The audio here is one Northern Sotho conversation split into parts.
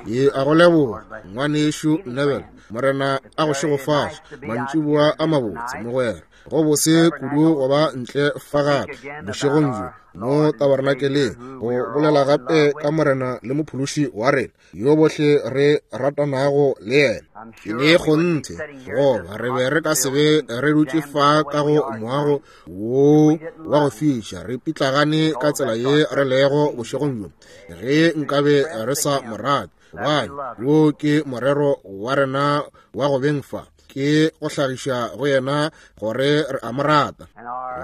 Ke a go leboga, Ngwanešu Neville. Morena a go šegofatše. Mantšiboa a mabotse, mogwera. Go bose kudu go ba ntle fa gape bošegong bjo mo tabernakeleng, go bolela gape ka Morena le Mophološi wa rena, yo bohle re ratanago le yena. Ke ne kgonthe goba re be re ka se be re dutše fa ka go moago wo wa go fiša, re pitlagane ka tsela ye re lego bošegong bjo, ge nkabe re sa mo rate. Gobane wo ke morero wa rena wa go beng fa, ke go hlagiša go yena gore re a mo rata.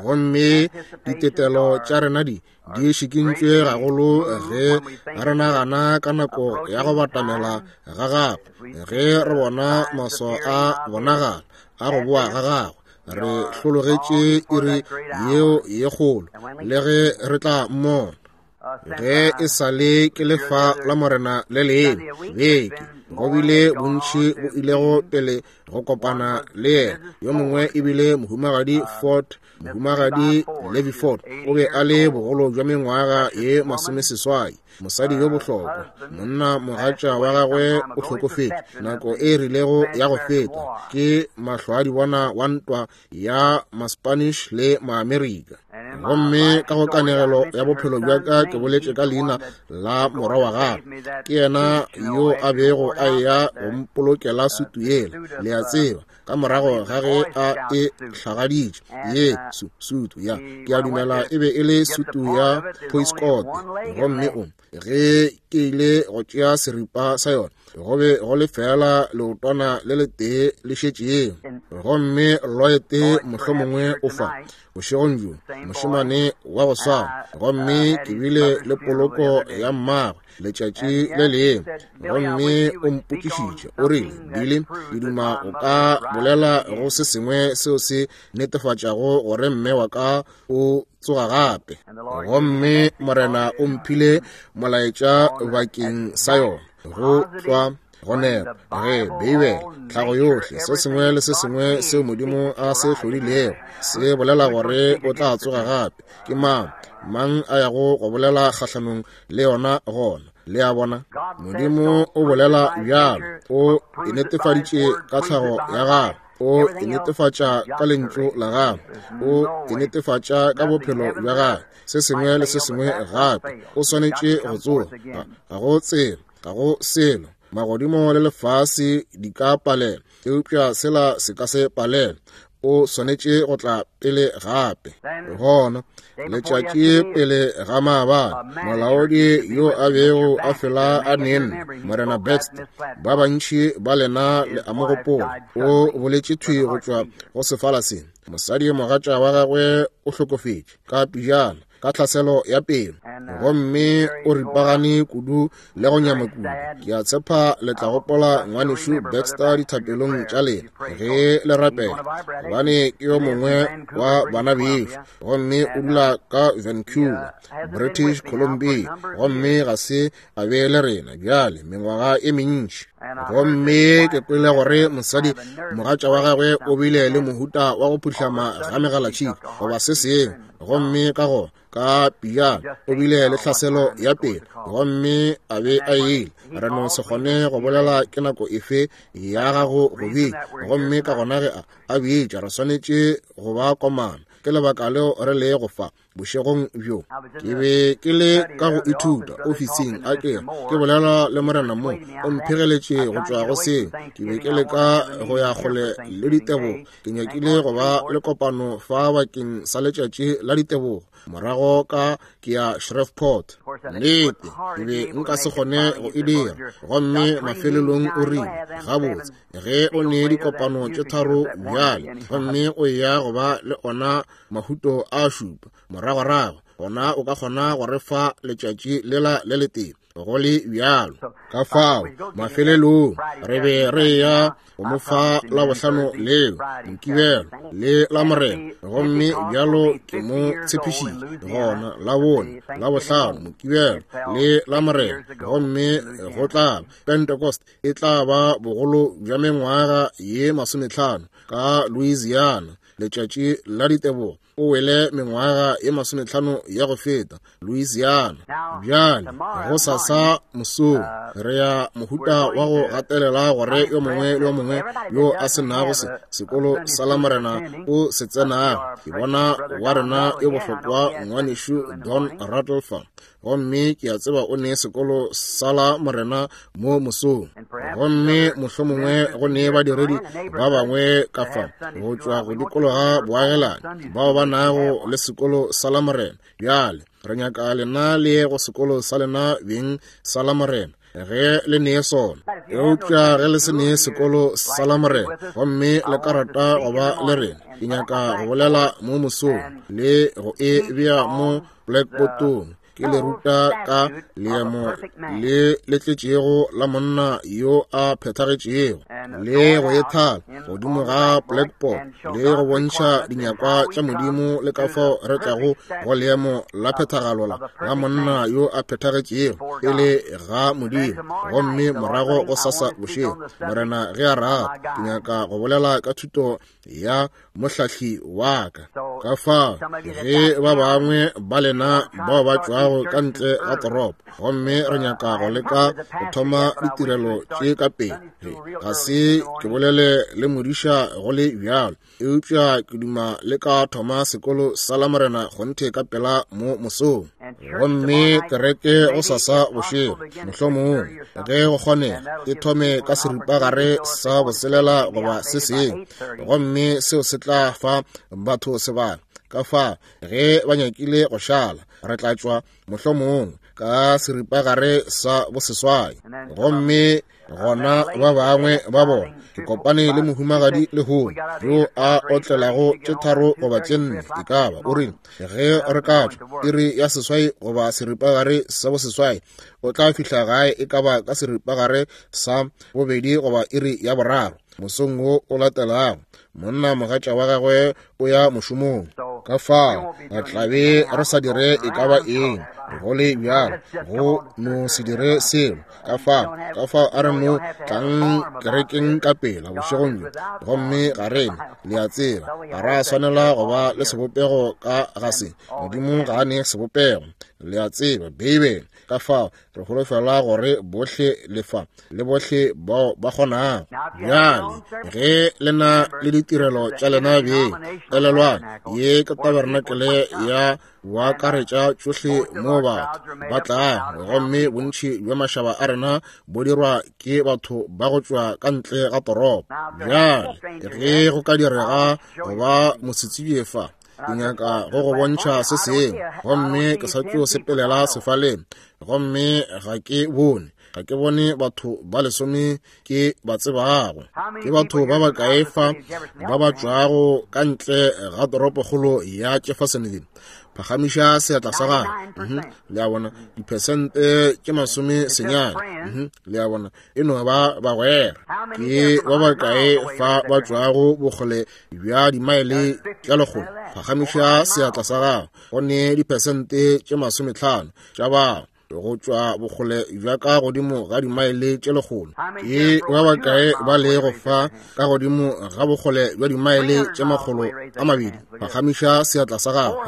Gomme ditetelo tša rena di di šikintšwe gagolo ge re nagana ka nako ya go batamela ga gagwe, ge re bona maswao a bonagala a go boa ga gagwe. Re hlologetše iri yeo ye kgolo, le ge re tla mmona. Ge e sa le ke lefa la Morena le lengwe beke, go bile bontši bo ilego pele go kopana le yena. Yo mongwe e bile Mohumagadi Ford, Mohumagadi Levi Ford. O be a le bogolo bja mengwaga ye masomeseswai, mosadi yo bohlokwa. Monna mogatša wa gagwe o hlokofetše nako e rilego ya go feta, ke mahlwaadibona wa ntwa ya Maspanish le Maamerika. Gomme ka go kanegelo ya bophelo bja ka ke boletše ka leina la morwa wa gagwe. Ke yena yo a bego a eya go mpolokela sutu yela, le a tseba, ka morago ga ge a e hlagaditše ye su, sutu ya, ke a dumela e be e le sutu ya poiskote. Gomme o, ge ke ile go tšea seripa sa yona, go be go le fela leotwana le letee le šetšego. Gomme Lloyd mohlomongwe o fa bošegong bjo, mošemane wa go swana. Gomme ke bile le poloko ya mmagwe letšatši le lengwe, gomme o mpotšišitše, o rile, Billy, ke duma o ka bolela go se sengwe seo se netefatšago gore mme wa ka o tsoga gape. Gomme Morena o mphile molaetša bakeng sa yona, go tlwa go nepa ge Beibele, tlhago yohle, se sengwe le se sengwe seo Modimo a se hlodilego se bolela gore o tla tsoga gape. Ke mang mang a yago go bolela kgahlanong le yona gona? Le a bona, Modimo o bolela bjalo, o e netefaditše ka tlhago ya gagwe, o e netefatša ka lentšu la gagwe, o e netefatša ka bophelo bja gagwe, se sengwe le se sengwe gape. O swanetše go tsoga. Ga go tsela, ga go selo. Magodimo le lefase di ka palela, eupša sela se ka se palela. O swanetše go tla pele gape. Gona letšatši pele ga maabane, molaodi yo a bego a fela a nenne, Morena Baxter, ba bantši ba lena le a mo gopola, o boletše thwi go tšwa go sefala se. Mosadi mogatša wa gagwe o hlokofetše ka pejana ka tlhaselo ya pelo, gomme o ripagane kudu le go nyama kudu. Ke a tshepa le tla gopola Ngwanešu Baxter dithapelong tša lena ge le rapela, gobane ke yo mongwe wa bana bešo, gomme o dula ka Vancouver, British Columbia, gomme ga se a be le rena bjale mengwaga e mentši. Gomme ke kwele gore mosadi mogatša wa gagwe o bile le mohuta wa go phuhlama ga megalatšhika goba se sengwe, gomme ka go ka pijana o bile le tlhaselo ya pelo, gomme a be a ile. Re no se kgone go bolela ke nako efe ya gago go bitša, gomme ka gona ge a bitša re swanetše go ba komana. Ke lebaka leo re le go fa bošegong bjo. Ke be ke le ka go ithuta ofising, a ke ke bolela le Morena mo, o mphegeletše go tšwa go seo. Ke be ke leka go ya kgole le ditebogo. Ke nyakile go ba le kopano fa bakeng sa letšatši la ditebogo, morago ka ke ya Shreveport. Nnete, ke be nka se kgone go e dira. Gomme mafelelong o rile, Gabotse, ge o ne dikopano tše tharo bjale, gomme o eya go ba le ona mahuto a šupa moragorago, gona o ka kgona go re fa letšatši lela le letee go le bjalo. Ka fao mafelelong re be re ya go mo fa Labohlano leo, Mokibelo le Lamorena, gomme bjalo ke mo tshepišitše gona Labone, Labohlano, Mokibelo le Lamorena, gomme go tla Pentecost e tla ba bogolo bja mengwaga ye 50 ka Louisiana, letšatši la ditebogo. o wele mengwaga ye 50 ya go feta, Louisiana. Bjale, gosasa mosong, re ya mohuta wa go gatelela gore yo mongwe le yo mongwe yo a se nago se sekolo sa Lamorena o se tsenago. Ke bona wa rena yo bohlokwa ngwanešu Don Rattleford, gomme ke a tseba o ne sekolo sa Lamorena mo mosong. Gomme mohlomongwe go ne badiredi ba bangwe ka fa go tšwa go dikologa boagelani bao ba nago le sekolo sa Lamorena. Bjale re nyaka lena le ye go sekolo sa lena beng sa Lamorena ge le nee sona. Eupša ge le se nee sekolo sa Lamorena gomme le ka rata go ba le rena, ke nyaka go bolela mo mosong le go e bea mo blackboardong, ke le ruta ka leemo le le tletšego la monna yo a phethagetšego, le go e thala godimo ga blackboard le go bontšha dinyakwa tša Modimo le ka fao re tlago go leemo la phethagalo la monna yo a phethagetšego pele ga Modimo. Gomme morago go sasa bošego, Morena ge a rata, ke nyaka go bolela ka thuto ya mohlahli wa ka. Ka fao ge ba bangwe ba lena bao ba tšwago ka ntle ga toropo, gomme re nyaka go leka go thoma ditirelo tše ka pele, ga se ke bolele le modiša go le bjalo, eupša ke duma le ka thoma sekolo sa Lamorena kgonthe ka pela mo mosong. Gomme kereke go sasa bošego, mohlomongwe ge go kgonega, e thome ka seripagare sa boselela goba se sengwe, gomme seo se tla fa batho sebaka. Ka fa ge ba nyakile go šala, re tla tšwa mohlomongwe ka seripagare sa boseswai. Gomme gona ba bangwe ba bona, ke kopane le mohumagadi lehono yo a otlelago tše 3 goba tše 4, e ka ba, o rile ge re ka tšwa iri ya 8 goba seripagare sa boseswai, o tla fihla gae e ka ba ka seripagare sa 2 goba iri ya 3 mosong wo o latelago. Monna mogatša wa gagwe o ya mošomong, ka fao re tla be re sa dire e ka ba eng go le bjalo, go no se dire selo. Ka fao a re no tlang kerekeng ka pela bošegong bjo. Gomme ga rena, le a tseba, ga ra swanela go ba le sebopego ka ga se. Modimo ga a ne sebopego, le a tseba, Beibele. Ka fao re holofela gore bohle le fa le bohle bao ba kgonago. Bjale ge le na le ditirelo tša lena beng, elelwang ye ke tabernakele ya boakaretša tšohle mo batho ba tlago, gomme bontši bja mašaba a rena bo dirwa ke batho ba go tšwa ka ntle ga toropo. Bjale ge go ka direga go ba mosetsebje fa, ke nyaka go go bontšha se sengwe, gomme ke sa tšo sepelela sefaleng, gomme ga ke bone batho ba 10 ke ba tsebago. Ke batho ba bakae fa ba ba tšwago ka ntle ga toropokgolo ya Jeffersonville? Phagamiša seatla sa gago. Le a bona, diphesente tše 90. Le a bona, e no ba bagwera. Ke ba bakae fa ba tšwago bokgole bja dimaele tša 100? Phagamiša seatla sa gago. Go ne diphesente tše 50 tša bao go tšwa bokgole bja ka godimo ga dimaele tše 100. Ke ba bakae ba lego fa ka godimo ga bokgole bja dimaele tše 200? Phagamiša seatla sa gago.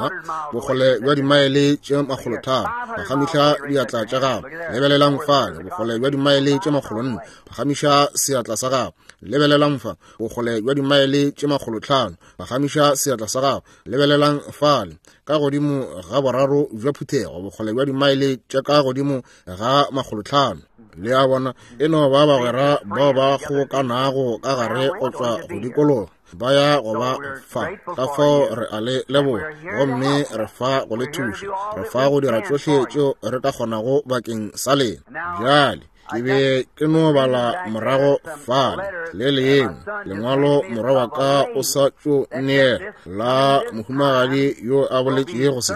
Bokgole bja dimaele tše 300. Phagamiša diatla tša gago. Lebelelang fale, bokgole bja dimaele tše 400. Phagamiša seatla sa gago. Lebelelang fa, bokgole bja dimaele tše 500. Phagamiša seatla sa gago. Lebelelang fale, ka godimo ga boraro bja phuthego, bokgole bja dimaele tša ka godimo ga 500. Le a bona, e no ba bagwera bao ba kgobokanago ka gare go tšwa go dikologa, ba ya go ba fa. Ka fao re a le leboga, gomme re fa go le thuša, re fa go dira tšohle tšeo re ka kgonago bakeng sa lena. Bjale ke be ke no bala morago fale le lengwe lengwalo morwa wa ka o sa tšo neela la mohumagadi yo a boletšego se,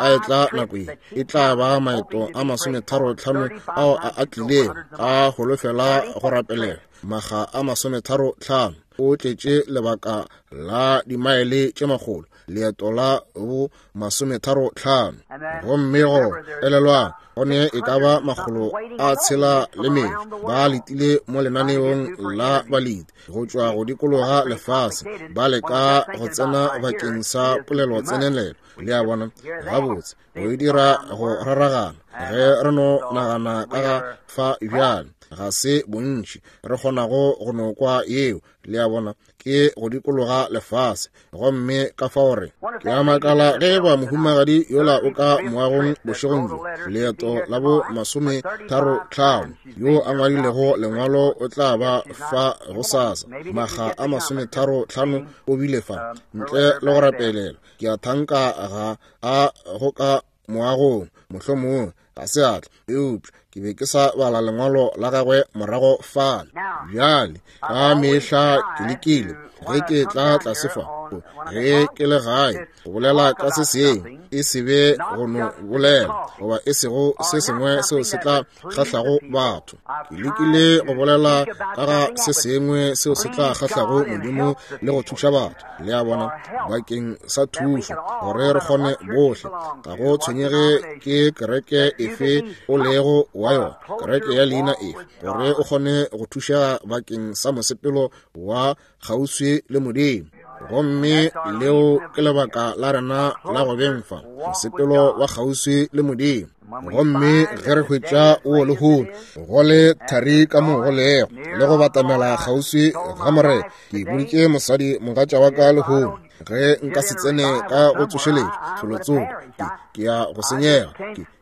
a etla nako ye e tla ba maeto a 35 ao a atlilego a holofela go rapelela maga a 35. O tletše lebaka la dimaele tše 100, leeto la bo 35. Gomme go elelwang Go ne e ka ba 600 ba letile mo lenaneong la baleti go tšwa go dikologa lefase, ba leka go tsena bakeng sa polelo tsenelelo. Le a bona? Gabotse, go e dira go raragana ge re no nagana ka ga fa bjale. Ga se bontši re kgonago go no kwa yeo. Le a bona? Ke go dikologa lefase. Gomme ka fao re ke a makala ge eba mohumagadi yola o ka moagong bošegong bjo, leeto la bo 35, yo a ngwadilego lengwalo o tla ba fa gosasa, makga a 35 o bile fa ntle le go rapelela. Ke a thanka ga a go ka moagong, mohlomongwe ga se a tla, eupša ke be ke sa bala lengwalo la gagwe morago fale. Bjale ka mehla ke lekile ge ke tla tlase fa, ge ke le gae, go bolela ka se sengwe, e se be go no bolela goba e sego se sengwe seo se tla kgahlago batho. Ke lekile go bolela ka ga se sengwe seo se tla kgahlago Modimo le go thuša batho, le a bona, bakeng sa thušo, gore re kgone bohle. Ga go tshwenyege ke kereke efe o lego wa yona, kereke ya leina efe, gore o kgone go thušega bakeng sa mosepelo wa kgauswi le Modimo. Gomme leo ke lebaka la rena la go beng fa, mosepelo wa kgauswi le Modimo. Gomme ge re hwetša o lehono go le thari ka mo go lego le go batamela kgauswi ga Morena, ke boditše mosadi mogatša wa ka lehono, ge nka se tsene ka go tsošeletšo felotsoko, ke ya go senyega.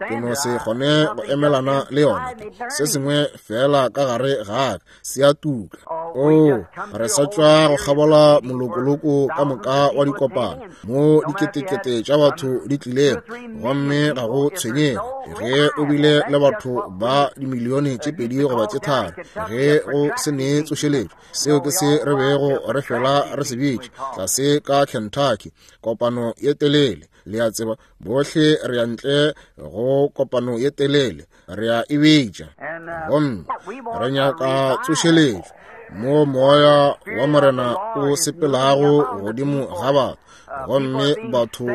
Ke no se kgone go emelana le yona. Se sengwe feela ka gare ga ka se a tuka. Oo, re sa tšwa go kgabola molokoloko ka moka wa dikopano mo diketekete tša batho di tlilego, gomme ga go tshwenyege ge o bile le batho ba dimilione tše 2 goba tše 3, ge go se ne tsošeletšo. Seo ke se re bego re fela re se bitša tlase ka Kentucky, kopano ye telele. Le a tseba, bohle re ya ntle go kopano ye telele, re a e bitša. Gomme re nyaka tsošeletšo mo moya wa Morena o sepelago godimo ga batho, gomme batho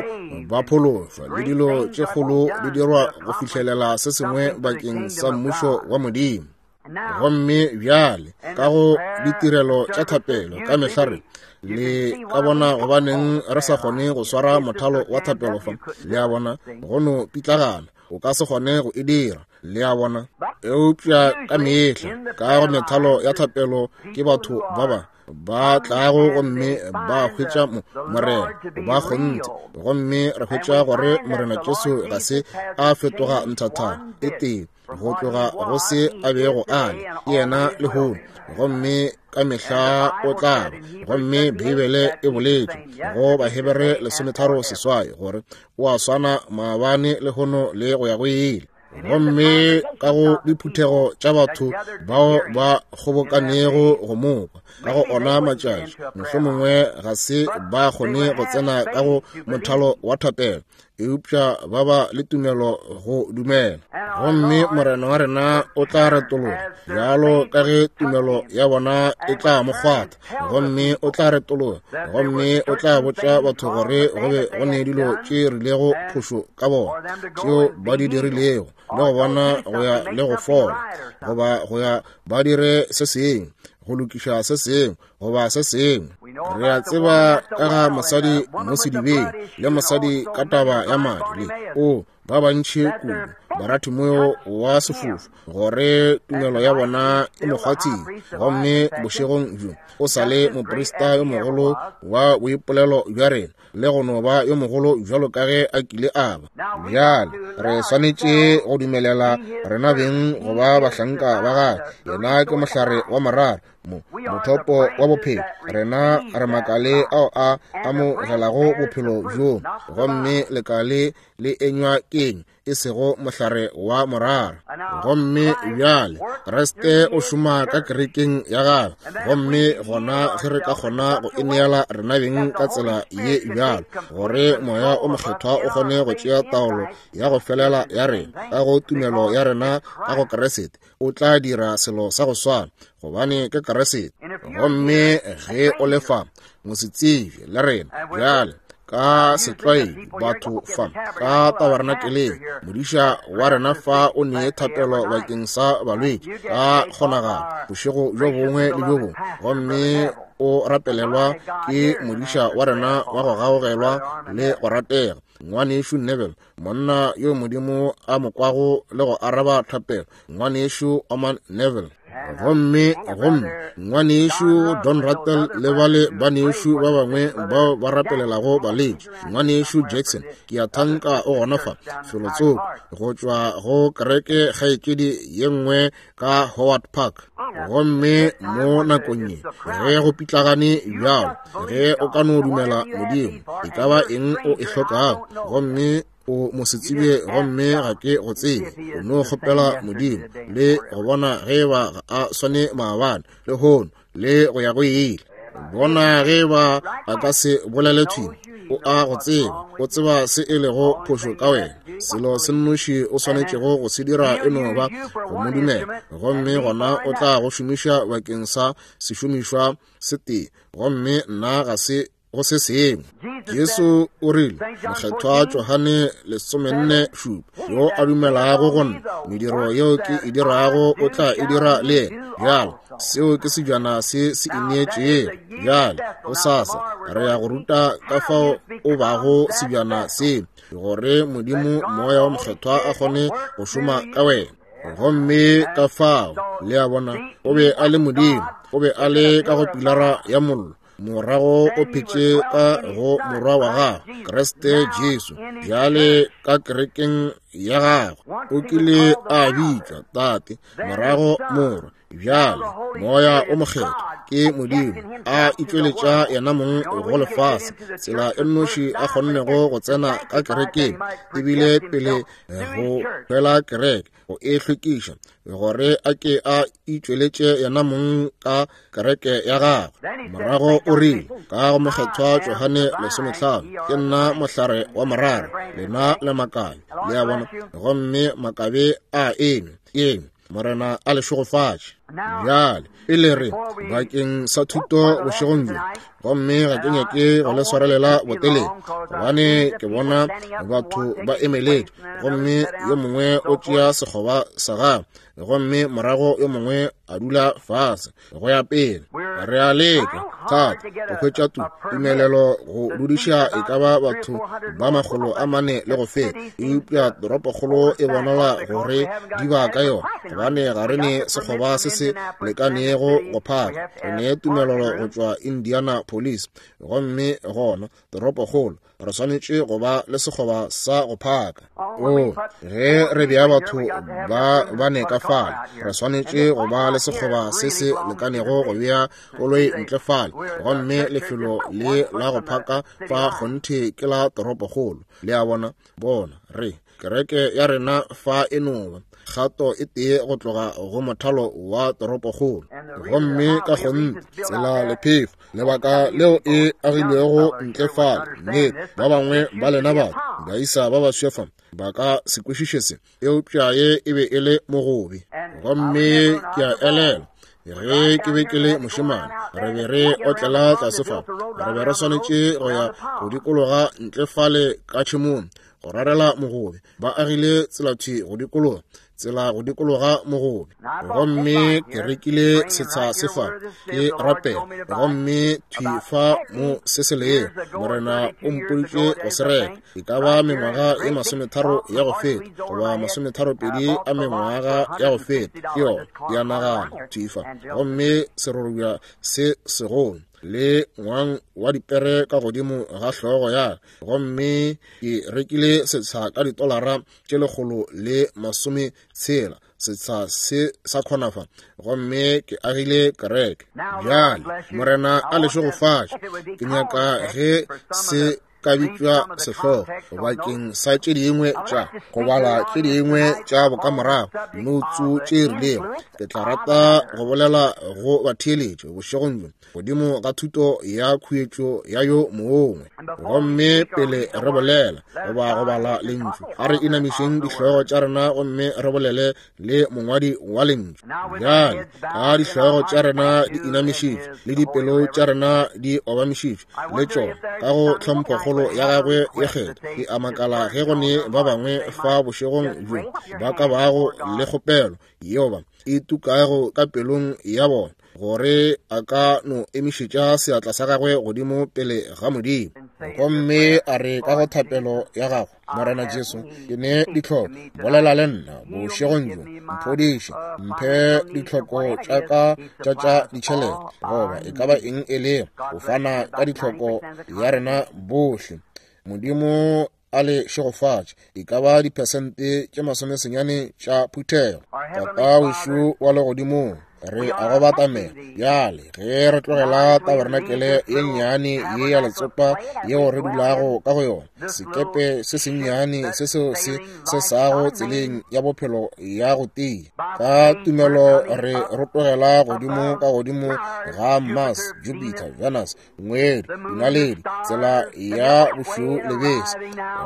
ba phološwa, le dilo tše kgolo di dirwa go fihlelela se sengwe bakeng sa mmušo wa Modimo. Gomme bjale ka go ditirelo tša thapelo ka mehla re le ka bona gobaneng re sa kgone go swara mothalo wa thapelo fa. Le a bona, go no pitlagana, o ka se kgone go e dira. Le a bona? Eupša ka mehla ka go methalo ya thapelo ke batho ba ba ba tlago gomme ba hwetša Morena ba kgonthe, gomme re hwetša gore Morena Jesu ga se a fetoga nthathana e tee go tloga go se a bego a le, ke yena lehono gomme ka mehla o tla ba. Gomme Beibele e boletše go Bahebere 13:8 gore o a swana maabane, lehono le go ya go ile. Gomme ka go diphuthego tša batho bao ba kgobokanego go mokwa ka go ona matšatši, mohlomongwe ga se ba kgone go tsena ka go mothalo wa thapelo, eupša ba ba le tumelo go dumela. Gomme Morena wa rena o tla retologa bjalo ka ge tumelo ya bona e tla mo kgwatha, gomme o tla retologa gomme o tla botša batho gore go be go ne dilo tše rilego phošo ka bona tšeo ba di dirilego, le go bona go ya le go fola, goba go ya ba dire se sengwe, go lokiša se sengwe goba se sengwe. Re a tseba ka ga mosadi mo sedibeng, le mosadi ka taba ya madi, le o ba bantši kudu Baratimeyo wa sefofu, gore tumelo ya bona e mo kgwathile. Gomme bošegong bjo o sa le moprista yo mogolo wa boipolelo bja rena, le go no ba yo mogolo bjalo ka ge a kile a ba. Bjale re swanetše go dumelela rena beng go ba bahlanka ba gagwe. Yena ke mohlare wa morara, mothopo wa bophelo. Rena re makale ao a amogelago bophelo bjo, gomme lekale le enywa keng e sego mohlare wa morara. Gomme bjale Kriste o šoma ka kerekeng ya gagwe, gomme gona ge re ka kgona go ineela rena beng ka tsela ye bjalo, gore Moya o Mokgethwa o kgone go tšea taolo ya go felela ya rena ka go tumelo ya rena ka go Kriste, o tla dira selo sa go swana, gobane ke Kriste. Gomme ge o le fa, mosetsebje le rena bjale. Ka setlwaedi batho fa ka tabernakeleng, modiša wa rena fa o nee thapelo bakeng sa balwetši ka kgonagalo bošego bjo bongwe le bjo bongwe, gomme o rapelelwa ke modiša wa rena wa go gaogelwa le go ratega, Ngwanešu Neville, monna yo Modimo a mo kwago le go araba thapelo, Ngwanešu Orman Neville. Gomme, gomme Ngwanešu Don Rattle le bale banešu ba bangwe bao ba rapelelago balwetši, Ngwanešu Jackson, ke a thanka o gona fa felotsoko go tšwa go kereke kgaetšedi ye nngwe ka Howard Park. Gomme mo nakong ye ge go pitlagane bjalo, ge o ka no dumela Modimo, e ka ba eng o e hlokago, gomme o mo se tsebe gomme ga ke go tsebe, o no kgopela Modimo le go bona ge ba ga a swane maabane lehono le go ya go ile. Bona ge ba a ka se bolele thwi, o a go tseba, o tseba se e lego phošo ka wena. Selo se nnoši o swanetšego go se dira e no ba go mo dumela, gomme gona o tla go šomiša bakeng sa sešomišwa se tee, gomme nna ga se go se sengwe. Jesu o rile, Mokgethwa Johane 47, yo a dumelago go nna, mediro yeo ke e dirago o tla e dira le yena. Bjale, seo ke sejana se se ineetšego. Bjale, gosasa re ya go ruta ka fao o bago sejana se, gore Modimo Moya wa Mokgethwa a kgone go šoma ka wena. Gomme ka fao, le a bona, o be a le Modimo, o be a le ka go pilara ya mollo, morago o phetše ka go morwa wa gagwe Kriste Jesu, bjale ka kerekeng ya gagwe. O kile a bitšwa Tate, morago Morwa, bjale Moya o Mokgethwa. Ke Modimo a itšweletša yena mong go lefase. Tsela e nnoši a kgonnego go tsena ka kerekeng ebile pele go hwela kereke, go e hlwekiša, gore a ke a itšweletše yena mong ka kereke ya gagwe. Morago o rile ka go Mokgethwa Johane 15, ke nna mohlare wa morara, lena le makabe. Le a bona? Gomme makabe a eme, eme. Morena a le šegofatše. Bjale, pele re bakeng sa thuto bošegong bjo, gomme ga ke nyake go le swarelela botelele, gobane ke bona batho ba emeletše, gomme yo mongwe o tšea sekgoba sa gagwe, gomme morago yo mongwe a dula fase go ya pele. Re a leka thata go hwetša tumelelo go dudiša e ka ba batho ba 400 le go feta, eupša toropokgolo e bonala gore di ba ka yona, gobane ga re ne sekgoba se se lekanego go phaka. Re ne tumelelo go tšwa Indianapolis, gomme gona toropokgolo re swanetše go ba le sekgoba sa go phaka. O, ge re bea batho ba bane ka fale, re swanetše go ba le sekgoba se se lekanego go bea koloi ntle fale, gomme lefelo le la go phaka fa kgonthe ke la toropokgolo. Le a bona? Bona, re kereke ya rena fa e no ba kgato e tee go tloga go mothalo wa toropokgolo, gomme ka kgonthe tsela lephefo, lebaka leo e agilwego ntle fale. Nnete, ba bangwe ba lena batho baisa ba baswa fa ba ka se kwešiše se, eupša ye e be e le mogobe. Gomme ke a elelwa ge ke be ke le mošemane, re be re otlela tlase fa, re be re swanetše go ya go dikologa ntle fale ka tšhemong go rarela mogobe. Ba agile tselathwi go dikologa, tsela go dikologa mogobe. Gomme ke rekile setsha se fa, ke rapela, gomme thwi fa mo se se lego, Morena o mpoditše go se reka. E ka ba mengwaga ye 30 ya go feta, goba 32 a mengwaga ya go feta, ke yona, ke a nagana, thwi fa. Gomme serorobja se segolo le ngwang wa dipere ka godimo ga hlogo ya ka, gomme ke rekile setsha ka ditolara tše 160, setsha se sa kgonafa, gomme ke agile kereke. Bjale Morena a le šegofatše. Ke nyaka ge se ka bitšwa sehlogo bakeng sa tše dingwe tša go bala tše dingwe tša bokamorago noutsu tše rilego. Ke tla rata go bolela go batheeletšo bošegong bjo godimo ga thuto ya khuetšo ya yo mongwe. Gomme pele re bolela goba go bala lentšu, a re inamišeng dihlogo tša rena gomme re bolele le mongwadi wa lentšu. Bjale ka dihlogo tša rena di inamišitšwe le dipelo tša rena di obamišitšwe le tšona ka go tlhomphokgolo ya gagwe ye kgethwa, ke a makala ge go ne ba bangwe fa bošegong bjo ba ka bago le kgopelo yeo ba e tukago ka pelong ya bona, gore a ka no emišetša seatla sa gagwe godimo pele ga Modimo gomme a re ka go thapelo ya gagwe, Morena Jesu, ke ne ditlhoko, bolela le nna bošegong bjo, mphodiše, mphe ditlhoko tša ka tša tša ditšhelete, goba e ka ba eng e lego, o fana ka ditlhoko ya rena bohle. Modimo a le šegofatše, e ka ba diphesente tše 90 tša phuthego. Tata wešo wa legodimong, re a go batamela bjale ge re tlogela tabernakele ye nnyane ye ya letsopa yeo re dulago ka go yona, sekepe se sennyane se seo se se sago tseleng ya bophelo ya go tia. Ka tumelo re rotogela godimo ka godimo ga Mars, Jupiter, Venus, ngwedi, dinaledi, tsela ya bošweu le bese,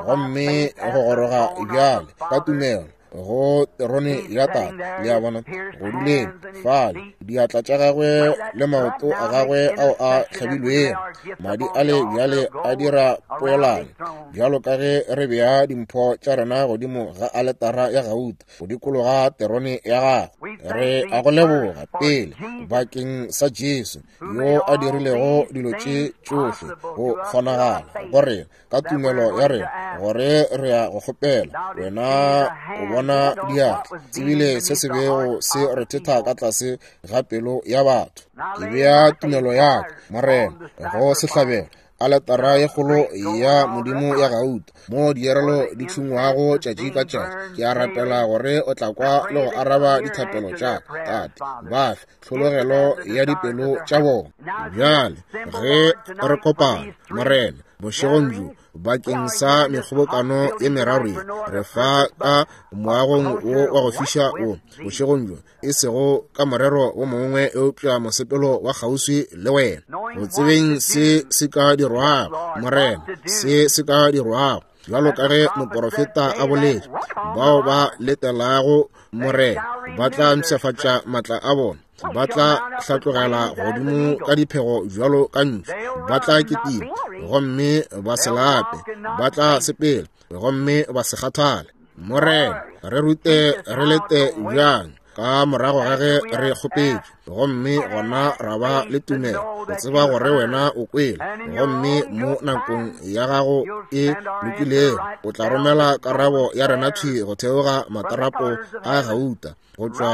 gomme go goroga bjale ka tumelo go terone ya Tate. Le a bona, go duleng fale, diatla tša gagwe le maoto a gagwe ao a hlabilwego, madi a le bjale a dira poelano, bjalo ka ge re bea dimpho tša rena godimo ga aletara ya gauta go dikologa terone ya gagwe. Re a go leboga pele bakeng sa Jesu yo a dirilego dilo tše tšohle go kgonagala go rena ka tumelo ya rena, gore re ya go kgopela wena o bona diatla, tsebile se se bego se rethetha ka tlase ga pelo ya batho. Ke bea tumelo ya ka, Morena, go sehlabelo aletara ye kgolo ya Modimo ya gauta, mo dierelo di tšhungwago tšatši ka tšatši. Ke a rapela gore o tla kwa le go araba dithapelo tša ka. Tate, ba fe tlhologelo ya dipelo tša bona. Bjale ge re kopana, Morena, bošegong bjo bakeng sa mekgobokano ye meraro ye, re fa ka moagong wo wa go fiša wo bošegong bjo, e sego ka morero wo mongwe eupša mosepelo wa kgauswi le wena, go tsebeng se se ka dirwago, Morena, se se ka dirwago, bjalo ka ge moporofeta a boletše, bao ba letelago Morena ba tla mpshafatša matla a bona, ba tla hlatlogela godimo ka diphego bjalo ka ntšu, ba tla kitima gomme ba se lape, ba tla sepela gomme ba se kgathale. Morena, re rute re lete bjang ka morago ga ge re kgopetše, gomme gona ra ba le tumelo go tseba gore wena o kwele, gomme mo nakong ya gago e lokilego o tla romela karabo ya rena thwi go theoga matarapo a gauta go tšwa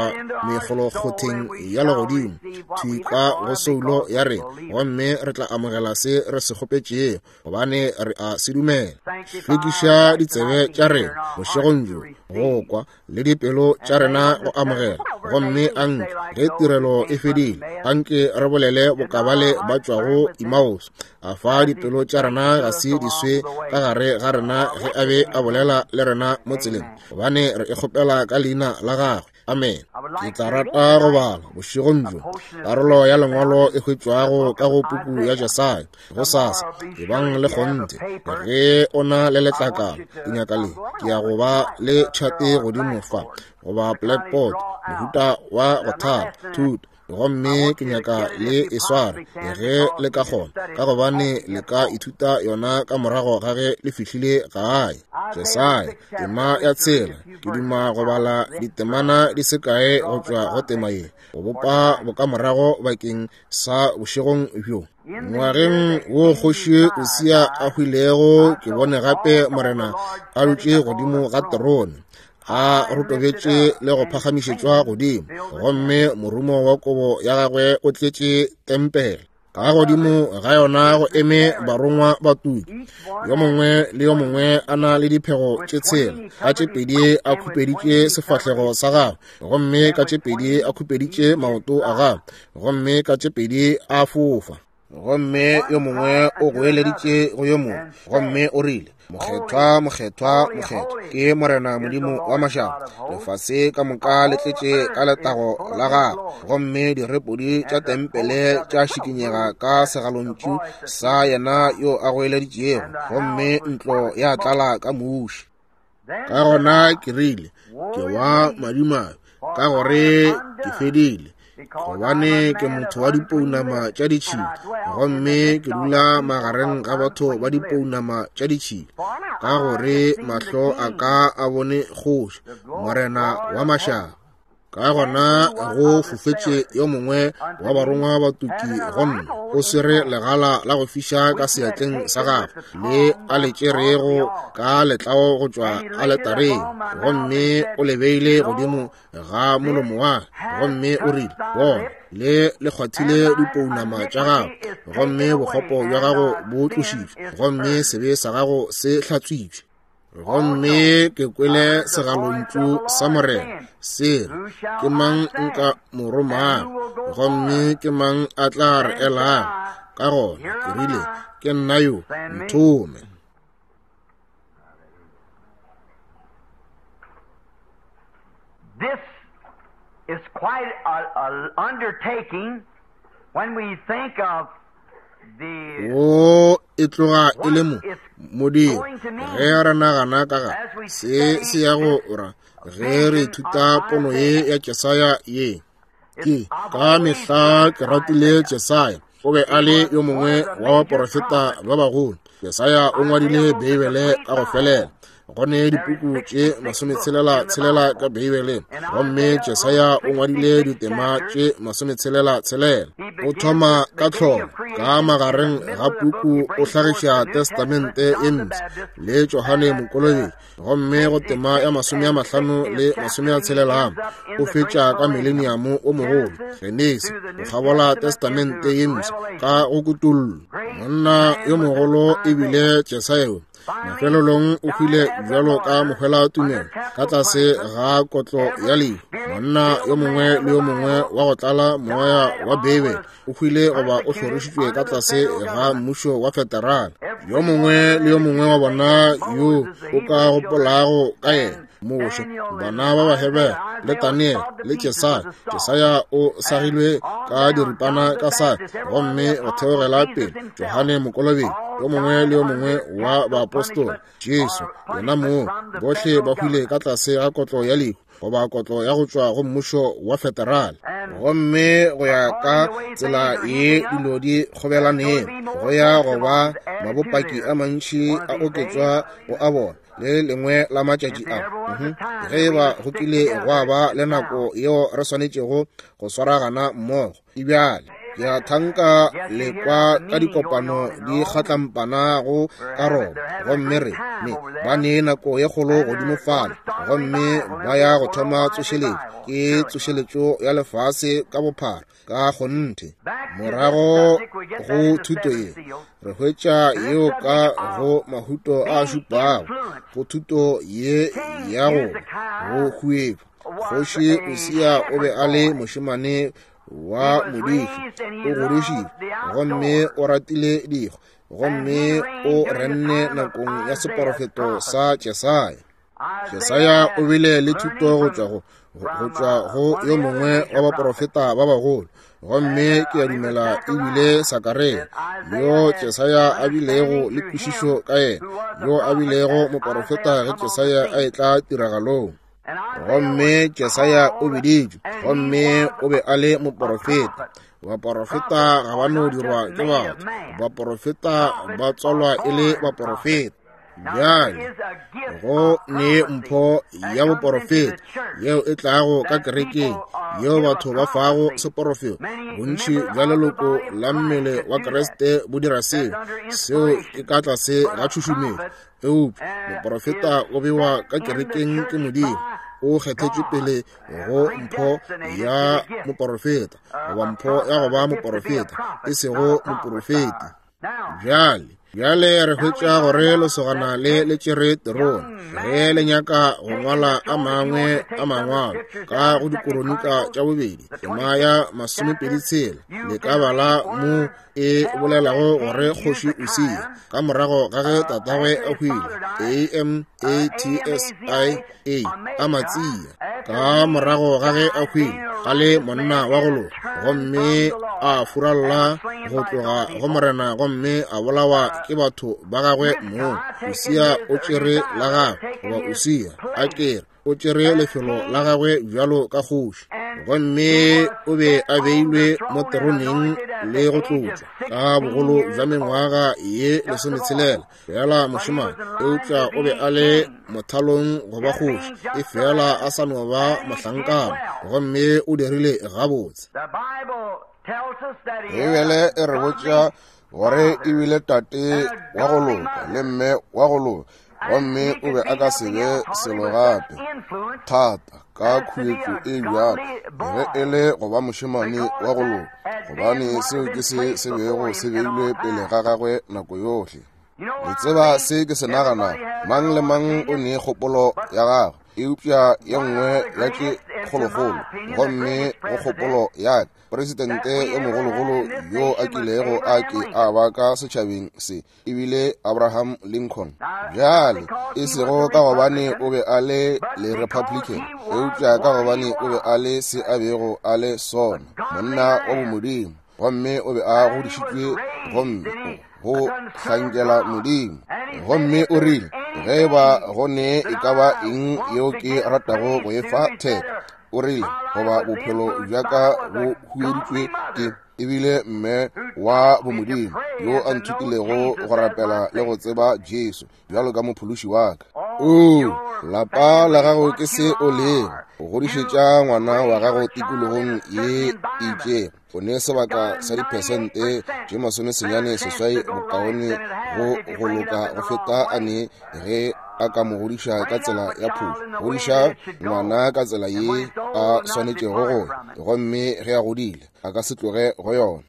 mekgolokgotheng ya legodimo thwi ka go soulo ya rena, gomme re tla amogela se re se kgopetšego, gobane re a se dumela. Hlwekiša ditsebe tša rena bošegong bjo go kwa, le dipelo tša rena go amogela, gomme anke ge tirelo e fedile, anke re bolele bokabale ba tšwago Emmaus. A fa dipelo tša rena ga se di swe ka gare ga rena ge a be a bolela le rena mo tseleng, gobane re e kgopela ka leina la gagwe. Amen. Ke tla rata go bala bošegong bjo karolo ya lengwalo e hwetšwago ka go puku ya Jesaya. Go sasa, ebang le kgonthe ge o na le letlakala, ke nyaka le, ke ya go ba le tšhate godimo fa, goba blackboard, mohuta wa go thala thuto, gomme ke nyaka le e sware ge le ka kgona, ka gobane le ka ithuta yona ka morago ga ge le fihlile gae. Jesaya tema ya 6, ke duma go bala ditemana di se kae go tšwa go tema ye, go bopa bokamorago bakeng sa bošegong bjo. Ngwageng wo kgoši Usia a hwilego, ke bone gape Morena a dutše godimo ga terone, a rotobetše le go phagamišetšwa godimo, gomme morumo wa kobo ya gagwe o tletše tempele. Ka godimo ga yona go eme barongwa ba tuki, yo mongwe le yo mongwe a na le diphego tše 6, ka tše 2 a khupeditše sefahlego sa gagwe, gomme ka tše 2 a khupeditše maoto a gagwe, gomme ka tše 2 a fofa. Gomme yo mongwe o goeleditše go yo mongwe, gomme o rile, Mokgethwa, mokgethwa, mokgethwa ke Morena Modimo wa mašaba. Lefase ka moka le tletše ka letago la gagwe. Gomme direpodi tša tempele tša šikinyega ka segalontšu sa yena yo a goeleditšego, gomme ntlo ya tlala ka muši. Ka gona ke rile, Ke wa madimabe, ka gore ke fedile, gobane ke motho wa dipounama tša ditšhila, gomme ke dula magareng ga batho ba dipounama tša ditšhila, ka gore mahlo a ka a bone kgoši, Morena wa mašaba. Ka gona go fofetše yo mongwe wa barongwa ba tuki go nna, o swere legala la go fiša ka seatleng sa gagwe, le a le tšerego ka letlao go tšwa aletareng, gomme o le beile godimo ga molomo wa gomme o rile, Bona, le le kgwathile dipounama tša gago, gomme bokgopo bja gago bo tlošitšwe, gomme sebe sa gago se hlatswitšwe. Gomme ke kwele segalontšu sa Morena se re, Ke mang nka mo romago, gomme ke mang a tla re elago? Ka gona ke rile, Ke nna yo, nthome. This is quite an undertaking when we think of Wo e tloga e le mo modiro ge re nagana ka ga se se ya go ra ge re ithuta pono ye ya Jesaya ye. Ke ka mehla ke ratile Jesaya, o be a le yo mongwe wa baporofeta ba bagolo. Jesaya o ngwadile Beibele ka go felela. Go ne dipuku tše masometshelela-tshelela ka Beibeleng, gomme Jesaya o ngwadile ditema tše masometshelela-tshelela. O thoma ka tlholo, ka magareng ga puku o hlagiša Testamente e Mpsha le Johane Mokolobetši, gomme go tema ya 50 le 60 o fetša ka mileniamo o mogolo, Genesi, go kgabola Testamente ye Mpsha ka go kutollo. Monna yo mogolo e bile Jesaya. Mafelelong o hwile bjalo ka mohwela-tumelo ka tlase ga kotlo ya lehu. Monna yo mongwe le yo mongwe wa go tlala moya wa Beibele o hwile goba o hlorišitšwe ka tlase ga mmušo wa federale. Yo mongwe le yo mongwe wa bona yo o ka gopolago ka yena, Moshe, bana ba Bahebere, le Daniele, le Jesaya. Jesaya o sagilwe ka diripana ka saka, gomme go theogela pele Johane Mokolobetši, yo mongwe le yo mongwe wa baapostola, Jesu yena mong, bohle ba hwile ka tlase ga kotlo ya lehu goba kotlo ya go tšwa go mmušo wa federale. Gomme go ya ka tsela ye dilo di kgobelanego, go ya go ba mabopaki a mantši a oketšwa go a bona le lengwe la matšatši a. Ge e ba go kile gwa ba le nako yeo re swanetšego go swaragana mmogo, e bjale. Ke a thanka le kwa ka dikopano di kgatlampanago ka Roma, gomme re ne ba ne nako ye kgolo godimo fale, gomme ba ya go thoma tsošeletšo. Ke tsošeletšo ya lefase ka bophara, ka kgonthe. Morago go thuto ye, re hwetša yeo ka go mahuto a šupago, go thuto ye ya go go huetšwa. Kgoši Usia o be a le mošemane wa modiši, o godišitšwe gomme o ratile dikgwa, gomme o renne nakong ya seporofeto sa Jesaya. Jesaya o bile le thuto go tšwa go go tšwa go yo mongwe wa baporofeta ba bagolo, gomme ke a dumela e bile Sakaria, yo Jesaya a bilego le kwešišo ka yena, yo a bilego moporofeta ge Jesaya a etla tiragalong. Gomme Jesaya o biditšwe, gomme o be a le moporofeta. Baporofeta ga ba no dirwa ke batho, baporofeta ba tswalwa e le baporofeta. Bjale go ne mpho ya boporofeta yeo e tlago ka kerekeng, yeo batho ba fago seporofeto. Bontši bja leloko la mmele wa Kriste bo dira seo, seo ke ka tlase ga tšhušumetšo. Eupša moporofeta o bewa ka kerekeng ke Modimo, o kgethetšwe pele go mpho ya moporofeta, goba mpho ya go ba moporofeta, e sego moporofeti. Bjale Bjale re hwetša gore lesogana le le tšere terone ge le nyaka go ngwala a mangwe a mangwalo ka go Dikoronika tša bobedi tema ya 26, le ka bala mo e bolelago gore kgoši Usia ka morago ga ge tatagwe a hwile, A-M-A-T-S-I-A, Amatsia, ka morago ga ge a hwile a le monna wa go loka, gomme a furalla go tloga go Morena gomme a bolawa ke batho ba gagwe mong. Usia o tšere la gagwe, goba Usia a kere o tšere lefelo la gagwe bjalo ka kgoši, gomme o be a beilwe mo teroneng le go tlotšwa ka bogolo bja mengwaga ye 16 fela mošemane, eupša o be a le mothalong go ba kgoši, e fela a sa no ba mohlankana, gomme o dirile gabotse. Beibele e re botša gore e bile tate wa go loka le mme wa go loka, gomme o be a ka se be selo gape thata ka khuetšo e bjalo ge e le go ba mošemane wa go loka, gobane seo ke se se bego se beilwe pele ga gagwe nako yohle. Le tseba se ke se naganago, mang le mang o ne kgopolo ya gagwe, eupša ye nngwe ya tše kgolokgolo, gomme go kgopolo ya ka, presidente yo mogologolo yo a kilego a ke a ba ka setšhabeng se e bile Abraham Lincoln. Bjale, e sego ka gobane o be a le le Republican, eupša ka gobane o be a le se a bego a le sona, monna wa bomodimo, gomme o be a godišitšwe gomme go hlankela Modimo. Gomme o rile, ge e ba go ne e ka ba eng yeo ke ratago go e fa theko, o rile, goba bophelo bja ka bo hueditšwe ke, ebile mme wa bomodimo yo a nthutilego go rapela le go tseba Jesu bjalo ka mophološi wa ka. O, lapa la gago ke se o lego, o godišetša ngwana wa gago tikologong ye e itšego, o ne sebaka sa diphesente tše 98 bokaone go go loka go feta a ne ge a ka mo godiša ka tsela ya phošo. Godiša ngwana ka tsela ye a swanetšego go ya, gomme ge a godile a ka se tloge go yona.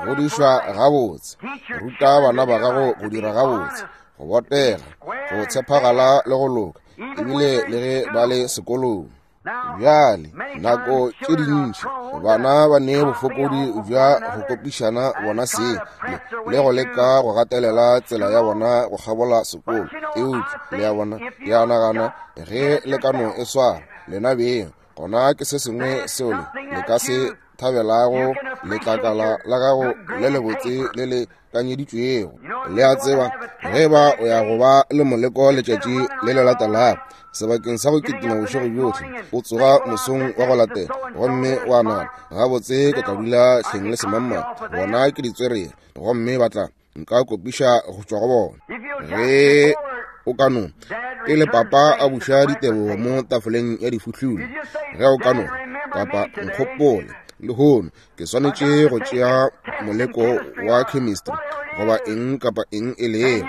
Godišwa gabotse, ruta bana ba gago go dira gabotse, go botega, go tshepagala le go loka, ebile le ge ba le sekolong. Bjale, nako tše dintši bana ba ne bofokodi bja go kopišana bona seng le go leka go gatelela tsela ya bona go kgabola sekolo, eupša le a bona, ke a nagana ge le ka no e swara lena beng, gona ke se sengwe seo le ka se thabelago, letlakala la gago le lebotse le le kanyeditšwego. Le a tseba, ge ba o ya go ba le moleko letšatši le le latelago, sebakeng sa go kitima bošego bjohle, o tsoga mosong wa go latela gomme wa nagana, gabotse ke tla dula hleng le semangmang, bona ke ditswerere, gomme ba tla nka kopiša go tšwa go bona. Ge o ka no, pele papa a buša ditebogo mo tafoleng ya difuhlula, ge o ka no, papa nkgopole lehono ke swanetše go tšea moleko wa chemistry goba eng kapa eng e lego,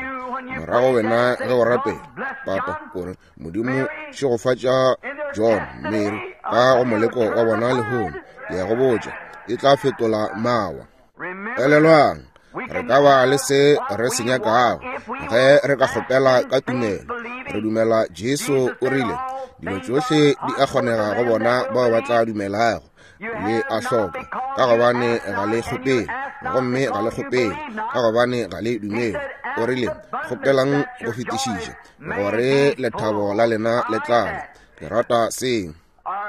morago wena ge o rapela, papa o re, Modimo šegofatša John, Mary ka go moleko wa bona lehono, ke ya go botša, e tla fetola mawa. Elelwang, re ka ba le se re se nyakago ge re ka kgopela ka tumelo. Re dumela Jesu o rile dilo tšohle di a kgonega go bona bao ba tla dumelago. Le a hloka ka gobane ga le kgopele, gomme ga le kgopele ka gobane ga le dumele. O rile kgopelang go fetišiša gore lethabo la lena le tlale. Ke rata seo.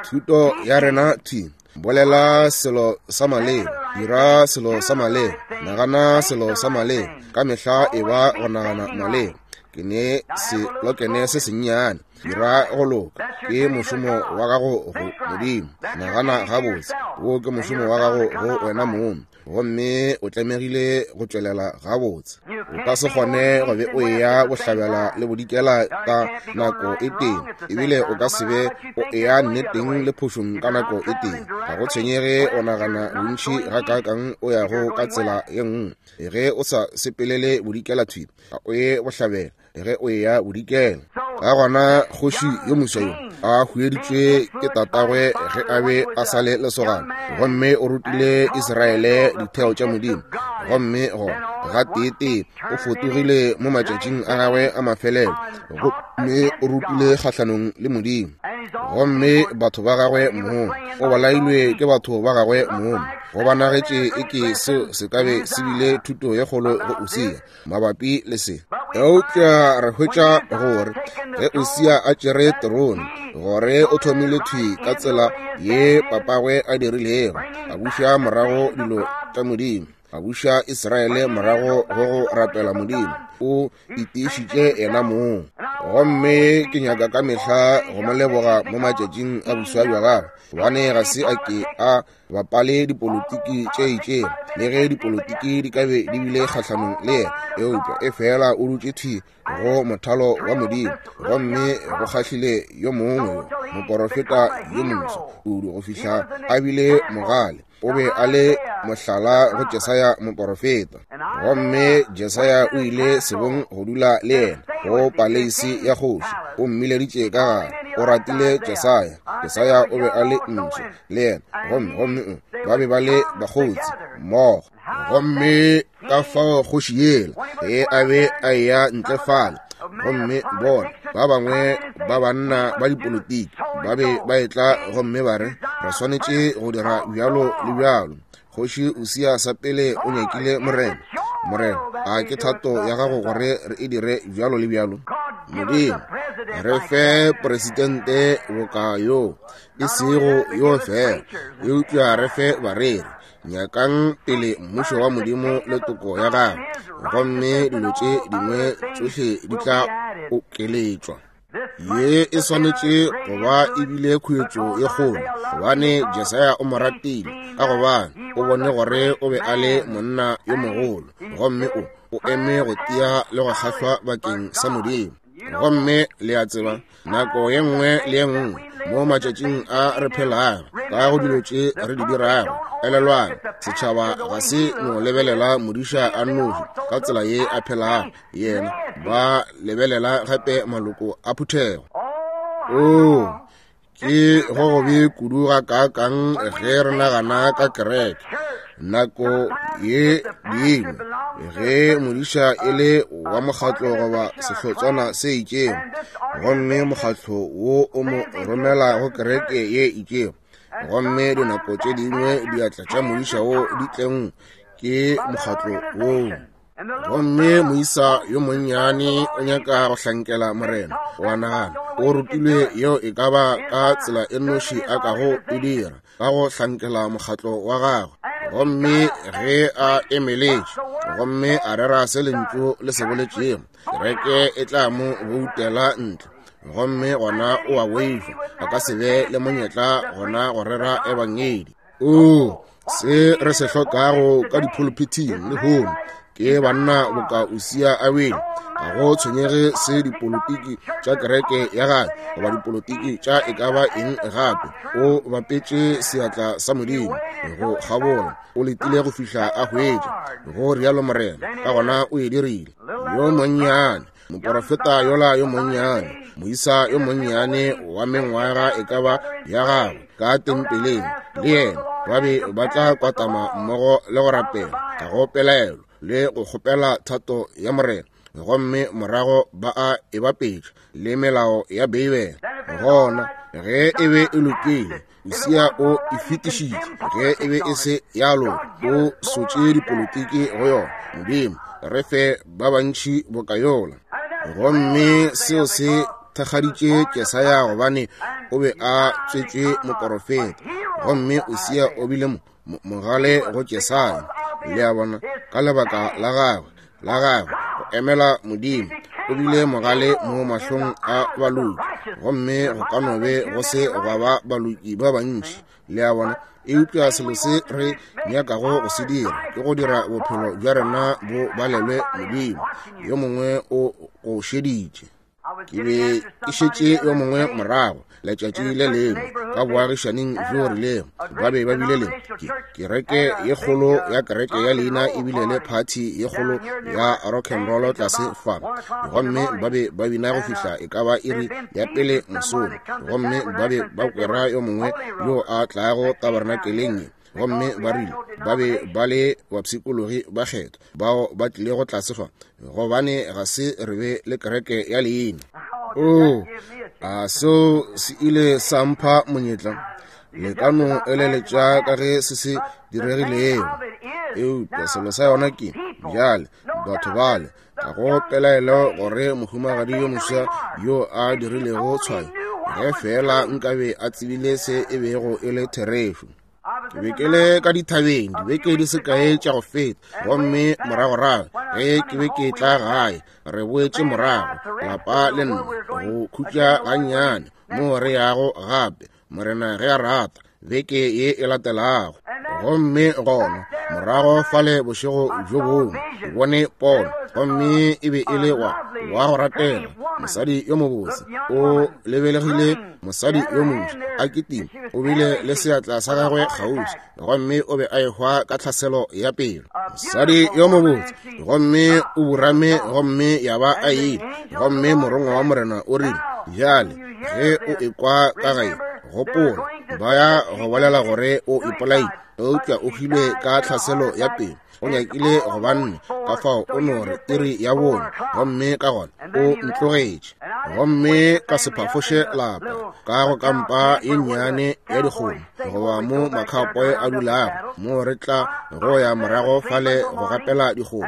Thuto ya rena thwi, bolela selo sa maleba, dira selo sa maleba, nagana selo sa maleba, ka mehla e ba go nagana maleba. Ke ne selokene se sennyane, dira go loka, ke mošomo wa gago go Modimo. Nagana gabotse, wo ke mošomo wa gago go wena mong, gomme o tlamegile go tšwelela gabotse. O ka se kgone go be o eya bohlabela le bodikela ka nako e tee, ebile o ka se be o eya nneteng le phošong ka nako e tee. Ga go tshwenyege o nagana bontši gakaakang o yago ka tsela ye nngwe, ge o sa sepelele bodikela thwi, ga o ye bohlabela ge o eya bodikela. Ka gona kgoši yo moswa yo a hueditšwe ke tatagwe ge a be a sa le lesogana, gomme o rutile Israele ditheo tša Modimo. Gomme gona gateetee o fotogile mo matšatšing a gagwe a mafelelo, gomme o rutile kgahlanong le Modimo. Gomme batho ba gagwe mong, o bolailwe ke batho ba gagwe mong. Go bonagetše e ke seo se ka be se bile thuto ye kgolo go Usia mabapi le se. Eupša re hwetša gore ge Usia a tšere terone, gore o thomile thwi ka tsela ye papagwe a dirilego, a buša morago dilo tša Modimo, a buša Israele morago go go rapela Modimo. O itiišitše yena mong. Gomme ke nyaka ka mehla go mo leboga mo matšatšing a boswa bja gagwe, gobane ga se a ke a bapale dipolotiki tše itšego, le ge dipolotiki di ka be di bile kgahlanong le yena, eupša efela o dutše thwi go mothalo wa Modimo. Gomme go kgahlile yo mongwe yo, moporofeta yo moswa kudu go fihla a bile mogale. O be a le mohlala go Jesaya moporofeta. Gomme Jesaya o ile sebong go dula le yena go paleisi ya kgoši. O mmileditše ka gare. O ratile Jesaya. Jesaya o be a le ntsho le yena, gomme gomme ba be ba le bakgotsi mmogo. Gomme ka fao kgoši yela ge a be a eya ntle fale, gomme bona ba bangwe ba banna ba dipolotiki ba be ba etla gomme ba re, re swanetše go dira bjalo le bjalo. Kgoši Usia sa pele o nyakile Morena. Morena, a ke thato ya gago gore re e dire bjalo le bjalo? Modimo, re fe presidente boka yo, e sego yo fela, eupša re fe bareri. Nyakang pele mmušo wa Modimo le toko ya gagwe, gomme dilo tše dingwe tšohle di tla okeletšwa. Ye e swanetše go ba e bile khuetšo ye kgolo, gobane Jesaya o mo ratile, ka gobane o bone gore o be a le monna yo mogolo, gomme o eme go tia le go kgahlwa bakeng sa Modimo. Gomme le a tseba, nako ye nngwe le ye nngwe mo matšatšing a re phelago ka go dilo tše re di dirago, elelwang, setšhaba ga se no lebelela modiša a nnoši ka tsela ye a phelago yena, ba lebelela gape maloko a phuthego. Oo, ke go gobe kudu gakaakang ge re nagana ka kereke nako ye dingwe ge modiša e le wa mokgatlo goba sehlotswana se itšego, gomme mokgatlo wo o mo romela go kereke ye itšego, gomme dinako tše dingwe diatla tša modiša wo di tlengwe ke mokgatlo woo. Gomme moisa yo monnyane o nyaka go hlankela Morena, o a nagana o rutilwe yeo e ka ba ka tsela e nnoši a kago e dira, ka go hlankela mokgatlo wa gagwe. Gomme ge a emeletše gomme a rera se lentšu le se boletšego, kereke e tla mo boutela ntle, gomme gona o a boifa a ka se be le monyetla gona go rera ebangedi. Oo, se re se hlokago ka dipholophithing lehono ke banna boka Usia a wele. Ga go tshwenyege se dipolotiki tša kereke ya gagwe goba dipolotiki tša e ka ba eng gape, o bapetše seatla sa Modimo go kgabola, o letile go fihla a hwetša go rialo Morena, ka gona o e dirile. Yo monnyane moporofeta yola yo monnyane, moisa yo monnyane wa mengwaga e ka ba ya gagwe ka tempeleng, le yena ba be ba tla kwatama mmogo le go rapela ka go pelaelo le go kgopela thato ya Morena, gomme morago ba a e bapetša le melao ya Beibele. Gona ge e be e lokile, Usia o e fetišitše. Ge e be e se ya loka, o sotše dipolotiki go yona. Modimo, re fe ba bantši boka yola. Gomme seo se thakgaditše Jesaya, gobane o be a tswetšwe moporofeta, gomme Usia o bile mogale go Jesaya, le a bona, ka lebaka la gagwe, la gagwe go emela Modimo. O bile mogale mo mahlong a baloki, gomme go ka no be go se gwa ba baloki ba bantši, le a bona. Eupša selo se re nyakago go se dira ke go dira bophelo bja rena bo balelwe Modimo. Yo mongwe o go šeditše. Ke be ke šetše yo mongwe morago letšatši le lengwe ka boagišaning bjo rilego, ba be ba bile le kereke ye kgolo ya kereke ya leina e bile le phathi ye kgolo ya rock and roll tlase fa, gomme ba be ba bina go fihla e ka ba iri ya pele mosong, gomme ba be ba kwera yo mongwe yo a tlago tabernakeleng ye. Gomme ba rile ba be ba le bapshikologi ba kgetho bao ba tlilego tlase fa, gobane ga se re be le kereke ya leina. Oo, a seo se ile sa mpha monyetla? Le ka no eleletša ka ge se se diregilego. Eupša selo sa yona ke, bjale, batho bale, ga go pelaelo gore mohumagadi yo moswa yo a dirilego tshwayo, ge feela nkabe a tsebile se e bego e le therešo. Ke be ke le ka dithabeng dibeke di se kae tša go feta, gomme moragorago ge ke be ke tla gae, re boetše morago lapa le nna go khutša gannyane moo re yago gape, Morena ge a rata, beke ye e latelago. Gomme gona morago fale bošego bjo bongwe ke bone pono, gomme e be e le wa wa go ratega, mosadi yo mobotse, o lebelegile mosadi yo moswa a kitima, o bile le seatla sa gagwe kgauswi, gomme o be a ehwa ka tlhaselo ya pelo. Mosadi yo mobotse, gomme o burame, gomme ya ba a ile. Gomme morongwa wa Morena o rile, Bjale ge o ekwa ka gae, gopola, ba ya go bolela gore o ipolaile, eupša o hwile ka tlhaselo ya pelo. O nyakile go ba nne, ka fao o no re iri ya bone, gomme ka gona o ntlogetše. Gomme ka se phafoše lapa ka go kampa ye nnyane ya dikgomo, goba mo makhaopoe a dulago, mo re tla go ya morago fale go gapela dikgomo.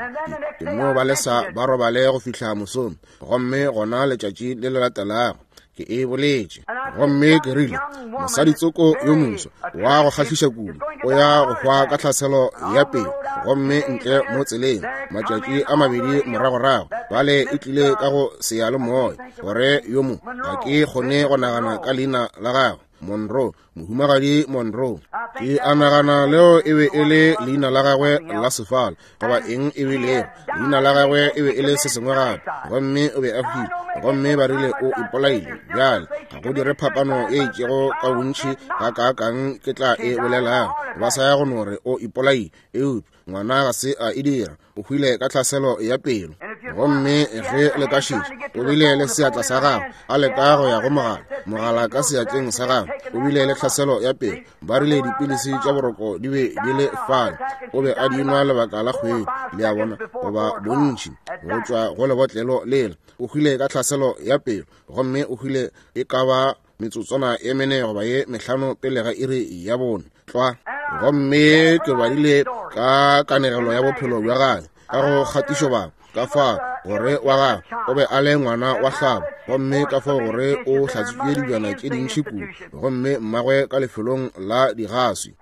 Ke no ba lesa ba robale go fihla mosong, gomme gona letšatši le le latelago ke e boletše. Gomme ke rile, mosadi tsoko yo moswa wa go kgahliša kudu o ya go hwa ka tlhaselo ya pelo, gomme ntle mo tseleng matšatši a mabedi moragorago bale e tlile ka go seyalemoya gore yo mo, ga ke kgone go nagana ka leina la gagwe, Monroe, mohumagadi Monroe. Ke a nagana leo e be e le leina la gagwe la sefala, goba eng e bilego leina la gagwe e be e le se sengwe gape. Gomme o be a hwile, gomme ba rile o ipolaile. Bjale ga go dire phapano e itšego ka bontši gakaakang ke tla e bolelago, ba sa ya go no re o ipolaile, eupša ngwana ga se a e dira, o hwile ka tlhaselo ya pelo. Gomme ge le ka šetša, o bile le seatla sa gagwe a leka go ya go mogala, mogala ka seatleng sa gagwe, o bile le tlhaselo ya pelo. Ba rile dipilisi tša boroko di be di le fale, o be a di nwa lebaka la kgwedi, le a bona, goba bontši, go tšwa go lebotlelo lela. O hwile ka tlhaselo ya pelo, gomme o hwile e ka ba metsotswana e mene goba ye mehlano pele ga iri ya bone tlwa. Gomme ke badile ka kanegelo ya bophelo bja gagwe ka go kgatišobaka, ka fa gore wa gagwe o be a le ngwana wa hlabo, gomme ka fao gore o hlatswitše dibjana tše dintši kudu, gomme mmagwe ka lefelong la digaswi,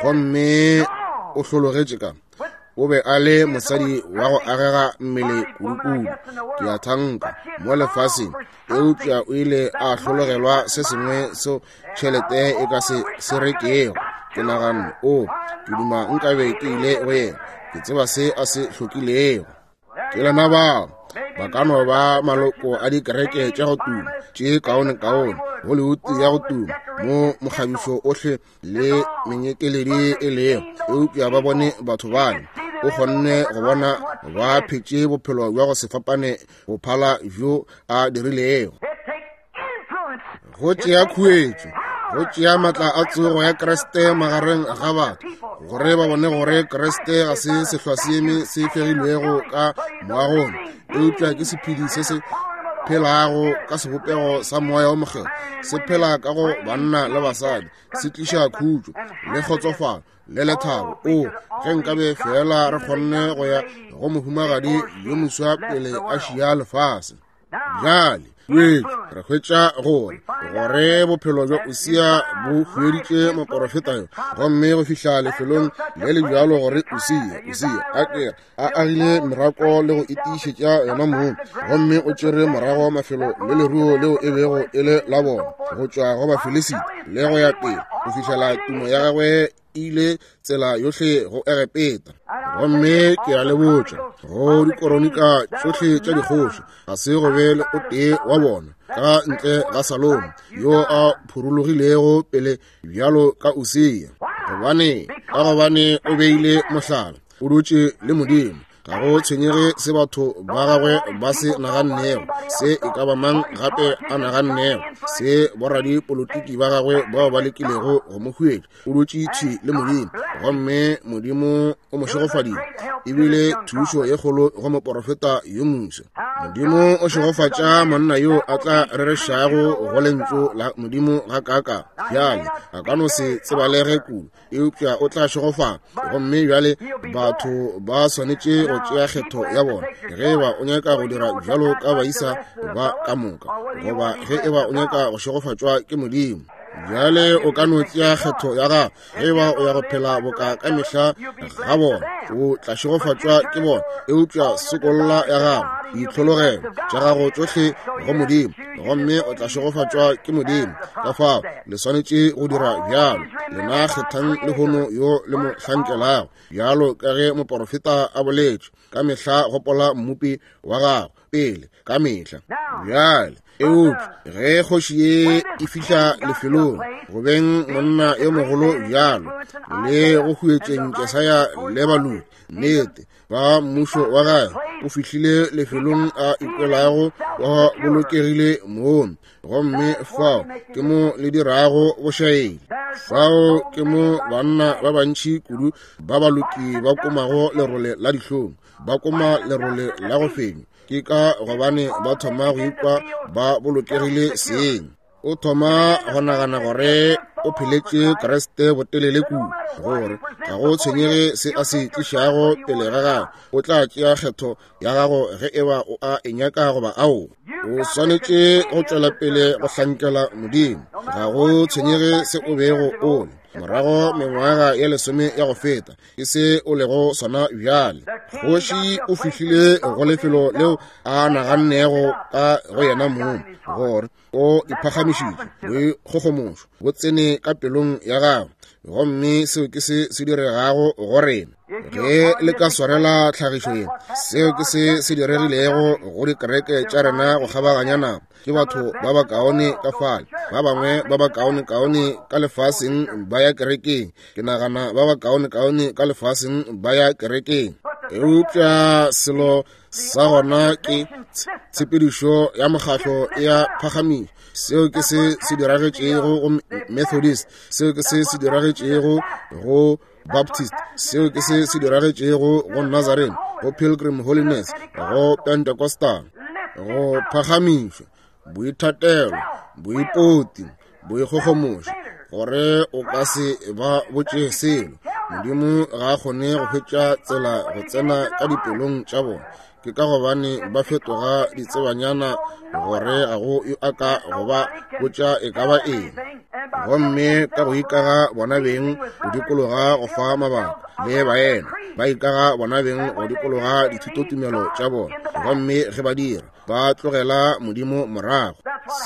gomme o hlologetše ka o be a le mosadi wa go agega mmele kudukudu, ke a thanka, mo lefaseng, eupša o ile a hlologelwa se sengwe seo tšhelete e ka se se rekego. Ke naganne, o, ke duma nkabe ke ile go yena, ke tseba se a se hlokilego. Ke lena bao ba ka no ba maloko a dikereke tša go tuma tše kaonekaone, Hollywood ya go tuma, mo mokgabišo ohle le menyekeledi e lego, eupša ba bone batho bale, o kgonne go bona ba phetše bophelo bja go se fapane go phala bjo a dirilego. Go tšea khuetšo, go tšea matla a tsogo ya Kriste magareng ga batho, gore ba bone gore Kriste ga se sehlwaseeme se fegilwego ka moagong, eupša ke sephedi se se phelago ka sebopego sa Moya wo Mokgethwa, se phela ka go banna le basadi, se tliša khutšo le kgotsofalo le lethabo. O, ge nkabe fela re kgonne go ya go mohumagadi yo moswa pele a šia lefase. Bjale re hwetša gore gore bophelo bja Usia bo hueditše moporofeta yo, gomme go fihla lefelong le le bjalo gore Usia, Usia a ke a agile merako le go itiišetša yona mong, gomme o tšere morago mafelo le leruo leo e bego e le la bona go tšwa go Bafilisita le go ya pele go fihlela tumo ya gagwe ile tsela yohle go Egepeta. Gomme ke a le botša, go dikoronika tšohle tša dikgoši ga se go be le o tee wa bona ka ntle ga Salomo yo a phurologilego pele bjalo ka Usia, gobane ka gobane o beile mohlala, o dutše le Modimo. Ga go tshwenyege se batho ba gagwe ba se nagannego, se e ka ba mang gape a nagannego. Se boradipolotiki ba gagwe bao ba lekilego go mo huetša, o dutše thwi le Modimo, gomme Modimo o mo šegofaditše. Ebile thušo ye kgolo go moporofeta yo moswa. Modimo o šegofatša monna yo a tla rerešago go lentšu la Modimo gakaaka. Bjale a ka no se tsebalege kudu, eupša o tla šegofala. Gomme bjale batho ba swanetše go tšea kgetho ya bona, ge eba o nyaka go dira bjalo ka baisa ba ka moka, goba ge eba o nyaka go šegofatšwa ke Modimo. Bjale o ka no tšea kgetho ya gago. Ge eba o ya go phela boka ka mehla ga bona, o tla šegofatšwa ke bona. Eupša sokolla ya gago, ditlhologelo tša gago tšohle go Modimo, gomme o tla šegofatšwa ke Modimo. Ka fao le swanetše go dira bjalo. Lena kgethang lehono yo le mo hlankelago, bjalo ka ge moporofeta a boletše, ka mehla gopola Mmopi wa gago pele ka mehla. Bjale, eupša ge kgoši ye e fihla lefelong go beng monna yo mogolo bjalo le go huetšeng Jesaya le baloki, nnete ba mmušo wa gagwe o fihlile lefelong a ikwelago wa bolokegile moo, gomme fao ke mo le dirago bošaedi. Fao ke mo banna ba bantši kudu ba baloki ba komago lerole la dihlong, ba koma lerole la go fenywa. Ke ka gobane ba thoma go ikwa ba bolokegile seng. O thoma go nagana gore o pheletše Kriste botelele kudu, gore ga go tshwenyege se a se tlišago pele ga gago, o tla tšea kgetho ya gago ge eba o a e nyaka goba ao. O swanetše go tšwela pele go hlankela Modimo, ga go tshwenyege se o bego o le morago mengwaga ye lesome ya go feta, ke se o lego sona bjale. Kgoši o fihlile go lefelo leo a nagannego ka go yena mong gore o iphagamišitše, boikgogomošo bo tsene ka pelong ya gagwe, gomme seo ke se se diregago go rena. Ge le ka swarela tlhagišo ye, seo ke se se diregilego go dikereke tša rena go kgabaganya nako. Ke batho ba bakaone ka fale, ba bangwe ba bakaonekaone ka lefaseng ba ya kerekeng. Ke nagana ba bakaonekaone ka lefaseng ba ya kerekeng. Eupša selo sa gona ke tshepedišo ya mokgatlo ya phagamišo. Seo ke se se diragetšego go Methodist, seo ke se se diragetšego go Baptist, seo ke se se diragetšego go Nazarene, go Pilgrim Holiness, go Pentecostal. Go phagamišwa, boithatelo, boipoti, boikgogomošo, gore o ka se ba botše selo. Modimo ga a kgone go hwetša tsela go tsena ka dipelong tša bona. Ke ka gobane ba fetoga ditsebanyana gore ga go yo a ka go ba botša e ka ba eng. Gomme ka go ikaga bona beng go dikologa go fa mabaka le baena, ba ikaga bona beng go dikologa dithutotumelo tša bona, gomme ge ba dira, ba tlogela Modimo morago.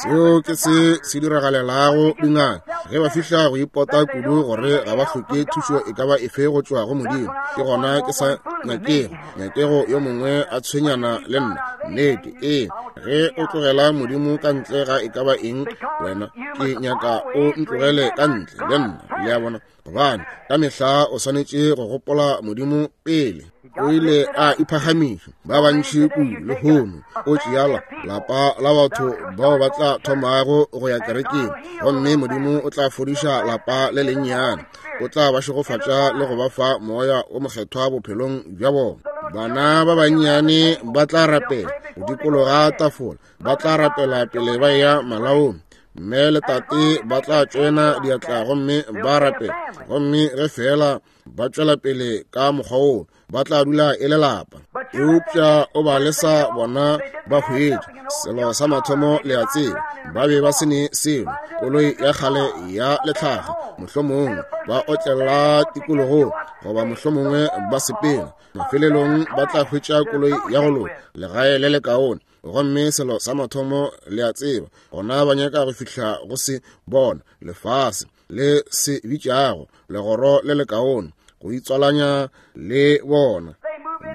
Seo ke se se diragalelago dingaka ge ba fihla go ipota kudu gore ga ba hloke thušo e ka ba efe go tšwa go Modimo. Ke gona ke sa nyakego nyakego yo mongwe a tshwenyana le nna. Nnete, ee, ge o tlogela Modimo ka ntle ga e ka ba eng, wena, ke nyaka o ntlogele ka ntle le nna. Le a bona? Gobane ka mehla o swanetše go gopola Modimo pele. O ile a iphagamiša ba bantši kudu lehono. O tšeala lapa la batho bao ba tla thomago go ya kerekeng, gomme Modimo o tla fodiša lapa le lennyane. O tla ba šegofatša le go ba fa moya o mokgethwa bophelong bja bona. Bana ba bannyane ba tla rapela go dikologa tafola, ba tla rapela pele ba eya malaong. Mme le tate ba tla tšoena diatla gomme ba rapela, gomme ge feela ba tšwela pele ka mokgwa woo, ba tla dula e le lapa. Eupša o ba lesa bona ba hwetša selo sa mathomo, le a tseba, ba be ba se ne selo, koloi ya kgale ya letlhaga, mohlomongwe ba otlela tikologong, goba mohlomongwe ba sepela. Mafelelong ba tla hwetša koloi ya go loka, legae le lekaone, gomme selo sa mathomo le a tseba, gona ba nyaka go fihla go se bona lefase le se bitšago legoro le lekaone, go itswalanya le bona.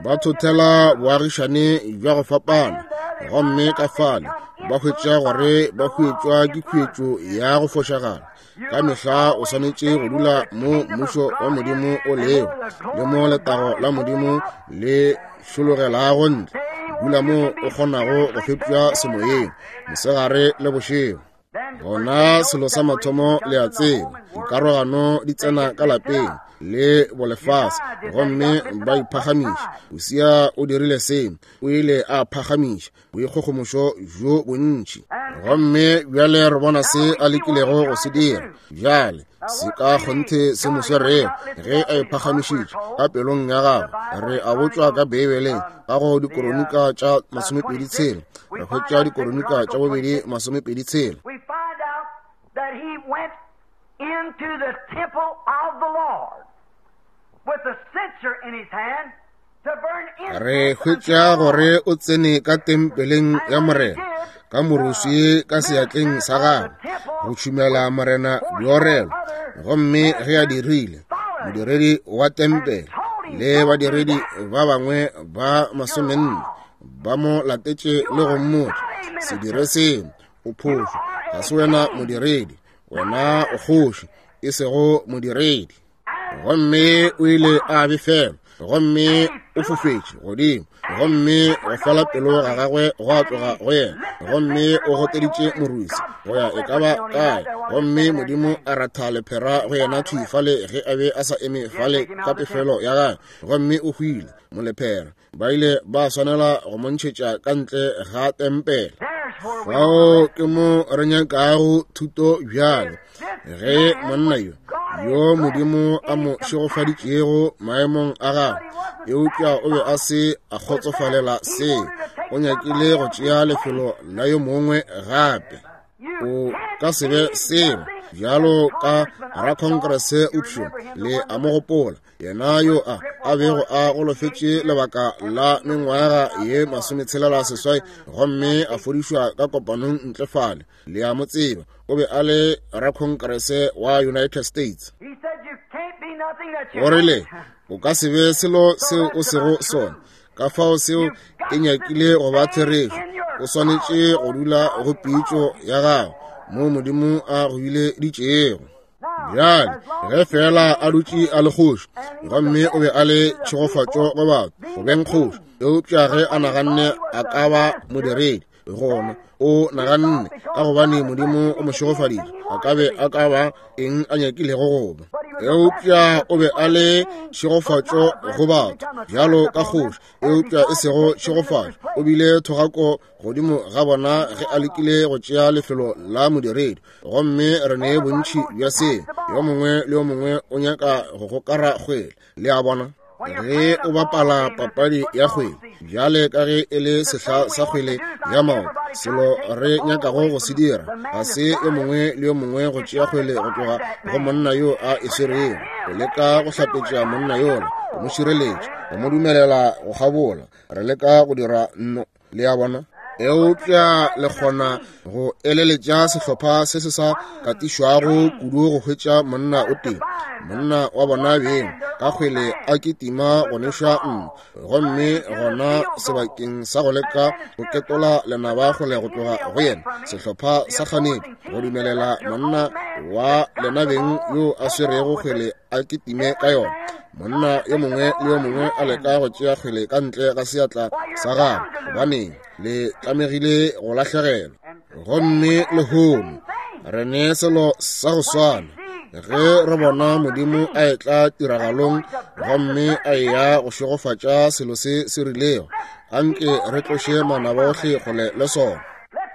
Ba thothela boagišane bja go fapana, gomme ka fale ba hwetša gore ba hwetšwa ke khuetšo ya go fošagala. Ka mehla o swanetše go dula mo mmušo wa Modimo o lego, le mo letago la Modimo le šologelago ntle. Dula mo o kgonago go fepša semoyeng mosegare le bošego. Gona selo sa mathomo le a tseba, dikarogano di tsena ka lapeng le bolefase, gomme ba iphagamiša. Usia o dirile se, o ile a phagamiša boikgogomošo bjo bontši. Gomme bjale re bona se a lekilego go se dira. Bjale se ka kgonthe se mo swerego ge a iphagamišitše ka pelong ya gagwe. Re a botšwa ka Beibeleng ka go Dikoronika tša 26, re hwetša Dikoronika tša bobedi 26. We find out that he went into the temple of the Lord with a censer in his hand to burn incense. Re hwetša gore o tsene ka tempeleng ya Morena ka moruswi ka seatleng sa gagwe go tšhumela Morena diorelo. Gomme ge a dirile, modiredi wa tempele le badiredi ba bangwe ba 40 ba mo latetše le go mmotša, se dire seo, o phošo, ga se wena modiredi, wena o kgoši, e sego modiredi. Gomme o ile a befelwa, gomme o fofetše godimo, gomme go fela pelo ga gagwe go a tloga go yena, gomme o goteditše morwisi go ya e ka ba kae, gomme Modimo a ratha lephera go yena thwi fale ge a be a sa eme fale ka pefelo ya gagwe, gomme o hwile molephera. Ba ile ba swanela go mo ntšhetša ka ntle ga tempele. Fao ke mo re nyakago thuto bjale. Ge monna yo, yo Modimo a mo šegofaditšego maemong a gagwe, eupša o be a se a kgotsofalela se, o nyakile go tšea lefelo la yo mongwe gape. O ka se be selo bjalo ka rakongrese upšo, le a mo gopola, yena yo a a bego a golofetše lebaka la mengwaga ye 68 gomme a fodišwa ka kopanong ntle fale. Le a mo tseba, o be a le rakongrese wa United States. He said, You can't be nothing that you O rile, o ka se be selo seo o sego sona. Ka fao seo e nyakile go ba therešo. O swanetše go dula go pitšo ya gago mo Modimo a go bileditšego. Bjale ge fela a dutše a le kgoši, gomme o be a le tšhegofatšo go batho go beng kgoši, eupša ge a naganne a ka ba modiredi, gona o naganne ka gobane Modimo o mo šegofaditše, a ka be a ka ba eng a nyakilego go ba. Eupša o be a le tšhegofatšo go batho bjalo ka kgoši, eupša e sego tšhegofatšo. O bile thogako godimo ga bona ge a lekile go tšea lefelo la modiredi. Gomme re ne bontši bja seo, yo mongwe le yo mongwe o nyaka go gokara kgwele. Le a bona, ge o bapala papadi ya kgwele, bjale ka ge e le sehla sa kgwele ya maoto, selo re nyakago go se dira ga se yo mongwe le yo mongwe go tšea kgwele go tloga go monna yo a e swerego, go leka go hlapetša monna yola, go mo šireletša, go mo dumelela go kgabola. Re leka go dira nno, le a bona. Eupša le kgona go eleletša sehlopha se se sa katišwago kudu go hwetša monna o tee, monna wa bona beng, ka kgwele a kitima go neša nno, gomme gona sebakeng sa go leka go ketola lenaba kgole go tloga go yena, sehlopha sa kganetšo go dumelela monna wa lena beng yo a swerego kgwele a kitime ka yona. Monna yo mongwe le yo mongwe a leka go tšea kgwele ka ntle ga seatla sa gagwe, gobaneng le tlamegile go lahlegelwa. Gomme lehono re ne selo sa go swana ge re bona Modimo a etla tiragalong gomme a eya go šegofatša selo se se rilego. Anke re tloše manaba ohle kgole le sona.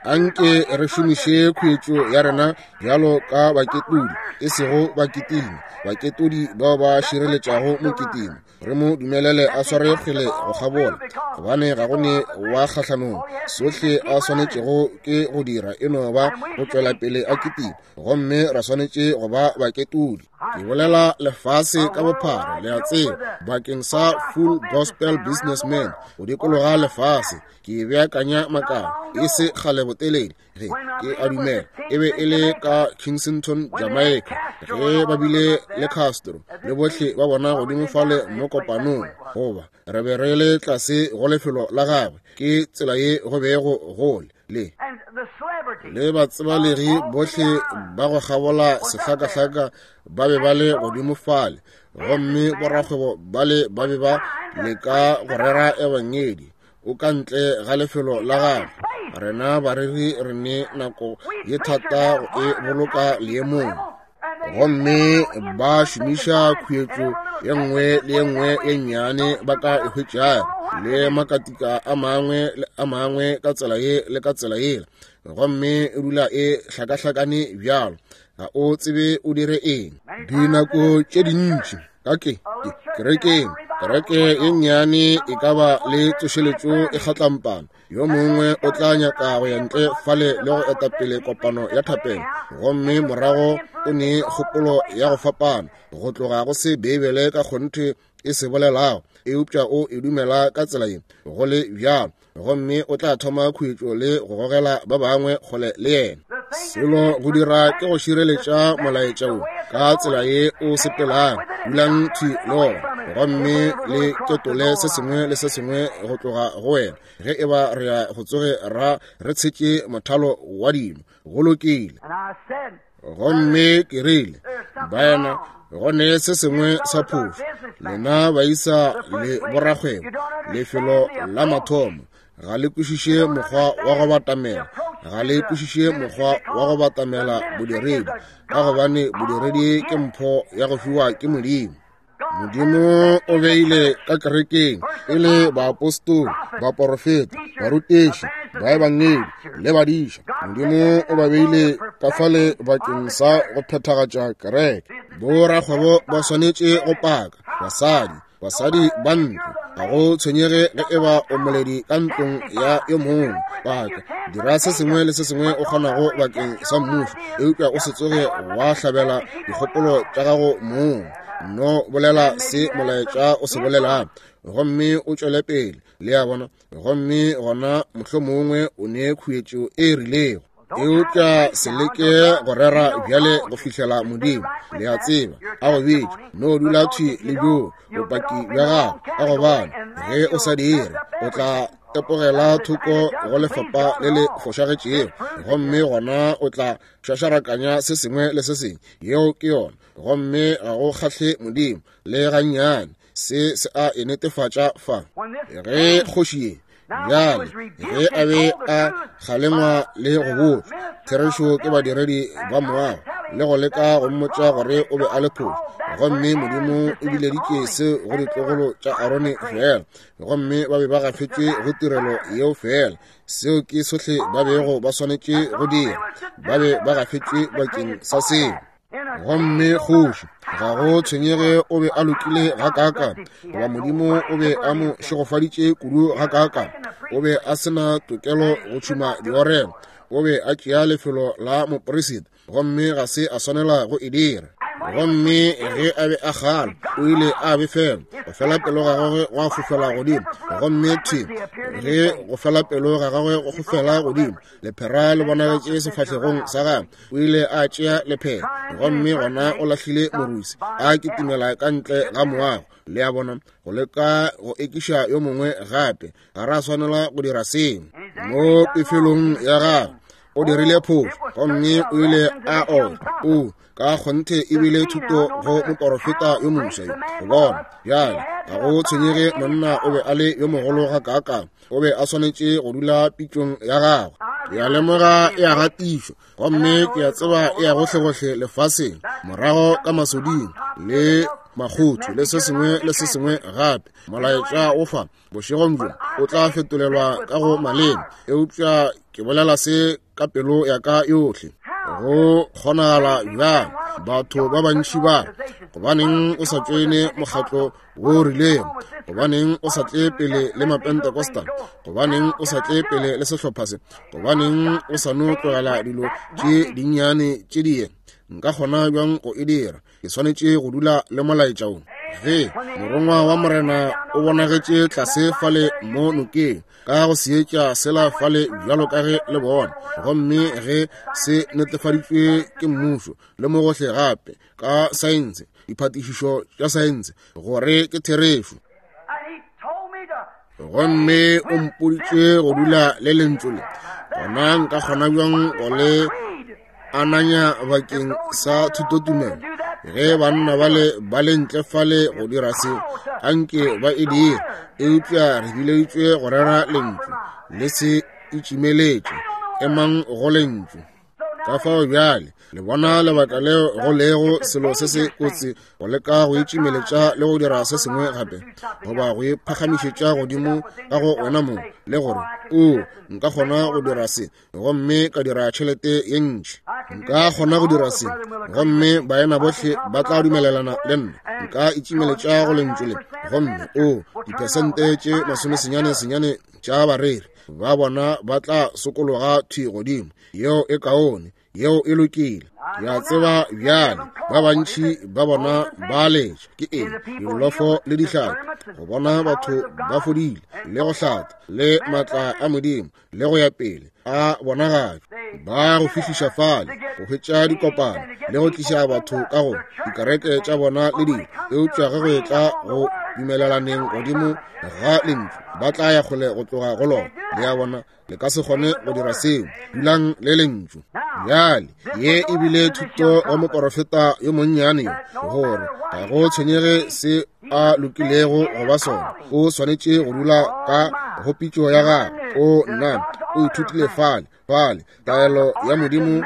Anke re šomiše khuetšo ya rena bjalo ka baketodi, e sego baketimi, baketodi bao ba šireletšago moketimi. Re mo dumelele a sware kgwele go kgabola, gobane ga go ne wa kgahlanong. Sohle a swanetšego ke go dira e no ba go tšwela pele a kitima, gomme ra swanetše go ba baketodi. Ke bolela lefase ka bophara, le a tseba, bakeng sa Full Gospel Businessmen go dikologa lefase. Ke beakanya makala e se kgale botelele, ge ke a dumela e be e le ka Kingston, Jamaica, ge ba bile le Castro le bohle ba bona godimo fale mo kopanong, goba re be re le tlase go lefelo la gagwe. Ke tsela ye go bego go le le batsebalegi bohle ba go kgabola sehlakahlaka ba be ba le godimo fale, gomme borakgwebo bale ba be ba leka go rera ebangedi. O ka ntle ga lefelo la gagwe. Rena bareri re ne nako ye thata go e boloka leemong. Gomme ba šomiša khuetšo ye nngwe le ye nngwe ye nnyane ba ka e hwetšago, le makatika a mangwe le a mangwe ka tsela ye le ka tsela yela, gomme e dula e hlakahlakane bjalo, ga o tsebe o dire eng. Dinako tše dintši ka ke kerekeng, kereke ye nnyane e ka ba le tsošeletšo e kgatlampana. Yo mongwe o tla nyaka go ya ntle fale le go eta pele kopano ya thapelo, gomme morago o ne kgopolo ya go fapana go tloga go se Beibele ka kgonthe e se bolelago, eupša o e dumela ka tsela ye go le bjalo, gomme o tla thoma khuetšo le go gogela ba bangwe kgole le yena. Selo go dira ke go šireletša molaetša wo ka tsela ye o sepelago, dulang thwi le wona, gomme le ketole se sengwe le se sengwe go tloga go wena, ge e ba re ya go tsoge ra re tshetše mothalo wa dino. Go lokile. Gomme ke rile, baena, go ne se sengwe sa phošo. Lena baisa le borakgwebo, lefelo la mathomo, ga le kwešiše mokgwa wa go batamela, ga le kwešiše mokgwa wa go batamela bodiredi, ka gobane bodiredi ke mpho ya go fiwa ke Modimo. Modimo o beile ka kerekeng e le baapostoli, baporofeta, barutiši, baebangedi le badiša. Modimo o ba beile ka fale bakeng sa go phethagatša kereke. Borakgwebo ba swanetše go paka basadi, basadi ba ntlo, ga go tshwenyege ge e ba o moledi ka ntlong ya yo mongwe. Paka, dira se sengwe le se sengwe o kgonago bakeng sa mmušo, eupša o se tsoge wa hlabela dikgopolo tša gago mong. No bolela se molaetša o se bolelang, gomme o tšwele pele. Le a bona? Gomme gona mohlomongwe o ne khuetšo e rilego, eupša se leke go rera bjale go fihlela Modimo, le a tseba, a go bitša. No dula thwi le bjoo bopaki bja gago, ka gobane ge o sa dire o tla tepogela thoko go lefapa le le fošagetšego, gomme gona o tla šašarakanya se sengwe le se sengwe. Yeo ke yona. Gomme ga go kgahle Modimo le gannyane. Se se a e netefatša fa. Ge kgoši ye bjale ge a be a kgalengwa le go botšwa therešo ke badiredi ba moago le go leka go mmotša gore o be a le phošo, gomme Modimo o bileditše se go ditlogolo tša Arone fela, gomme ba be ba gafetšwe go tirelo yeo fela. Seo ke sohle ba bego ba swanetše go dira, ba be ba gafetšwe bakeng sa seo. Gomme kgoši, ga go tshwenyege o be a lokile gakaakang, goba Modimo o be a mo šegofaditše kudu gakaakang, o be a se na tokelo go tšhuma diorelo. O be a tšea lefelo la moperisita, gomme ga se a swanela go e dira. Gomme ge a be a kgala, o ile a befela, go fela pelo ga gagwe gwa fofela godimo. Gomme thwi ge go fela pelo ga gagwe go fofela godimo, lephera le bonagetše sefahlegong sa gagwe. O ile a tšea lephera, gomme gona o lahlile morusi, a kitimela ka ntle ga moago. Le a bona, go leka go ekiša yo mongwe gape, ga ra swanela go dira seo. Mo pefelong ya gagwe o dirile phošo, gomme o ile a otlwa. O ka kgonthe e bile thuto go moporofeta yo moswa yo go bona. Bjale ga go tshwenyege monna o be a le yo mogolo gakaakang, o be a swanetše go dula pitšong ya gagwe. Ke a lemoga e a gatišwa, gomme ke a tseba e ya gohlegohle lefaseng, morago ka masoding le makgotho le se sengwe le se sengwe gape. Molaetša o fa bošegong bjo o tla fetolelwa ka go maleme, eupša ke bolela se ka pelo ya ka yohle. Go kgonagala bjang batho ba bantši ba re, gobaneng o sa tšoene mokgatlo wo rilego? Gobaneng o sa tle pele le Mapentecostal? Gobaneng o sa tle pele le sehlopha se? Gobaneng o sa no tlogela dilo tše dinnyane tše di ye? Nka kgona bjang go e dira? Ke swanetše go dula le molaetša wo. Ge morongwa wa Morena o bonagetše tlase fale mo nokeng, ka go seetša sela fale bjalo ka ge le bona, gomme ge se netefaditšwe ke mmušo le mo gohle gape ka saense, diphatišišo tša saense, gore ke therešo. Gomme o mpoditše go dula le lentšu le, gona nka kgona bjang go le ananya bakeng sa thutotumelo? Ge banna bale ba le ntle fale go dira se, anke ba e dire, eupša re bileditšwe go rera lentšu le se itšimeletše, emang go Lentšu. Ka fao bjale le bona lebaka leo go lego selo se se kotsi go leka go itšimeletša le go dira se sengwe gape, goba go iphagamišetša godimo ka go wena mong, le gore o nka kgona go dira se gomme ka dira tšhelete ye ntši, nka kgona go dira se gomme baena bohle ba tla dumelelana le nna, nka itšimeletša go lentšu le, gomme o diphesente tše 99 tša bareri ba bona ba tla sokologa thwi godimo. Yeo e kaone, yeo e lokile. Ke a tseba bjale ba bantši ba bona ba letša ke eng, dilofo le dihlapi, go bona batho ba fodile le go hlatha le maatla a Modimo le go ya pele a bonagatšwa, ba go fihliša fale go hwetša dikopano le go tliša batho ka go dikereke tša bona le dilo. Eupša ge go etla go dumelelaneng godimo ga lentšu, ba tla ya kgole go tloga go lona. Le a bona, le ka se kgone go dira seo. Dulang le lentšu. Bjale ye e bile thuto wa moporofeta yo monnyane yo, gore ga go tshwenyege se a lokilego go ba sona, o swanetše go dula ka go pitšo ya gagwe. O nna o ithutile fale fale taelo ya Modimo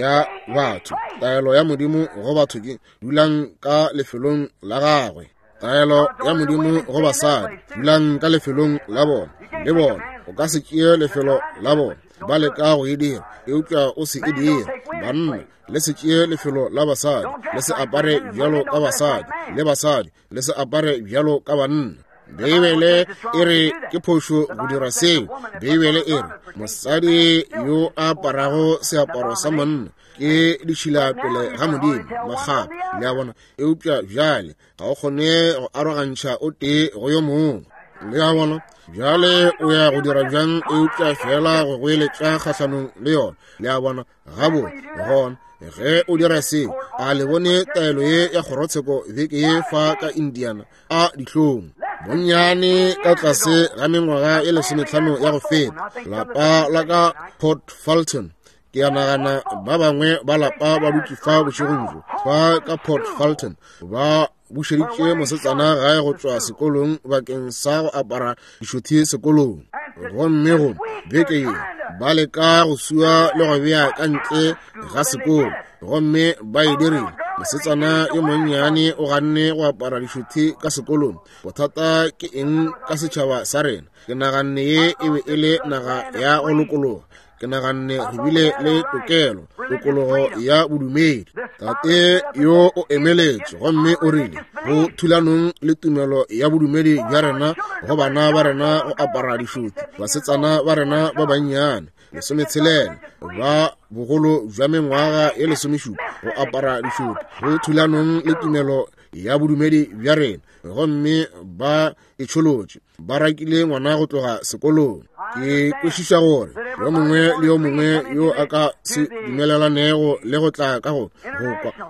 ya batho, taelo ya Modimo go batho ke dulang ka lefelong la gagwe. Taelo ya Modimo go basadi, dulang ka lefelong la bona, le bona o ka se tšee lefelo la bona, ba leka go e dira, eupša o se e dire. Banna, le se tšee lefelo la basadi, le se apare bjalo ka basadi, le basadi, le se apare bjalo ka banna. Beibele e re ke phošo go dira seo. Beibele e re mosadi yo a aparago seaparo sa monna ke ditšhila pele ga Modimo, makgapa. Le a bona? Eupša bjale ga o kgone go arogantšha o tee go yo mongwe. Le a bona? Bjale o ya go dira bjang eupša fela go goeletša kgahlanong le yona? Le a bona? Gabotse, gona ge o dira seo, a le bone taelo ye ya kgorotsheko beke ye fa ka Indiana? A dihlong. Bonnyane ka tlase ga mengwaga e 15 ya go feta, lapa la ka Port Fulton, ke a nagana ba bangwe ba lapa ba dutše fa bošegong bjo, fa ka Port Fulton, ba bušeditše mosetsana gae go tšwa sekolong bakeng sa go apara dišothi sekolong. Gomme go beke ye ba leka go sua le go bea ka ntle ga sekolo, gomme ba e dirile. Mosetsana yo monnyane o ganne go apara dišothi ka sekolong. Bothata ke eng ka setšhaba sa rena? Ke naganne ye e be e le naga ya go lokologa. Ke naganne re bile le tokelo, tokologo ya bodumedi. Tate yo o emeletše gomme o rile go thulanong le tumelo ya bodumedi bja rena go bana ba rena go apara dišothi, basetsana ba rena ba bannyane 16 ba bogolo bja mengwaga ye 17 go apara dišothi, go thulanong le tumelo ya bodumedi bja rena, gomme ba e tšholotše, ba rakile ngwana go tloga sekolong. Ke kwešiša gore yo mongwe le yo mongwe yo a ka se dumelelanego le go tla ka go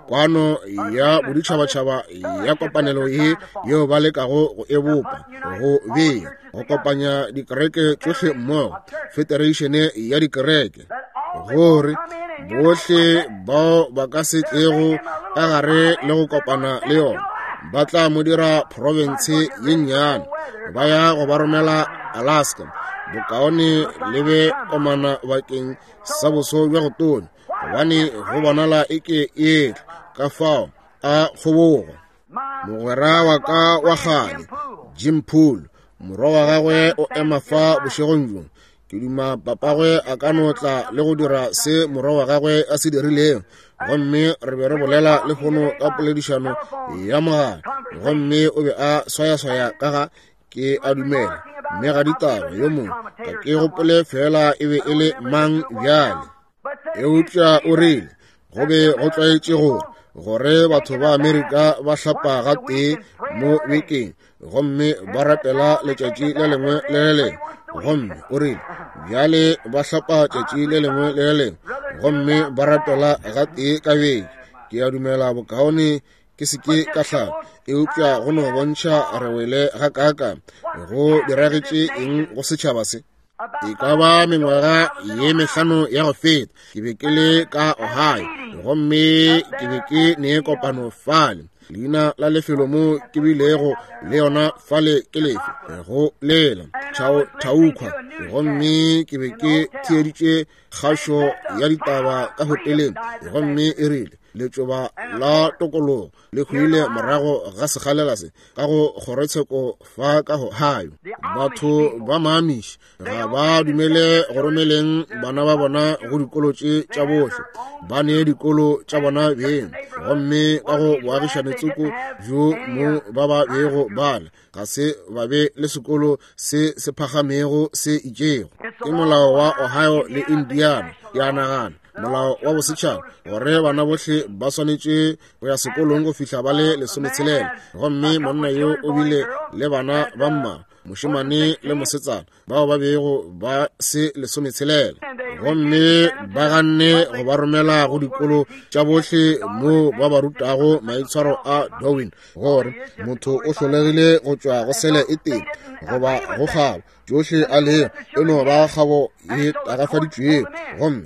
kwano ya boditšhabatšhaba ya kopanelo ye yeo ba lekago go e bopa, go bea go kopanya dikereke tšohle mmogo, federation ya dikereke, gore bohle bao ba ka se tlego ka gare le go kopana le yona ba tla mo dira province ye nnyane, ba ya go ba romela Alaska. Bokaone le be komana bakeng sa boso bja go tonya, gobane go bonala eke e etla. Ka fao a kgobogo. Mogwera wa ka wa kgale Jim Poole, morwa wa gagwe o ema fa bošegong bjo. Ke duma papagwe a ka no tla le go dira se morwa wa gagwe a se dirilego. Gomme re be re bolela lehono ka poledišano ya mogala, gomme o be a swayaswaya ka ga ke a dumela mme ga ditaba yo mongwe, ga ke gopole fela e be e le mang bjale. Eupša o rile go be go tlwaetše gore gore batho ba Amerika ba hlapa gatee mo bekeng gomme ba rapela letšatši le lengwe le le lengwe. Gomme o rile bjale ba hlapa tšatši le lengwe le le lengwe gomme ba rapela gatee ka beke. Ke a dumela bokaone ke se ke ka hlapa, eupša go no bontšha re wele ga kaaka go diragetše eng go setšhaba se. E ka ba mengwaga ye 5 ya go feta, ke be ke le ka Ohio, gomme ke be ke ne kopano fale. Leina la lefelo mo ke bilego le yona fale ke lefe? Go lela Chautauqua. Gomme ke be ke theeditše kgašo ya ditaba ka hoteleng, gomme e rile letšoba la tokologo le hwile morago ga sekgalela se ka go kgorotsheko fa ka Ohio. Batho ba Maamish ga ba dumele go romeleng bana ba bona go dikolo tše tša bohle, ba ne dikolo tša bona beng, gomme ka go boagišane tsoko bjo mo ba ba bego bale ga se ba be le sekolo se se phagamego se itšego. Ke molao wa Ohio le Indiana, ke a nagana, molao wa bosetšhaba gore bana bohle ba swanetše go ya sekolong go fihla ba le 16. Gomme monna yo o bile le bana ba mma, mošemane le mosetsana, bao ba bego ba se 16, gomme ba ganne go ba romela go dikolo tša bohle mo ba ba rutago maitshwaro a Darwin, gore motho o hlolegile go tšwa go sele e tee goba go kgabo tšohle a le e no ba kgabo e tagafaditšwego.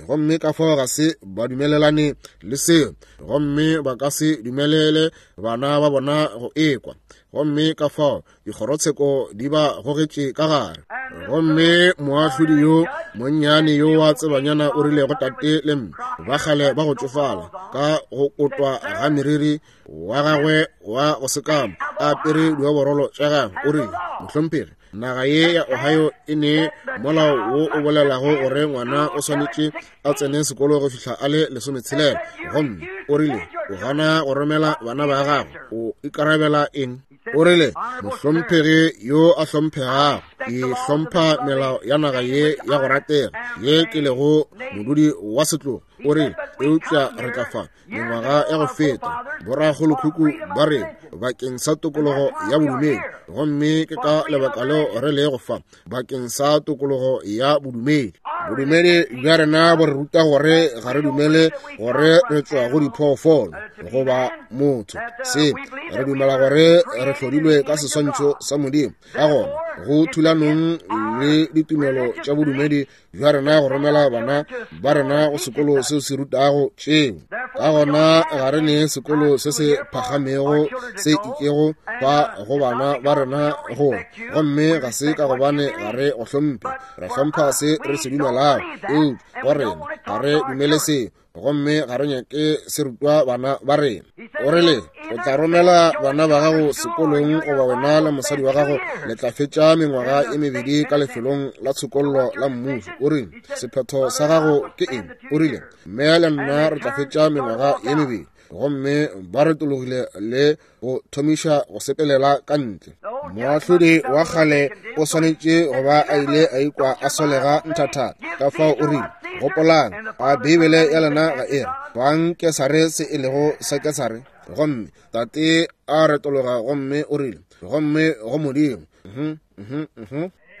Gomme ka fao ga se ba dumelelane le seo, gomme ba ka se dumelele bana ba bona go ekwa, gomme ka fao dikgorotsheko di ba gogetše ka gare. Gomme moahlodi yo monnyane yo wa tsebanyana o rile go tate le mme ba kgale ba go tšofala, ka go kotwa ga meriri wa gagwe wa go sekama, a apere dioborolo tša gagwe, o rile, Mohlomphegi, naga ye ya Ohio e ne molao wo o bolelago gore ngwana o swanetše a tsene sekolo go fihla a le 16, gomme o rile o gana go romela bana ba gago, o ikarabela eng? O rile, Mohlomphegi yo a hlomphegago, ke hlompha melao ya naga ye ya go ratega ye ke lego modudi wa setlogo. O rile, eupša re tla fa mengwaga ya go feta borakgolokhukhu ba rena bakeng sa tokologo ya bodumedi, gomme ke ka lebaka leo re lego fa bakeng sa tokologo ya bodumedi. Bodumedi bja rena bo re ruta gore ga re dumele gore re tšwa go diphoofolo goba motho se, re dumela gore re hlodilwe ka seswantšho sa Modimo. Ka gona go thulanong le ditumelo tša bodumedi bja rena go romela bana ba rena go sekolo seo se rutago tšeo. Ka gona ga re ne sekolo se se phagamego se itšego fa go bana ba rena go, gomme ga se ka gobane ga re go hlomphe, re hlompha se re se dumelago, eupša go rena ga re dumele seo, gomme ga re nyake se rutwa bana ba rena. O rile, o tla romela bana ba gago sekolong, goba wena le mosadi wa gago le tla fetša mengwaga e mebedi ka lefelong la tshokollo la mmušo. O rile, sephetho sa gago ke eng? O rile, mme le nna re tla fetša mengwaga ye mebedi. Gomme ba retologile le go thomiša go sepelela ka ntle. Moahlodi wa kgale o swanetše go ba a ile a ikwa a solega nthathatha. Ka fao o rile, gopolang, a Beibele ya lena ga e re fang Kesare se e lego sa Kesare? Gomme tate a retologa gomme o rile, gomme go Modimo.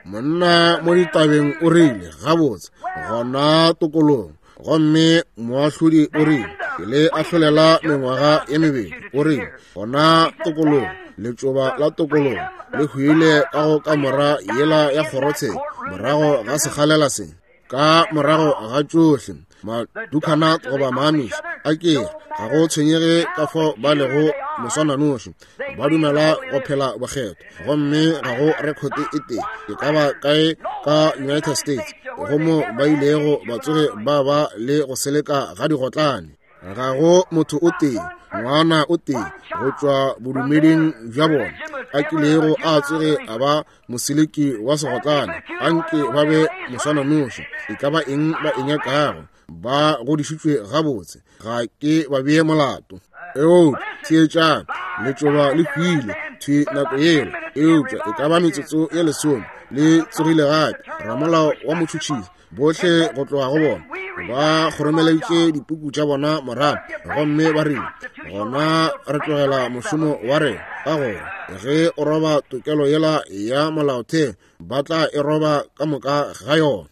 Monna mo ditabeng o rile, gabotse, gona tokolong. Gomme moahlodi o rile, ke le ahlolela mengwaga ye mebedi. O rile, gona tokolong, letšoba la tokolong le hwile ka go kamora yela ya kgorotsheko morago ga sekgalela se. Ka morago ga tšohle madukana goba maamiši a ke ga go tshwenyege ka fao ba lego moswananoši, ba dumela go phela bokgetho, gomme ga go rekhote e tee e ka ba kae ka United States go mo ba ilego ba tsoge ba ba le go seleka ga digotlane. Ga go motho o tee, ngwana o tee go tšwa bodumeding bja bona a kilego a tsoge a ba moseleki wa segotlane. Anke ba be moswananoši, e ka ba eng ba e nyakago, ba godišitšwe gabotse, ga ke ba bee molato. Eupša theetšang, letšoba le hwile thwi nako yela, eupša e ka ba metsotso ye 10 le tsogile gape. Ramolao wa motšhotšhisi, bohle go tloga go bona ba kgoromeleditše dipuku tša bona morago, gomme ba rile, gona re tlogela mošomo wa rena, ka gore ge o roba tokelo yela ya molaotheo, ba tla e roba ka moka ga yona.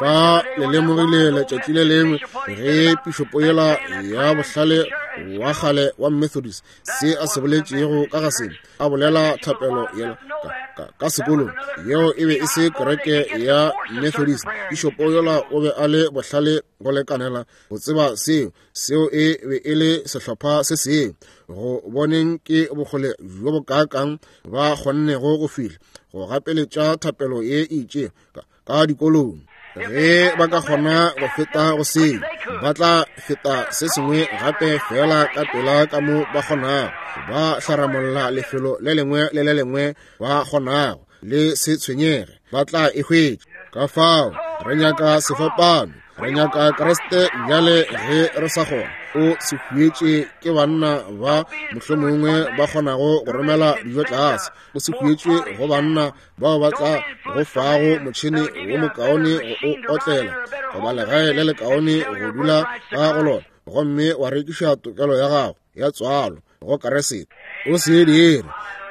Fa le lemogile letšatši le lengwe ge pišopo yela ya bohlale wa kgale wa Methodist se a se boletšego ka ga se, a bolela thapelo yela ka sekolong, yeo e be e se kereke ya Methodist. Pišopo yola o be a le bohlale go lekanela go tseba seo, seo e be e le sehlopha se sengwe, go boneng ke bokgole bjo bokaakang ba kgonnego go fihla go gapeletša thapelo ye e itšego ka dikolong. Ge ba ka kgona go feta go seo, ba tla feta se sengwe gape fela ka pela ka mo ba kgonago. Ba hlaramolla lefelo le lengwe le le lengwe ba kgonago, le se tshwenyege, ba tla e hwetša. Ka fao re nyaka sefapano, re nyaka Kriste bjale ge re sa kgona. O se huetše ke banna ba mohlomongwe ba kgonago go romela dijo tlase. O se huetše go banna bao ba tla go fago motšhene wo mokaone go o otlela, goba legae le lekaone go dula ka go lona, gomme wa rekiša tokelo ya gago ya tswalo go Kriste. O se dire.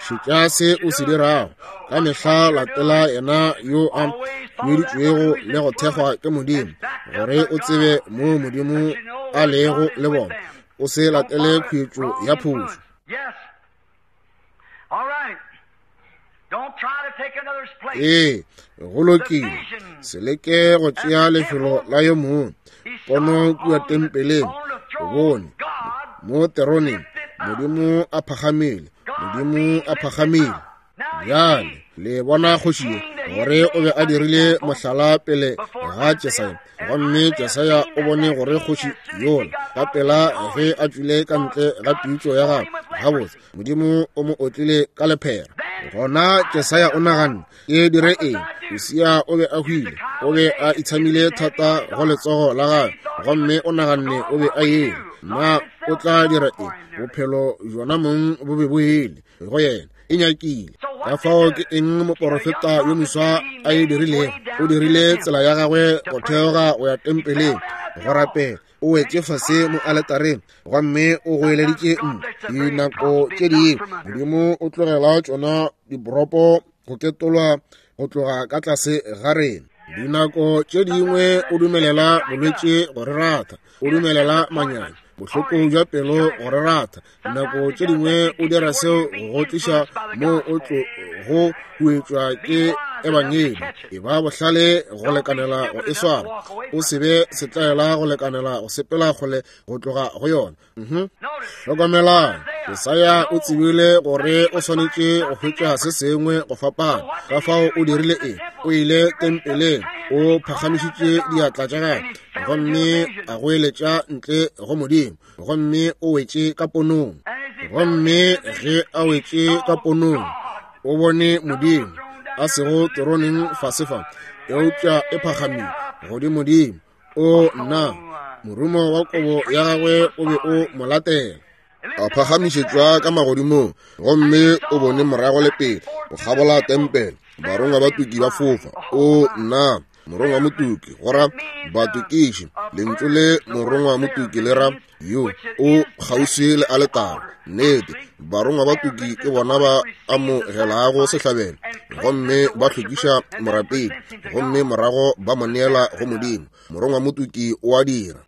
Šetša se o se dirago. Ka mehla latela yena yo a hueditšwego le go thekgwa ke Modimo, gore o tsebe mo Modimo a lego le bona. O se latele khuetšo ya phošo. Ee, go lokile. Se leke go tšea lefelo la yo mongwe. Pono kua tempeleng, o bone mo teroneng Modimo a phagamile, Modimo a phagamile. Bjale le bona kgoši ye, gore o be a dirile mohlala pele ga Jesaya, gomme Jesaya o bone gore kgoši yola ka pela ge a tšwile ka ntle ga pitšo ya gagwe, gabotse Modimo o mo otlile ka lephera. Gona Jesaya o naganne, ke dire eng? Usia o be a hwile, o be a itshamile thata go letsogo la gagwe, gomme o naganne o be a ele. Na o tla dira eng? Bophelo bjona mong bo be bo ele go yena, e nyakile. Ka fao ke eng moporofeta yo moswa a e dirilego? O dirile tsela ya gagwe go theoga go ya tempeleng go rapela. O wetše fase mo aletareng gomme o goeleditše dinako tše dingwe Modimo o tlogela tšona diboropo go ketolwa go tloga ka tlase ga rena. Dinako tše dingwe o dumelela bolwetši go re ratha, o dumelela manyami, bohloko bja pelo go re ratha. Dinako tše dingwe o dira seo go tliša mo o tlo go huetšwa ke ebangedi. E ba bohlale go lekanela go e swara, o se be setlaela go lekanela go sepela kgole go tloga go yona. Hlokomelang, Jesaya o tsebile gore o swanetše go hwetša se sengwe go fapana. Ka fao o dirile eng? O ile tempeleng, o phagamišitše diatla tša gagwe gomme a goeletša ntle go Modimo, gomme o wetše ka ponong. Gomme ge a wetše ka ponong, o bone Modimo a sego teroneng fase fa, eupša e phagamile godimodimo. O nna, morumo wa kobo ya gagwe o be o mo latela. A phagamišetšwa ka magodimong, gomme o bone morago le pele go kgabola tempele, barongwa ba tuki ba fofa. O nna, morongwa motuki go ra batukiši. Lentšu le morongwa motuki le ra yo o kgauswi le aletare. Nnete, barongwa ba tuki ke bona ba amogelago sehlabelo gomme ba hlwekiša morapedi, gomme morago ba mo neela go Modimo. Morongwa motuki o a dira.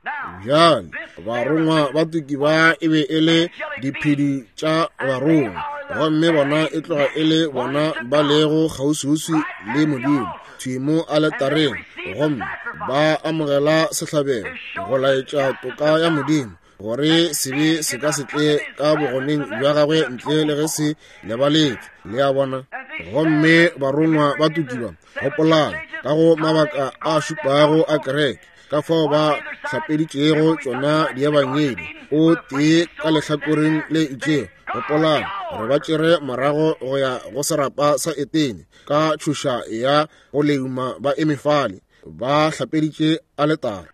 Bjale barongwa ba tuki ba e be e le diphedi tša barongwa, gomme bona e tloga e le bona ba lego kgauswiuswi le Modimo thwi mo aletareng, gomme ba amogela sehlabelo go laetša toka ya Modimo, gore sebe se ka se tle ka bogoneng bja gagwe ntle le ge se lebaletšwe. Le a bona? Gomme barongwa ba tukiba, gopolang, ka go mabaka a šupago a kereke, ka fao ba hlapeditšego tšona diebangedi, o tee ka lehlakoreng le itšego. Gopolang gore ba tšere morago go ya go serapa sa Etene ka tšhoša ya go leuma, ba eme fale ba hlapeditše aletare.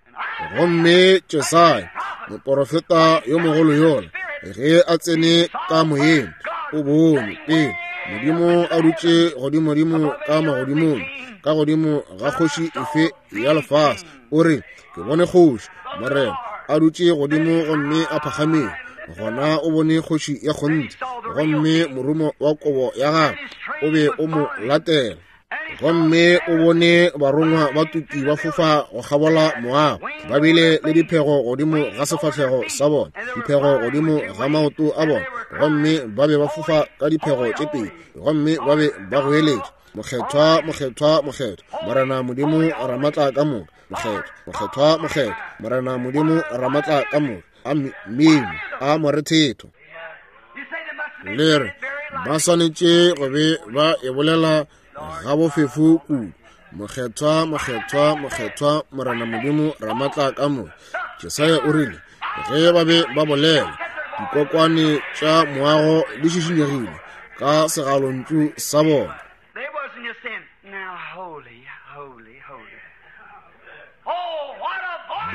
Gomme Jesaya moporofeta yo mogolo yola, ge a tsene ka moyeng, o bone pele Modimo a dutše godimodimo ka magodimong, ka godimo ga kgoši efe ya lefase. O re, ke bone kgoši Morena a dutše godimo gomme a phagamile. Gona o bone kgoši ya kgonthe, gomme morumo wa kobo ya gagwe o be o mo latela. Gomme o bone barongwa ba tuki ba fofa go kgabola moago, ba bile le diphego godimo ga sefahlego sa bona, diphego godimo ga maoto a bona, gomme ba be ba fofa ka diphego tše pedi, gomme ba be ba goeletša, Mokgethwa, mokgethwa, mokgethwa, Morena Modimo Ramatla ka moka, mokgethwa, mokgethwa, mokgethwa, Morena Modimo Ramatla ka moka. a mmino a morethetho. Le re ba swanetše go be ba e bolela gabofefo kudu. Mokgethwa, mokgethwa, mokgethwa, Morena Modimo Ramatla ka moka. Jesaya o rile ge ba be ba bolela, dikokwane tša moago di šišinyegile ka segalontšu sa bona.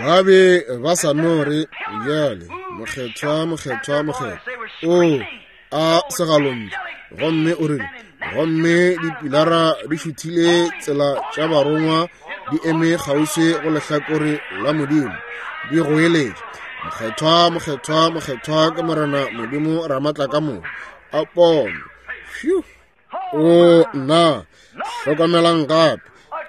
Ba be ba sa no re bjale, mokgethwa, mokgethwa, mokgethwa. O a segalontšu. Gomme o rile, gomme dipilara di šuthile tsela tša barongwa di eme kgauswi go lehlakore la Modimo, di goeletša, mokgethwa, mokgethwa, mokgethwa ke Morena Modimo Ramatla ka moka. A pono! Phew! O nna, hlokamelang gape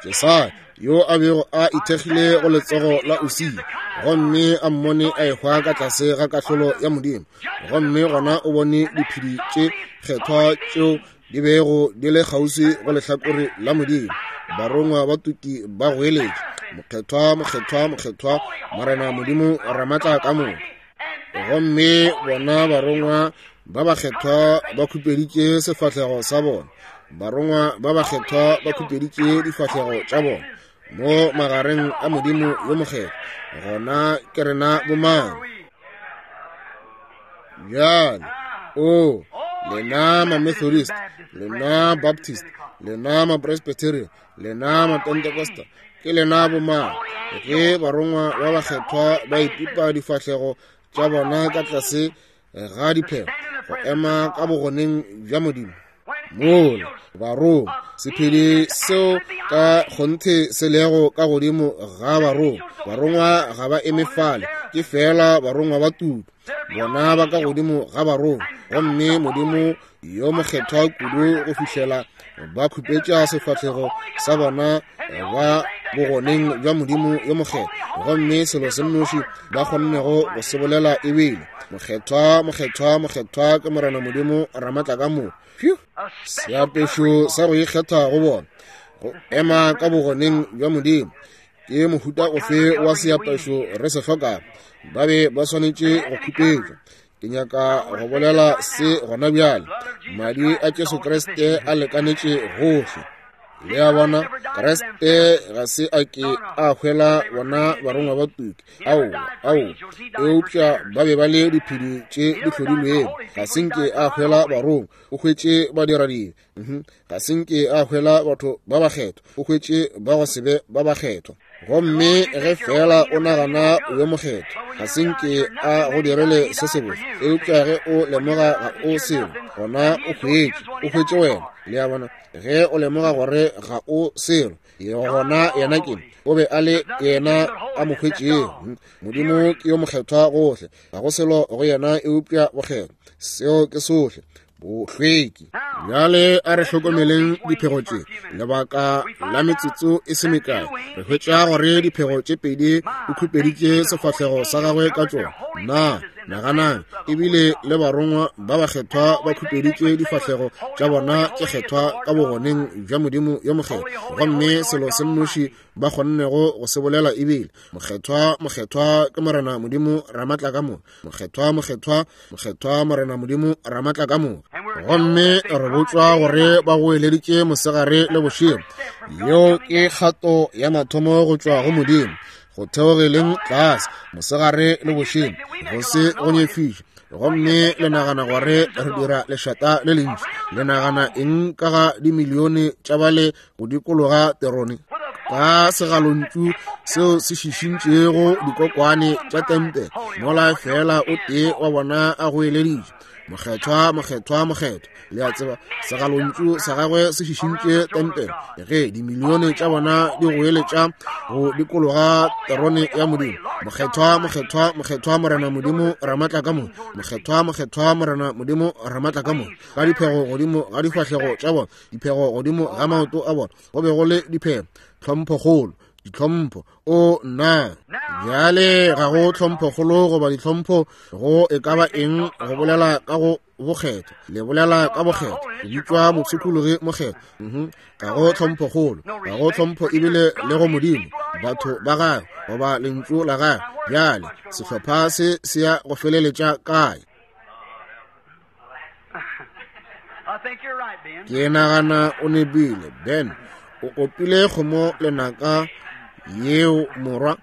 Jesaya yo a bego a ithekgile go letsogo la Usia, gomme a mmone a ehwa ka tlase ga kahlolo ya Modimo, gomme gona o bone diphedi tše kgethwa tšeo di bego di le kgauswi go lehlakore la Modimo, barongwa ba tuki ba goeletša, mokgethwa, mokgethwa, mokgethwa, Morena Modimo Ramatla ka moka. Gomme bona barongwa ba bakgethwa ba khupeditše sefahlego sa bona, barongwa ba bakgethwa ba khupeditše difahlego tša bona mo magareng a Modimo yo mokgethwa. Gona ke rena bomang? Bjale, o lena ma-Methodist, lena Baptist, lena ma-Presbyterian, lena ma-Pentecostal, ke lena bomang? Ge barongwa ba bakgethwa ba ipipa difahlego tša bona ka tlase ga diphego go ema ka bogoneng bja Modimo, mola barongwa, sephedi seo ka kgonthe se lego ka godimo ga barongwa, barongwa ga ba eme fale, ke feela barongwa ba tuku, bona ba ka godimo ga barongwa, gomme Modimo yo mokgethwa kudu go fihlela ba khupetša sefahlego sa bona ba bogoneng bja Modimo yo mokgethwa, gomme selo se nnoši ba kgonnego go se bolela e bile, mokgethwa, mokgethwa, mokgethwa ke Morena Modimo Ramatla ka moka. Seapešo sa go ikgetha go bona go ema ka bogoneng bja Modimo ke mohuta ofe wa seapešo re se hlokago? Ba be ba swanetše go khupetšwa. Ke nyaka go bolela se gona bjale. Madi a Jesu Kriste a lekanetše gohle. Le a bona, Kriste ga se a ke a hwela bona barongwa ba tuki. Aowa, aowa. Eupša ba be ba le diphedi tše di hlodilwego. Ga se nke a hwela barongwa, o hwetše badiradibe. Ga se nke a hwela batho ba bakgethwa, o hwetše ba go se be ba bakgethwa. Gomme ge feela o nagana o yo mokgethwa, ga se nke a go direle se sebotse, eupša ge o lemoga ga o selo, gona o hwetše, o hwetše wena. Le a bona, ge o lemoga gore ga o selo, gona yena ke, o be a le yena a mo hwetšego. Modimo ke yo mokgethwa gohle, ga go selo go yena eupša bokgethwa. Seo ke sohle, bohlweki. Bjale a re hlokomeleng diphego tše lebaka la metsotso e se mekae. Re hwetša gore diphego tše pedi o khupeditše sefahlego sa gagwe ka tšona. Na naganang, ebile le barongwa ba bakgethwa ba khupeditše difahlego tša bona tše kgethwa ka bogoneng bja Modimo yo mokgethwa, gomme selo se nnoši ba kgonnego go se bolela ebile, mokgethwa, mokgethwa ke Morena Modimo Ramatla ka moka. Mokgethwa, mokgethwa, mokgethwa Morena Modimo Ramatla ka moka. Gomme re botšwa gore ba goeleditše mosegare le bošego. Yeo ke kgato ya mathomo go tšwa go Modimo, go theogeleng tlase mosegare le bošego, go se go nyefiše. Gomme le nagana gore re dira lešata le lentši? Le nagana eng ka ga dimilione tša bale go dikologa terone ka segalontšu seo se šišintšego dikokwane tša tempele, mola feela o tee wa bona a goeleditše, mokgethwa, mokgethwa, mokgethwa? Le a tseba, segalontšu sa gagwe se šišintše tempele ge dimilione tša bona di goeletša go dikologa terone ya Modimo, mokgethwa, mokgethwa, mokgethwa Morena Modimo Ramatla ka moka, mokgethwa, mokgethwa Morena Modimo Ramatla ka moka, ka diphego godimo ga difahlego tša bona, diphego godimo ga maoto a bona, go be go le diphego, tlhomphokgolo, ditlhompho. O nna, bjale ga go tlhomphokgolo goba ditlhompho go e ka ba eng go bolela ka go bokgethwa. Le bolela ka bokgethwa, le bitšwa mopshikologi mokgethwa. Ga go tlhomphokgolo, ga go tlhompho ebile le go Modimo. batho ba gagwe goba lentšu la gagwe. Bjale sehlopha se se ya go feleletša kae? Ke nagana o nepile, Ben. O opile kgomo lenaka yeo, morwa.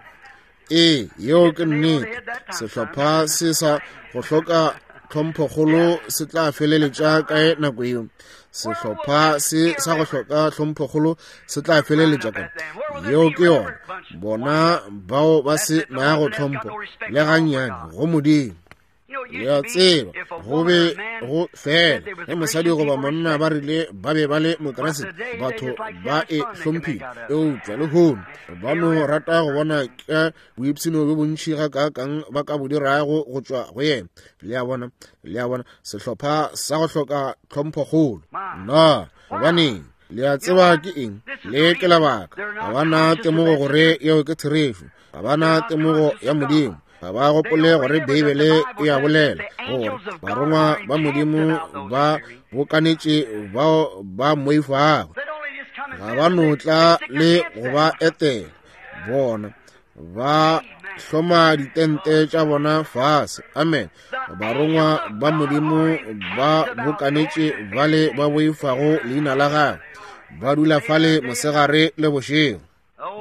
Ee, yeo ke nnete. Sehlopha se sa go hloka tlhomphokgolo se tla feleletša kae nako yeo? Sehlopha se sa go hloka tlhomphokgolo se tla feleletša kae? Yeo ke yona. Bona bao ba se nago tlhompho le gannyane go Modimo. Le a tseba, go be go fela ge mosadi goba monna ba rile ba be ba le Mokriste, batho ba e hlomphile. Eupša lehono ba no rata go bona ke boipshino bjo bontši gakaakang ba ka bo dirago go tšwa go yena. Le a bona, le a bona, sehlopha sa go hloka tlhomphokgolo. Na gobaneng? Le a tseba ke eng? Le ke lebaka. Ga ba na temogo gore yeo ke therešo. Ga ba na temogo ya Modimo. Ga ba gopole gore Beibele e a bolela gore barongwa ba Modimo ba bokanetše bao ba mmoifago. Ga ba no tla le go ba etela. Bona ba hloma ditente tša bona fase. Amen. Barongwa ba Modimo ba bokanetše bale ba boifago leina la gagwe. Ba dula fale mosegare le bošego.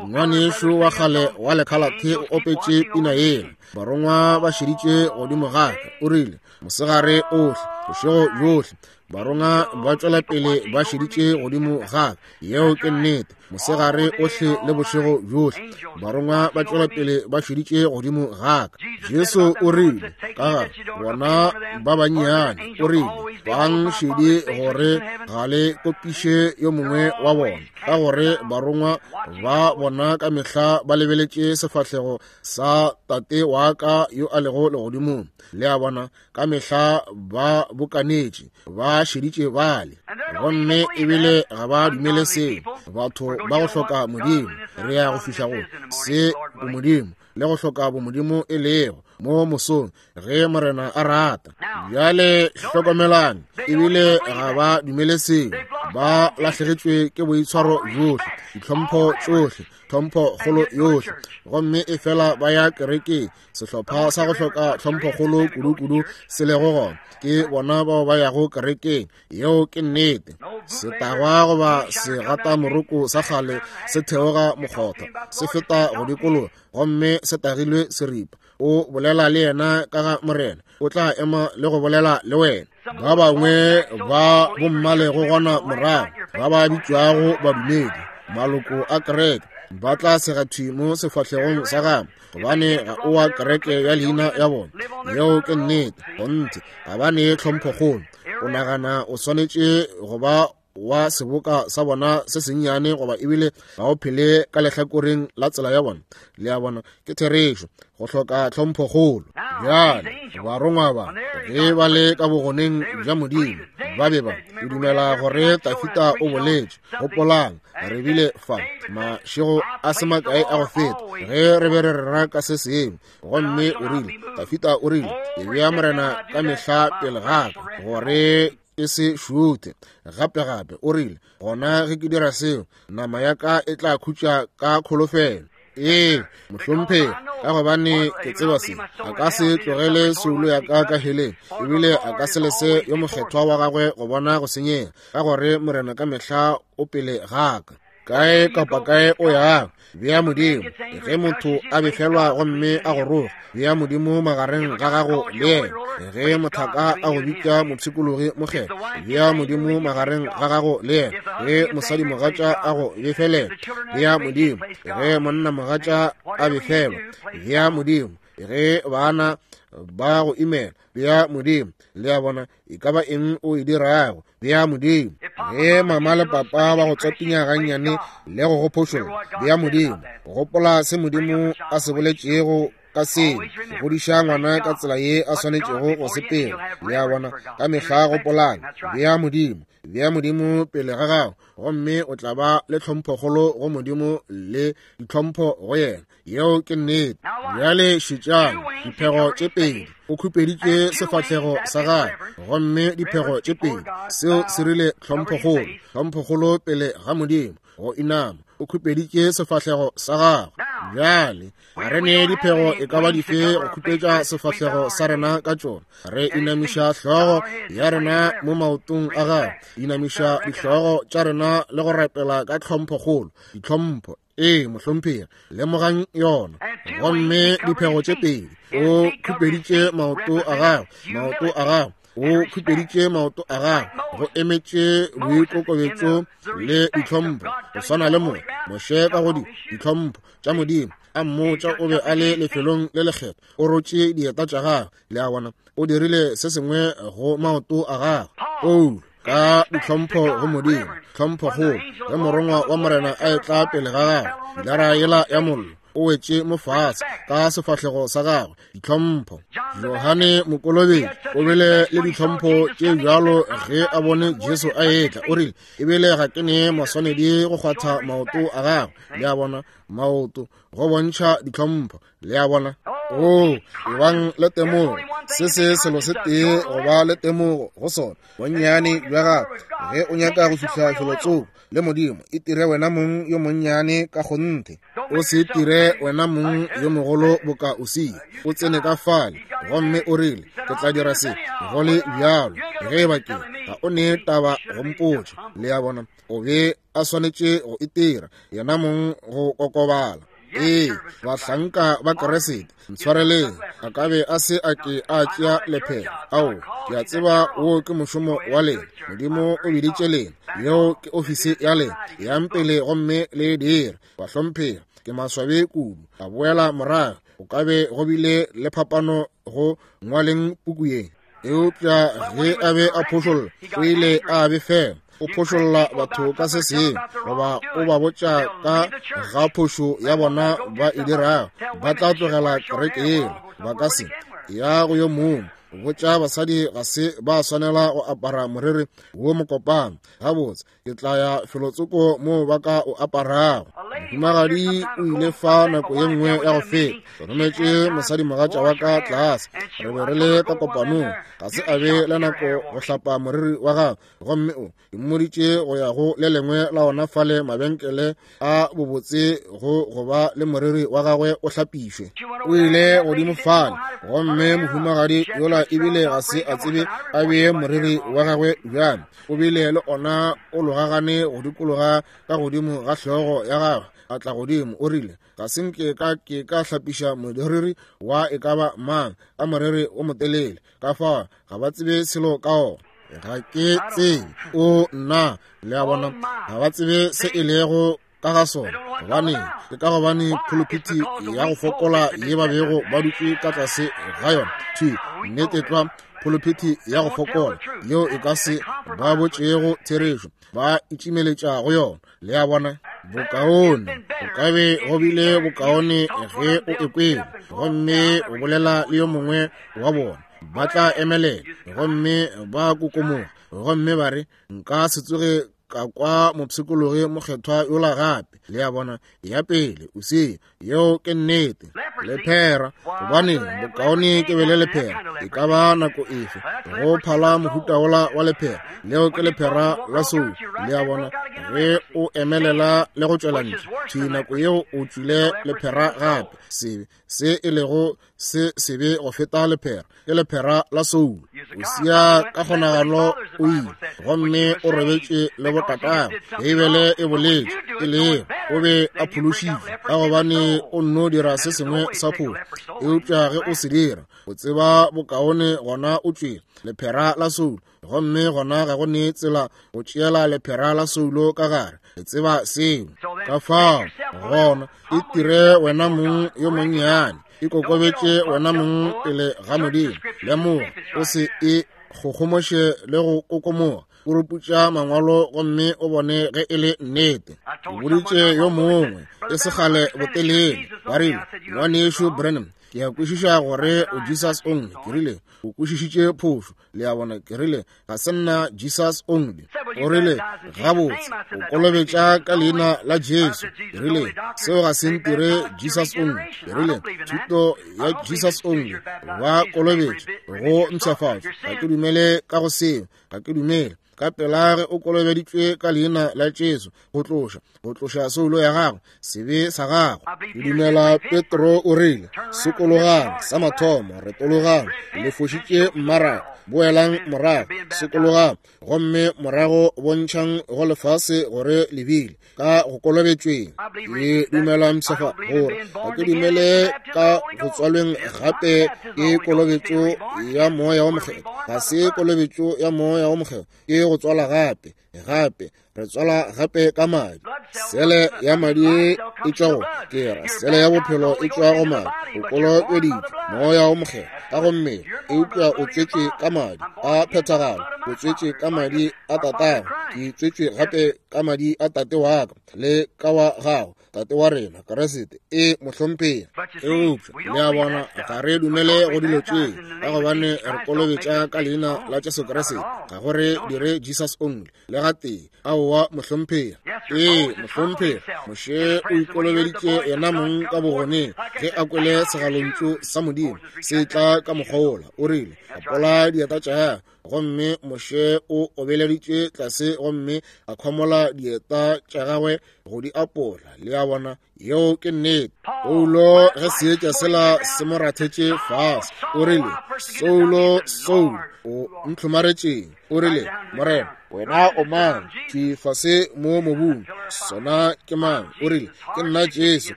Ngwanešu wa kgale wa lekhalathe o opetše pina yela. Barongwa ba šeditše godimo ga ka. O rile, mosegare ohle, bošego bjohle, barongwa ba tšwela pele ba šeditše godimo ga ka. Yeo ke nnete. Mosegare ohle le bošego bjohle, barongwa ba tšwela pele ba šeditše godimo ga ka. Jesu o rile ka ga bona ba bannyane, o rile, bang šedi gore ga le kopiše yo mongwe wa bona, ka gore barongwa ba bona ka mehla ba lebeletše sefahlego sa Tate wa ka yo a lego legodimong. Le a bona, ka mehla ba bokanetše, ba šeditše bale, gomme ebile ga ba dumele seo. Batho ba go hloka Modimo, re ya go fihla go se bomodimo le go hloka bomodimo e lego mo mosong, ge Morena a rata. Bjale hlokomelang, ebile ga ba dumele seo. Ba lahlegetšwe ke boitshwaro bjohle, ditlhompho tšohle, tlhompho kgolo yohle, gomme e fela ba ya kerekeng. Sehlopha sa go hloka tlhomphokgolo kudu-kudu se lego gona ke bona bao ba yago kerekeng. Yeo ke nnete. Setagwa goba segatamoroko sa kgale se theoga mokgotha, se feta go dikologa, gomme se tagilwe seripa. O bolela le yena ka ga Morena, o tla ema le go bolela le wena. Ba bangwe ba bommalego gona morago, ba ba bitšwago badumedi, maloko a kereke, ba tla sega thwi mo sefahlegong sa gago, gobane ga o wa kereke ya leina ya bona. Yeo ke nnete. Kgonthe, ga ba ne tlhomphokgolo. O nagana o swanetše go ba wa seboka sa bona se sennyane, goba ebile ga o phele ka lehlakoreng la tsela ya bona. Le a bona, ke therešo, go hloka tlhomphokgolo. Bjale barongwa ba ge ba le ka bogoneng bja Modimo, ba be ba o dumela gore Tafita o boletše. Gopolang, re bile fa mašego a se makae a go feta ge re be re rera ka se sengwe, gomme o rile, Tafita o rile, ke bea Morena ka mehla pele ga ka gore e se šuthe. Gape-gape o rile, gona ge ke dira seo, nama ya ka e tla khutša ka kholofelo. Ee, mohlomphegi, ka gobane ke tseba se, a ka se tlogele soulo ya ka ka heleng, ebile a ka se lese yo mokgethwa wa gagwe go bona go senyega, ka gore Morena ka mehla o pele ga ka. Kae kapa kae o yago, bea Modimo. Ge motho a befelwa gomme a go roga, bea Modimo magareng ga gago le yena. Ge mothaka a go bitša mopshikologi mokgethwa, bea Modimo magareng ga gago le yena. Ge mosadimogatša a go befelela, bea Modimo. Ge monnamogatša a befelwa, bea Modimo. Ge bana ba go imela, bea Modimo. Le a bona, e ka ba eng o e dirago, bea Modimo. Ge mama le papa ba go tswatinya gannyane le go go phošolla, bea Modimo. Gopola se Modimo a se boletšego ka seo, go godiša ngwana ka tsela ye a swanetšego go sepela. Le a bona, ka mehla gopolang, bea Modimo, bea Modimo pele ga gago, gomme o tla ba le tlhomphokgolo go Modimo le ditlhompho go yena. Yeo ke nnete. Bjale šetšang, diphego tše pedi. O khupeditše sefahlego sa gagwe, gomme diphego tše pedi, seo se rile tlhomphokgolo, tlhomphokgolo pele ga Modimo, go inama. O khupeditše sefahlego sa gagwe. Bjale ga re ne diphego e ka ba dife go khupetša sefahlego sa rena ka tšona. Re inamiša hlogo ya rena mo maotong a gagwe, inamiša dihlogo tša rena le go rapela ka tlhomphokgolo, ditlhompho. Ee, mohlomphegi, lemogang yona. Gomme diphego tše pedi, o khupeditše maoto a gagwe, maoto a gagwe, o khupeditše maoto a gagwe, go emetše boikokobetšo le ditlhompho, go swana le mo Moshe ka go ditlhompho tša Modimo a mmotša o be a le lefelong le lekgethwa, o rotše dieta tša gagwe. Le a bona, o dirile se sengwe go maoto a gagwe. Paulo ka ditlhompho go Modimo, tlhomphokgolo, ge morongwa wa Morena a etla pele ga gagwe, pilara yela ya mollo, o wetše mo fase ka sefahlego sa gagwe, ditlhompho. Johane Mokolobetši o bile le ditlhompho tše bjalo ge a bone Jesu a etla, o rile, ebile ga ke ne maswanedi go kgwatha maoto a gagwe. Le a bona, maoto, go bontšha ditlhompho. Le a bona? Oo, ebang le temogo. Se se selo se tee go ba le temogo go sona, bonnyane bja gago. Ge o nyaka go fihla felotsoko le Modimo, itire wena mong yo monnyane ka kgonthe. O se itire wena mong yo mogolo boka Usia. O tsene ka fale gomme o rile, ke tla dira se go le bjalo. Ge e ba ke, ga o ne taba go mpotša. Le a bona? O be a swanetše go itira yena mong go kokobala. Ee, bahlanka ba Keresete, ntshwareleng, a ka be a se a ke a tšea lephelo. Ao, ke a tseba wo ke mošomo wa lena. Modimo o biditše lena, yeo ke ofisi ya lena. Yang pele gomme le e dire. Bahlomphegi, ke maswabi kudu. A boela morago, go ka be go bile le phapano go ngwaleng puku ye. Eupša ge a be a phošolla, o ile a befela. O phošolla batho ka se sengwe, goba o ba botša ka ga phošo ya bona ba e dirago, ba tla tlogela kereke yela. Ba ka se ya go yo mongwe. Botša basadi ga se ba swanela go apara moriri wo mokopana. Gabotse, ke tla ya felotsoko moo ba ka o aparago. Mohumagadi o ile fa nako ye nngwe ya go feta. Ke rometše mosadimogatša wa ka tlase. Re be re le ka kopanong. Ga se a be le nako go hlapa moriri wa gagwe, gomme o mmoditše go ya go le lengwe la ona fale mabenkele a bobotse go go ba le moriri wa gagwe o hlapišwe. O ile godimo fale, gomme mohumagadi yola ebile ga se a tsebe a bee moriri wa gagwe bjang. O bile le ona o logagane go dikologa ka godimo ga hlogo ya gagwe, a tla godimo, o rile, ga se nke ka ke ka hlapiša moriri wa e ka ba mang ka moriri o motelele, ka fao ga ba tsebe selo ka ona. Ga ke tsebe, o nna, le a bona, ga ba tsebe se e lego ka ga sona. Gobane ke ka gobane phuluphithi ya go fokola ye ba bego ba dutše ka tlase ga yona, thwi nnete tlwa, phuluphithi ya go fokola yeo e ka se ba botšego therešo, ba itšimeletša go yona. Le a bona? Bokaone o ka be go bile bokaone ge o ekwele gomme o bolela le yo mongwe wa bona. Ba tla emelela gomme ba kokomoga gomme ba re, nka se tsoge ka kwa mopshikologi mokgethwa yola gape. Le a bona? Ya pele, o se, yeo ke nnete. Lephera, gobane bokaone ke be le lephera e ka ba nako efe go phala mohuta wola wa lephera. Leo ke lephera la sou. Le a bona? Ge o emelela le go tšwela ntle, thwi nako yeo o tšwile lephera gape. Sebe se e lego se sebe go feta lephera ke lephera la soulo. O sia ka kgonagalo o ile gomme o robetše le botatagwe. Beibele e boletše e lego o be a phološitšwe ka gobane o nno dira se sengwe sa phošo, eupša ge o se dira o tseba bokaone gona o tšwele lephera la soulo, gomme gona ga go ne tsela go tšeela lephera la soulo ka gare. Le tseba seo. Ka fao gona e tire wena mong yo monnyane, ikokobetše wena mong pele ga Modimo. Lemoga, o se e kgogomoše le go kokomoga. Puruputša mangwalo gomme o bone ge e le nnete. Ke boditše yo mongwe e se kgale botelele, ba rile, Ngwanešu Branham, Ke a kwešiša gore o Jesus only. Ke rile, o kwešišitše phošo. Le a bona? Ke rile, ga se nna Jesus only. O rile, gabotse, o kolobetša ka leina la Jesu. Ke rile, seo ga se ntire Jesus only. Ke rile, thuto ya Jesus only, ba kolobetša go mpshafatšo. Ga ke dumele ka go seo. Ga ke dumele. Ka pela ge o kolobeditšwe ka leina la Jesu, go tloša soulo ya gago, sebe sa gago. Ke dumela Petro o rile, sokologang sa mathomo, retologang, le fošitše mmaraka, boelang morago, sokologang, gomme morago bontšhang go lefase gore le bile ka go kolobetšweng. Ke dumela mpshafa gore ga ke dumele ka go tswalweng gape ke kolobetšo ya moya wa mokgethwa. Ga se kolobetšo ya moya wa mokgethwa, ke go tswala gape. Gape re tswala gape ka madi. Sele ya madi e tšwa go ke ra sele ya bophelo e tšwa go madi. O kolobeditšwe moya wa mokgethwa ka go mmele, eupša o tswetšwe ka madi a phethagalo. O tswetšwe ka madi a tatago. Ke tswetšwe gape ka madi a tate wa ka le ka wa gago, tate wa rena Kriste. E mohlomphegi. Eupša le a bona, ga re dumele go dilo tše, ka gobane re kolobetša ka leina la Jesu Kriste. Ga go re dire Jesus only le gatee. Aowa mohlomphegi. Ee mohlomphegi. Moshe o ikolobeditše yena mong ka bogoneng ge a kwele segalontšu sa Modimo se tla ka mokgwa wola. O rile, apola dieta tša gagwe. Gomme Moshe o obeleditše tlase gomme a khwamola dieta tša gagwe go di apola. Le a bona, yeo ke nnete. Paulo ge seetša sela se mo rathetše fase, o rile, Soulo, Soulo, o ntlhomaretšeng? O rile, Morena, wena o mang? Thwi fase mo mobung. Sona ke mang? O rile, ke nna Jesu,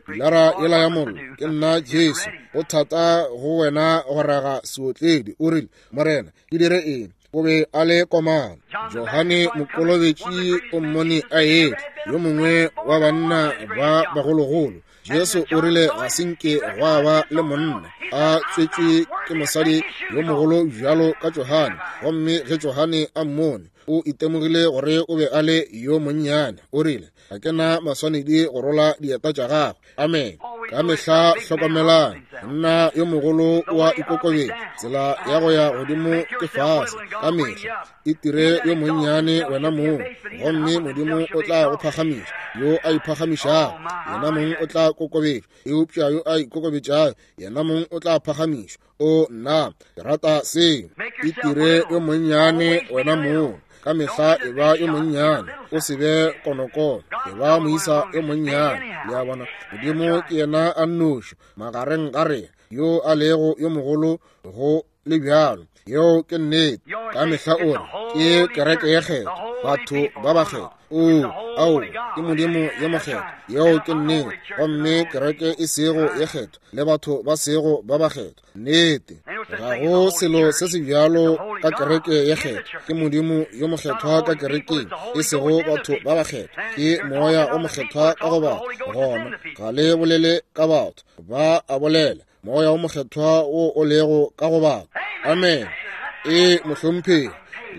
pilara yela ya mollo. Ke nna Jesu. Go thata go wena go raga seotledi. O rile, Morena, ke dire eng? O be a le komana. Johane Mokolobetši o mmone a etla, yo mongwe wa banna ba bagologolo. Jesu o rile ga se nke gwa ba le monna a tswetšwe ke mosadi yo mogolo bjalo ka Johane. Gomme ge Johane a mmone, o itemogile gore o be a le yo monnyane. O rile, ga ke na maswanedi go rola dieta tša gagwe. Amen. Ka mehla hlokomelang, monna yo mogolo wa ikokobetša, tsela ya go ya godimo ke fase. Ka mehla e tire yo monnyane wena mong, gomme Modimo o tla go phagamiša. Yo a iphagamišago yena mong o tla kokobetšwa, eupša yo a ikokobetšago yena mong o tla phagamišwa. O nna, ke rata seo. E tire yo monnyane wena mong. Ka mehla e ba yo monnyane, o se be konokono, e ba moisa yo monnyane. Le a bona, Modimo ke yena a nnoši magareng ga rena yo a lego yo mogolo go le bjalo. Yeo ke nnete. Ka mehla o re ke kereke ye kgethwa, batho ba bakgethwa. O, ao, ke Modimo yo mokgethwa. Yeo ke nnete. Gomme kereke e sego ye kgethwa le batho ba sego ba bakgethwa. Nnete. Ga go selo se se bjalo ka kereke ye kgethwa. Ke Modimo yo mokgethwa ka kerekeng, e sego batho ba bakgethwa. Ke Moya o mokgethwa ka go batho. Gona ga le bolele ka batho, ba a bolela. Moya o mokgethwa wo o lego ka go batho. Amen. E mohlomphegi,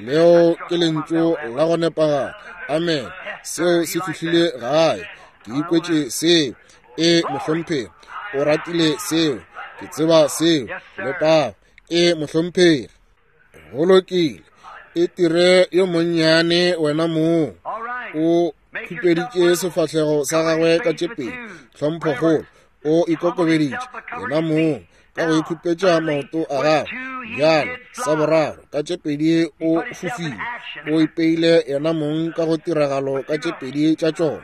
leo ke lentšu la go nepagala. Amen. Seo se fihlile gae. Ke ikwetše seo. E mohlomphegi, o ratile seo. Ke tseba seo. Letago. E mohlomphegi. Go lokile. E tire yo monnyane wena mong. O khupeditše sefahlego sa gagwe ka tše pedi. Tlhomphokgolo. O ikokobeditše yena mong ka go ikhupetša maoto a gagwe. Bjalo sa boraro ka tše pedi o fofile. O ipeile yena mong ka go tiragalo ka tše pedi tša tšona.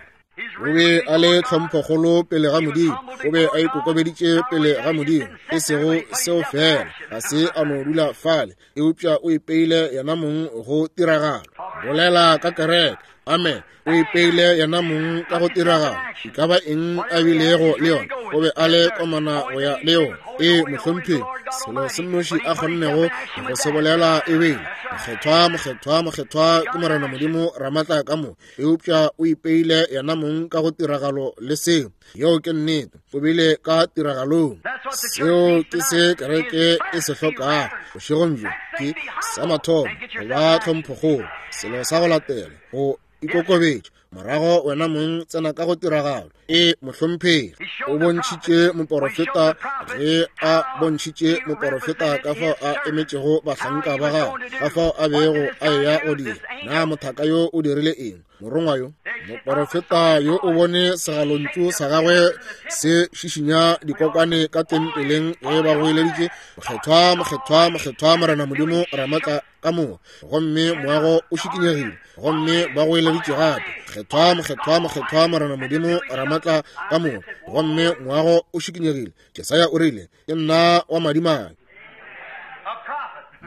O be a le tlhomphokgolo pele ga Modimo. O be a ikokobeditše pele ga Modimo. E sego seo fela, ga se a no dula fale, eupša o ipeile yena mong go tiragalo. Bolela ka kereke. Amen. O ipeile yena mong ka go tiragalo. E ka ba eng a bilego le yona, o be a le komana go ya le yona. E mohlomphegi, selo se nnoši a kgonnego go se bolela e bile, mokgethwa, mokgethwa, mokgethwa ke Morena Modimo Ramatla ka moka. Eupša o ipeile yena mong ka go tiragalo le seo. Yeo ke nnete. O bile ka tiragalong. Seo ke se kereke e se hlokago bošegong bjo, ke sa mathomo go ba tlhomphokgolo, selo sa go latela go ikokobetša. Morago wena mong tsena ka go tiragalo. E, mohlomphegi. O bontšhitše moporofeta, ge a bontšhitše moporofeta ka fao a emetšego bahlanka ba gagwe, ka fao a bego a eya go dira. Na mothaka yo o dirile eng? Morongwa yo, moporofeta yo, o bone segalontšu sa gagwe se šišinya dikokwane ka tempeleng ge ba goeleditše, Mokgethwa, mokgethwa, mokgethwa, Morena Modimo Ramatla ka moka, gomme moago o šikinyegile, gomme ba goeleditše gape, Mokgethwa, mokgethwa, mokgethwa, Morena Modimo Ramatla ka moka, gomme moago o šikinyegile. Jesaya o rile, Ke nna wa madimabe.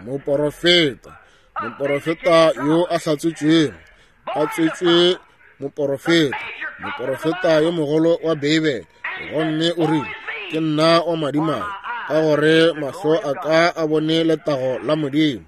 Moporofeta, moporofeta yo a hlatswetšwego, a tswetšwe moporofeta, moporofeta yo mogolo wa Beibele, gomme o rile, Ke nna wa madimabe, ka gore mahlo a ka a bone letago la Modimo.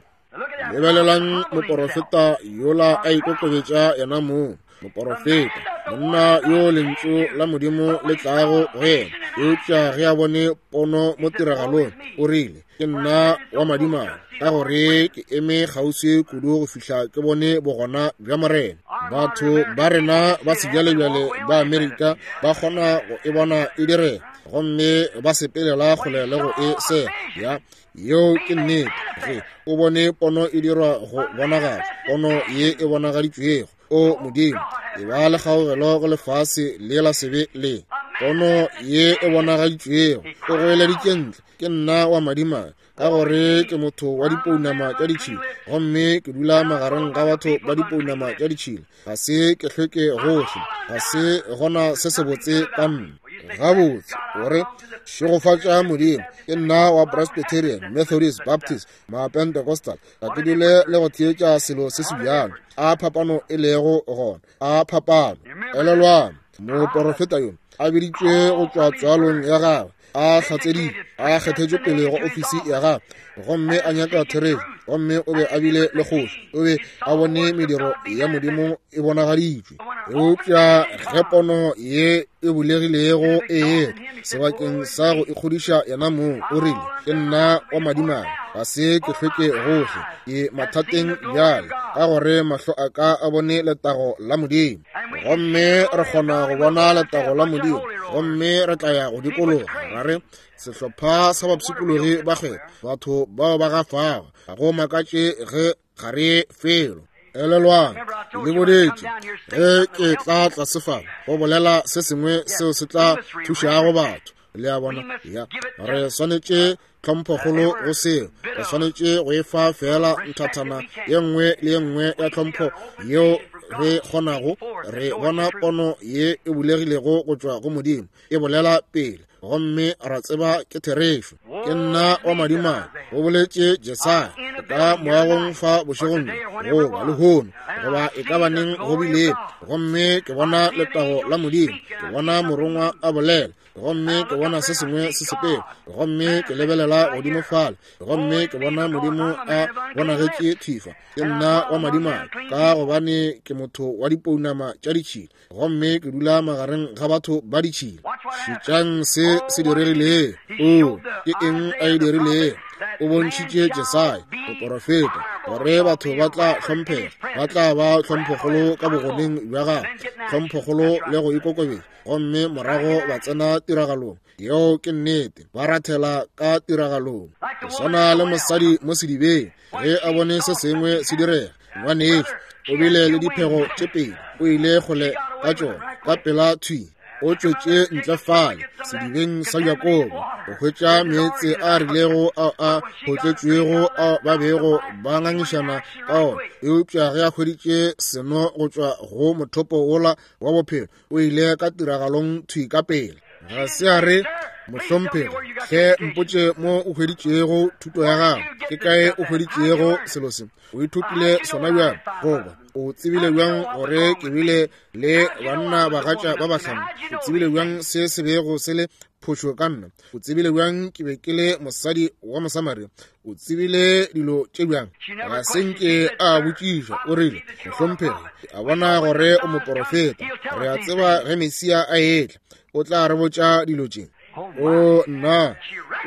Lebelelang moporofeta yola a ikokobetša yena mong, moporofeta, monna yo lentšu la Modimo le tlago go yena, eupša ge a bone pono mo tiragalong, o rile, Ke nna wa madimabe, ka gore ke eme kgauswi kudu go fihla ke bone bogona bja Morena. Batho ba rena ba sebjalebjale ba Amerika ba kgona go e bona e direga, gomme ba sepelela kgole le go e sega. Ya, yeo ke nnete. Ge o bone pono e dirwa go bonagatšwa, pono ye e bonagaditšwego, O Modimo, e ba le kgaogelo go lefase le la sebe le pono ye e bonagaditšwego. O goeleditše ntle, Ke nna wa madimabe, ka gore ke motho wa dipounama tša ditšhila, gomme ke dula magareng ga batho ba dipounama tša ditšhila. Ga se ke hlweke gohle, ga se gona se sebotse ka nna. Gabotse, o re, šegofatša Modimo, ke nna wa Presbyterian, Methodist, Baptist, Mapentecostal. Ga ke dule le go theetša selo se se bjalo. A phapano e lego gona, a phapano. Elelwang, moporofeta yo a biditšwe go tšwa tswalong ya gagwe, a hlatseditšwe, a kgethetšwe pele go ofisi ya gagwe, gomme a nyaka therešo, gomme o be a bile le kgoši, o be a bone mediro ya Modimo e bonagaditšwe. Eupša ge pono ye e bulegilego e etla, sebakeng sa go ikgodiša yena mong, o rile, Ke nna wa madimabe, ga se ke hlweke gohle, ke mathateng bjale, ka gore mahlo a ka a bone letago la Modimo. Gomme re kgona go bona letago la Modimo, gomme re tla ya go dikologa ra re, Sehlopha sa bapshikologi ba kgwebo, batho bao ba gafago, ga go makatše ge ga re felo. Elelwang, le boletše ge ke tla tlase fa go bolela se sengwe seo se tla thušago batho. Le a bona? Ya, re swanetše tlhomphokgolo go seo. Re swanetše go e fa feela nthathana ye nngwe le ye nngwe ya tlhompho yeo re kgonago. Re bona pono ye e bulegilego go tšwa go Modimo e bolela pele, gomme ra tseba ke therešo. Ke nna wa madimabe, go boletše Jesaya, ka moagong fa bošegong bjo, goba lehono, goba e ka baneng go bile, gomme ke bona letago la Modimo, ke bona morongwa a bolela, gomme ke bona se sengwe se sepela, gomme ke lebelela godimo fale, gomme ke bona Modimo a bonagetše thwi fa. Ke nna wa madimabe, ka gobane ke motho wa dipounama tša ditšhila, gomme ke dula magareng ga batho ba ditšhila. Šetšang se se diregilego. Oo, ke eng a e dirilego? O bontšhitše Jesaya, moporofeta, gore batho ba tla hlomphega, ba tla ba tlhomphokgolo ka bogoneng bja gagwe, tlhomphokgolo le go ikokobetša, gomme morago ba tsena tiragalong. Yeo ke nnete, ba rathela ka tiragalong. Go swana le mosadi mo sedibeng, ge a bone se sengwe se direga, ngwanešu o bile le diphego tše pedi, o ile kgole ka tšona ka pela thwi. O tšwetše ntle fale sedibeng sa Jakobo go hwetša meetse a rilego ao a hotletšwego ao ba bego ba ngangišana ka ona, eupša ge a hweditše seno go tšwa go mothopo wola wa bophelo, o ile ka tiragalong thwi ka pele. Ga se a re, Mohlomphegi, hle mpotše mo o hweditšego thuto ya gago. Ke kae o hweditšego selo se? O ithutile sona bjang? Goba o tsebile bjang gore ke bile le banna bagatša ba bahlano? O tsebile bjang se se bego se le phošo ka nna? O tsebile bjang ke be ke le mosadi wa Mosamaria? O tsebile dilo tše bjang? Ga se nke a botšiša. O rile, Mohlomphegi, a bona gore o moporofeta. Re a tseba ge Mesia a etla, o tla re botša dilo tše. O nna,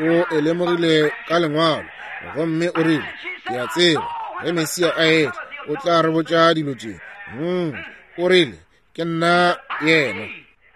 o e lemogile ka Lengwalo, gomme o rile, Ke a tseba ge Mesia a etla, o tla re botša dilo tše. O rile, Ke nna yena.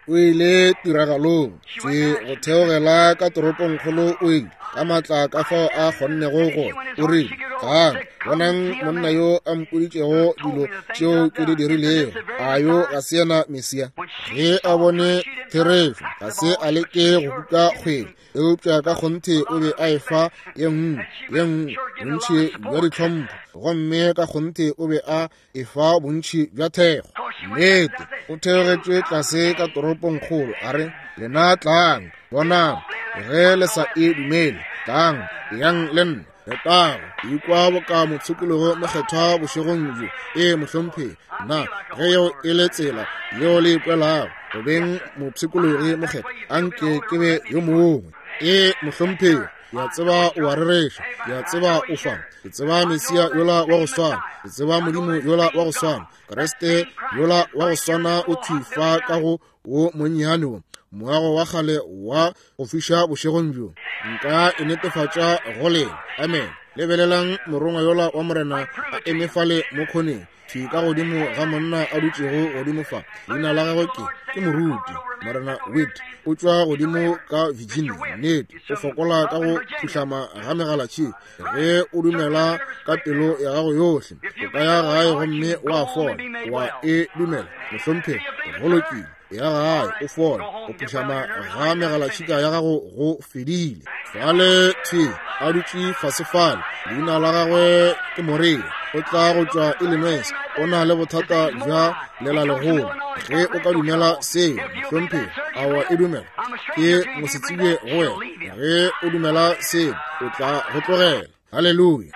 O ile tiragalong, tse go theogela ka toropongkgolo o ile ka maatla ka fao a kgonnego go. O rile, Tlang, bonang monna yo a mpoditšego dilo tšeo ke di dirilego. A yo ga se yena Mesia? Ge a bone therešo, ga se a leke go kuka kgwele, eupša ka kgonthe o be a efa ye nngwe ye nngwe bontši bja ditlhompho, gomme ka kgonthe o be a efa bontši bja thekgo. Nnete, o theogetše tlase ka toropongkgolo, a re, Lena tlang, bonang, ge le sa e dumele, tlang, eyang le nna. Letago, ikwa boka mopshikologo mokgethwa bošegong bjo. Ee, mohlomphegi. Na ge yeo e le tsela yeo le ikwelago go beng mopshikologi mokgethwa, anke ke be yo mongwe. Ee, mohlomphegi. Ke a tseba o a rereša. Ke a tseba o fa. Ke tseba Mesia yola wa go swana. Ke tseba Modimo yola wa go swana. Kriste yola wa go swana o thwi fa ka go wo monnyane wo moago wa kgale wa go fiša bošegong bjo. Nka e netefatša go lena. Amen. Lebelelang morongwa yola wa Morena a eme fale mo khoneng, thwi ka godimo ga monna a dutšego godimo fa. Leina la gagwe ke, ke moruti, Morena Witt. O tšwa godimo ka Virginia. Nnete, o fokola ka go phuhlama ga megalatšhika. Ge o dumela ka pelo ya gago yohle, o ka ya gae gomme wa fola. Wa e dumela, mohlomphegi? Go lokile, ya gae o fola. Go phuhlama ga megalatšhika ya gago go fedile. Fale thwi a dutše fase fale, leina la gagwe ke Morea, o tla go tšwa Illinois, o na le bothata bja lelalegolo. Ge o ka dumela seo, mohlomphegi, a wa e dumela? Ke mosetsebje go wena. Ge o dumela seo, o tla go tlogela. Haleluya!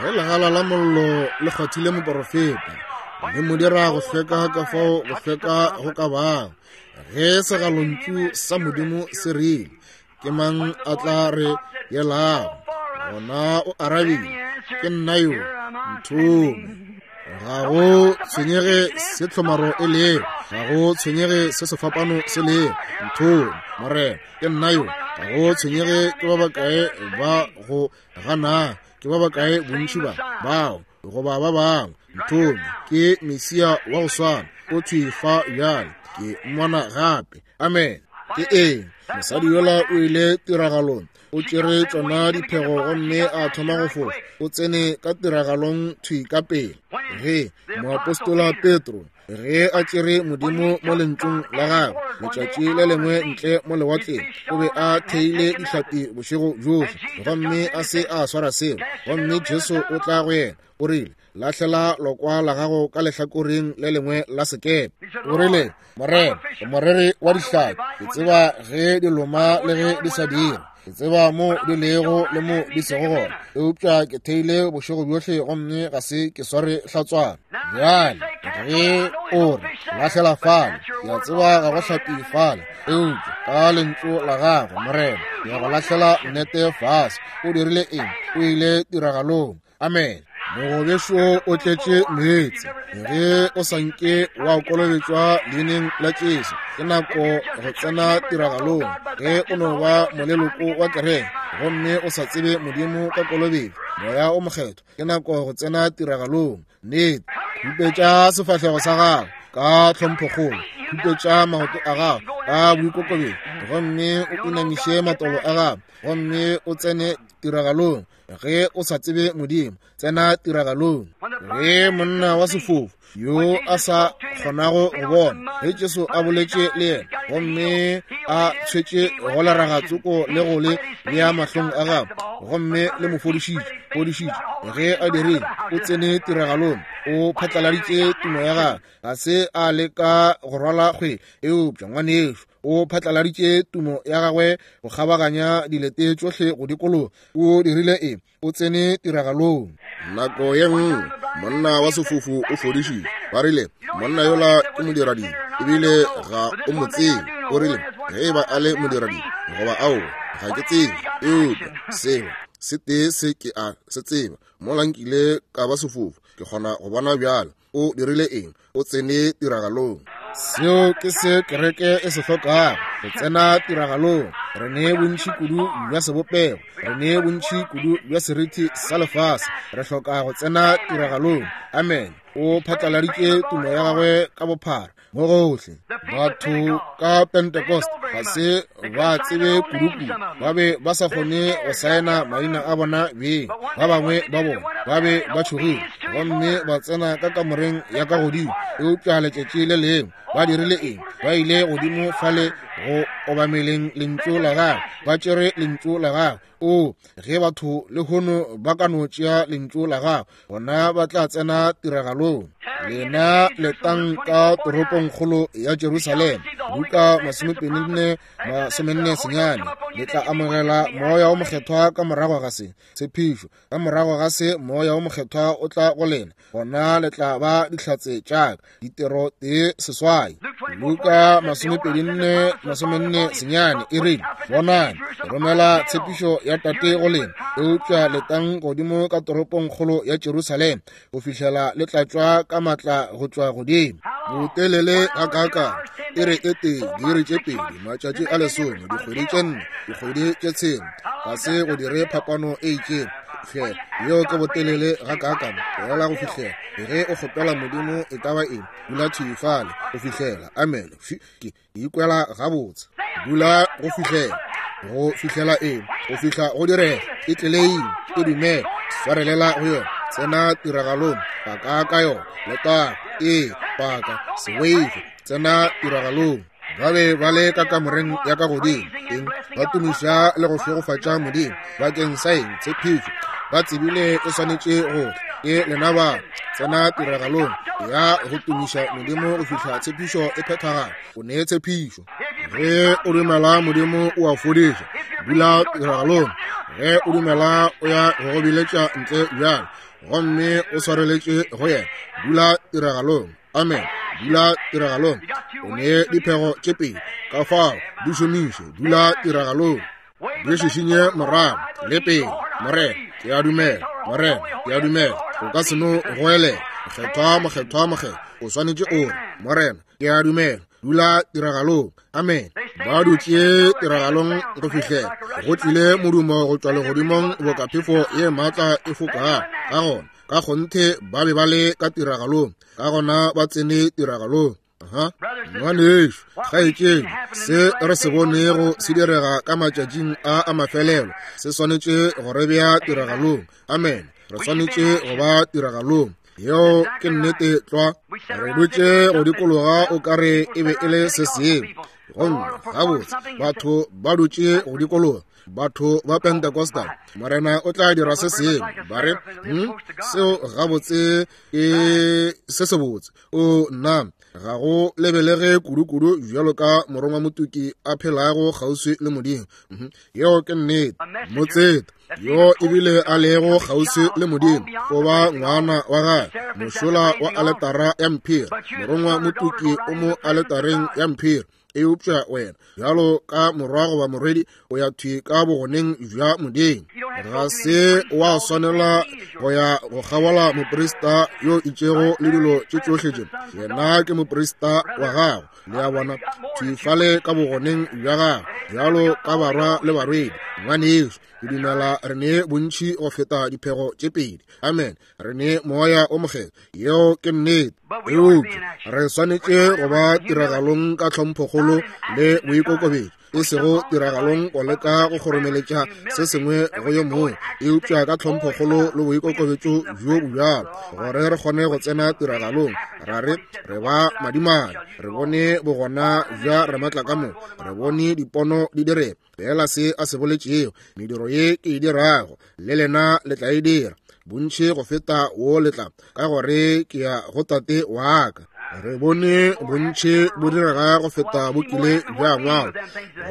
Ge legala la mollo le kgwathile moporofeta, le mo dira go hlweka ka fao go hlweka go ka bago. Ge segalontšu sa Modimo se rile, Ke mang a tla re yelago? Gona o arabile, Ke nna yo, nthome. Ga go tshwenyege se tlhomaro e lego, ga go tshwenyege se sefapano se lego, nthome, Morena, ke nna yo. Ga go tshwenyege ke ba bakae ba go gana, ke ba bakae bontši ba bao goba ba bangwe, nthome, ke Mesia wa go swana, o thwi fa bjale, ke mmona gape. Amen. Ke eng? Mosadi yola o ile tiragalong, o tšere tšona diphego gomme a thoma go fofa. O tsene ka tiragalong thwi ka pele. Ge moapostola Petro, ge a tšere Modimo mo lentšung la gagwe letšatši le lengwe ntle mo lewatleng, o be a theile dihlapi bošego bjohle gomme a se a swara selo, gomme Jesu o tla go yena, o rile, Lahlela lokwa la gago ka lehlakoreng le lengwe la sekepe. O rile, Morena, ke moreri wa dihlapi, ke tseba ge di loma le ge di sa dire, ke tseba mo di lego le mo di sego gona, eupša ke theile bošego bjohle gomme ga se ke sware hlatswana. Bjale ge o re lahlela fale, ke a tseba ga go hlapi fale, eupša ka lentšu la gago, Morena, ke ya go lahlela nnete fase. O dirile eng? O ile tiragalong. Amen. Mogobešo o tletše meetse. Ge o sa nke wa kolobetšwa leineng la Jesu, ke nako go tsena tiragalong. Ge o no ba moleloko wa kereke gomme o sa tsebe Modimo ka kolobetšo, Moya o Mokgethwa, ke nako go tsena tiragalong. Nnete. Khupetša sefahlego sa gago ka tlhomphokgolo, khupetša maoto a gago ka boikokobetšo, gomme o inamiše matolo a gago gomme o tsene tiragalong. Ge o sa tsebe Modimo, tsena tiragalong. Ge monna wa sefofu yo a sa kgonago go bona, ge Jesu a boletše le yena gomme a tshwetše go leraga tsoko le go le bea mahlong a gagwe, gomme le mo fodišitše, fodišitše, ge a dirile, o tsene tiragalong, o phatlaladitše tumo ya gagwe. Ga se a leka go rwala kgwele, eupša ngwanešu o phatlaladitše tumo ya gagwe go kgabaganya dilete tšohle go dikologa. O dirile eng? O tsene tiragalong. Nako ye nngwe monna wa sefofu o fodišitšwe. Ba rile, Monna yola ke modiradibe, ebile ga o mo tsebe. O rile, Ge e ba a le modiradibe goba aowa, ga ke tsebe, eupša selo se tee se ke a se tseba, mola nkile ka ba sefofu, ke kgona go bona bjale. O dirile eng? O tsene tiragalong. Seo ke se kereke e se hlokago, go tsena tiragalong. Re ne bontši kudu bja sebopego, re ne bontši kudu bja seriti sa lefase. Re hloka go tsena tiragalong. Amen. O phatlaladitše tumo ya gagwe ka bophara mo gohle. Batho ka Pentecost ga se ba tsebe kudukudu, ba be ba sa kgone go saena maina a bona beng. Ba bangwe ba bona ba be ba tšhogile gomme ba tsena ka kamoreng ya ka godimo. Eupša letšatši le lengwe ba dirile eng? Ba ile godimo fale go obameleng lentšu la gagwe, ba tšere lentšu la gagwe. O, ge batho lehono ba ka no tšea lentšu la gago, gona ba tla tsena tiragalong. Lena letang ka toropongkgolo ya Jerusalema, Luka 24:49, le tla amogela Moya wo Mokgethwa ka morago ga se. Tshepišo, ka morago ga se Moya wo Mokgethwa o tla go lena, gona le tla ba dihlatse tša ka. Ditiro 1:8. Luka 24:49 e rile, Bonang, ke romela tshepišo ya Tate go lena, eupša letang godimo ka toropongkgolo ya Jerusalema go fihlela le tlatšwa ka matla go tšwa godimo. Botelele gakaakang? E re e tee, diiri tše pedi, matšatši a lesome, dikgwedi tše nne, dikgwedi tše tshela, ga se go dire phapano e itšego. Hle, yeo ke botelele gakaakang, tlogela go fihlela ge o kgopela Modimo e ka ba eng, dula thwi fale go fihlela. Amene. Ke ikwela gabotse. Dula go fihlela, go fihlela eng? Go fihla go direga. E tleleing, e dumela, swarelela go yona, tsena tiragalong, paka ka yona, letago, ee, paka, se boife, tsena tiragalong. Ba be ba le ka kamoreng ya ka godimo, eng, ba tumiša le go šegofatša Modimo bakeng sa eng? Tshepišo. Ba tsebile e swanetše go tla. Ke lena ba tsena tiragalong ya go tumiša Modimo go fihla tshepišo e phethagala. O ne tshepišo. Ge o dumela Modimo o a fodiša, dula tiragalong. Ge o dumela o ya go go biletša ntle bjalo, gomme o swareletše go yena, dula tiragalong. Amen. Dula tiragalong. O ne diphego tše pedi, ka fao di šomiše. Dula tiragalong. Di šišinye morago le pele. Morena, ke a dumela. Morena, ke a dumela. O ka se no goelela, Mokgethwa, mokgethwa, mokgethwa. O swanetše o re, Morena, ke a dumela. Dula tiragalong. Amen. Ba dutše tiragalong go fihlela go tlile modumo go tšwa legodimong boka phefo ye maatla e fokago. Ka gona, ka kgonthe ba be ba le ka tiragalong. Ka gona ba tsene tiragalong. Aha. Ngwanešu, kgaetšedi, se re se bonego se direga ka matšatšing a a mafelelo se swanetše go re bea tiragalong. Amen. Re swanetše go ba tiragalong. Yeo ke nnete tlwa. Re dutše go dikologa o ka re e be e le se sengwe. Gomme gabotse batho ba dutše go dikologa, batho ba Pentecostal, Morena o tla dira se sengwe. Ba re, seo gabotse ke se sebotse. O nna, ga go lebelege kudu-kudu bjalo ka morongwa motuki a phelago kgauswi le Modimo. Yeo ke nnete. Motseta yo ebile a lego kgauswi le Modimo o ba ngwana wa gagwe, mošola wa aletara ya mphiri. Morongwa motuki o mo aletareng ya mphiri, eupša wena bjalo ka morwa goba morwedi o ya thwi ka bogoneng bja Modimo. Ga se wa swanela go ya go kgabola moprista yo itšego le dilo tše tšohle tše. Yena ke moprista wa gago, le a bona, thwi fale ka bogoneng bja gago bjalo ka barwa le barwedi. Ngwanešu, ke dumela re ne bontši go feta diphego tše pedi. Amen. Re ne Moya o Mokgethwa. Yeo ke nnete. Eupša re swanetše go ba tiragalong ka tlhomphokgolo le boikokobetšo, e sego tiragalong go leka go kgoromeletša se sengwe go yo mongwe, eupša ka tlhomphokgolo le boikokobetšo bjo bo bjalo, gore re kgone go tsena tiragalong. Ra re, re ba madimabe, re bone bogona bja Ramatlakamoka, re bone dipono di direga. Fela se a se boletšego, mediro ye ke e dirago, le lena le tla e dira, bontši go feta wo le tla, ka gore ke ya go Tate wa ka. Re bone bontši bo direga go feta bo kile bja ngwalwa,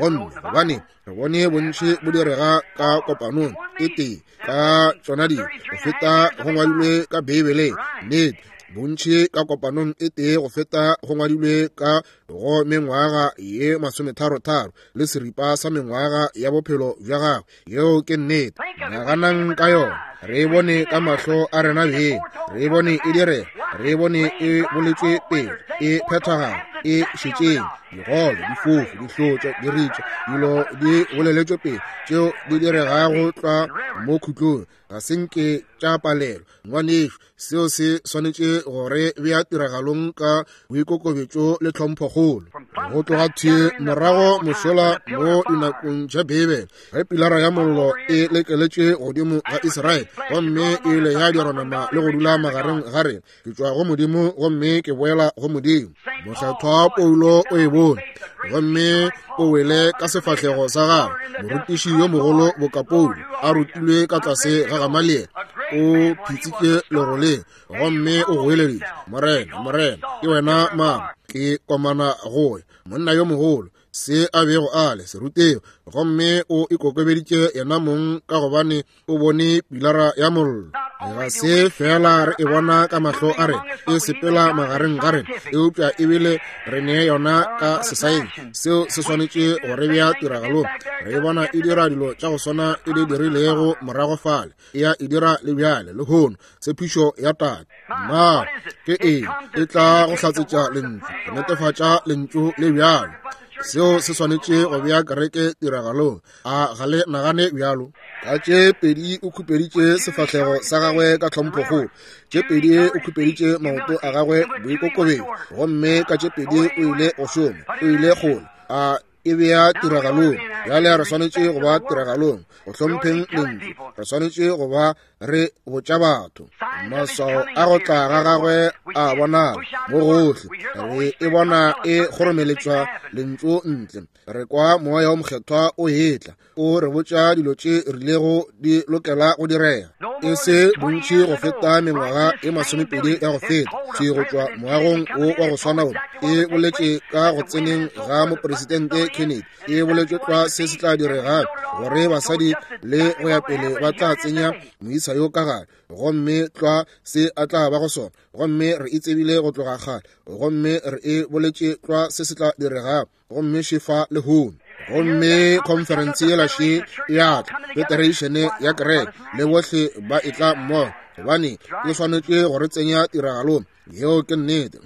gomme gobane re bone bontši bo direga ka kopanong e tee ka tšona di go feta go ngwadilwe ka Beibeleng. Nnete, bontši ka kopanong e tee go feta go ngwadilwe ka go mengwaga ye masometharotharo le seripa sa mengwaga ya bophelo bja gagwe. Yeo ke nnete. Naganang ka yona. Re e bone ka mahlo a rena beng, re e bone e direga, re e bone e boletšwe pele, e phethagala. E šetšeng, digole, difofu, dihlotša, diritša, dilo di boleletšwe pele tšeo di diregago tlwa mo khutlong, ga se nke tša palelwa. Ngwanešu, seo se swanetše go re bea tiragalong ka boikokobetšo le tlhomphokgolo. Go tloga thwi morago mošola mo dinakong tša Beibele, ge pilara ya mollo e lekeletše godimo ga Israele gomme e ile ya dirwa nama le go dula magareng ga rena, ke tšwa go Modimo gomme ke boela go Modimo. Mokgethwa Paulo o e bone gomme o wele ka sefahlego sa gagwe. Morutiši yo mogolo boka Paulo a rutilwe ka tlase ga Gamaliele, o phitsitše leroleng gomme o goeleditše, Morena, Morena, ke wena mang? Ke komana go ya. Monna yo mogolo, se a bego a le serutego, gomme o ikokobeditše yena mong ka gobane o bone pilara ya mollo. Ga se fela re e bona ka mahlo a rena e sepela magareng ga rena, eupša ebile re ne yona ka sesaeng. Seo se swanetše go re bea tiragalong. Re e bona e dira dilo tša go swana e di dirilego morago fale, e ya e dira le bjale lehono. Tshepišo ya Tate na ke eng? E tla go hlatsetša lentšu, go netefatša lentšu le bjalo. Seo se swanetše go bea kereke tiragalong. A ga le nagane bjalo? Ka tše pedi o khupeditše sefahlego sa gagwe ka tlhomphokgolo, tše pedi o khupeditše maoto a gagwe boikokobetšo, gomme ka tše pedi o ile go šoma, o ile kgole. A e bea tiragalong. Bjale re swanetše go ba tiragalong, go hlompheng lentšu. Re swanetše go ba re botša batho maswao a go tla ga gagwe a bonala mo gohle. Re e bona e kgoromeletšwa lentšu ntle. Re kwa Moya wo Mokgethwa o etla, o re botša dilo tše rilego di lokela go direga. E se bontši go feta mengwaga e 20 ya go feta, thwi go tšwa moagong wo wa go swana wo, e boletše ka go tseneng ga Mopresidente Kennedy, e boletše tlwa se se tla direga, gore basadi le go ya pele ba tla tsenya moisa yo ka gare, gomme tlwa se a tla ba go sona. Gomme re e tsebile go tloga kgale, gomme re e boletše tlwa se se tla diregago, gomme šefa lehono. Gomme khonferense yela še e a tla, federation ya kereke le bohle ba e tla mmogo, gobane e swanetše go re tsenya tiragalong. Yeo ke nnete.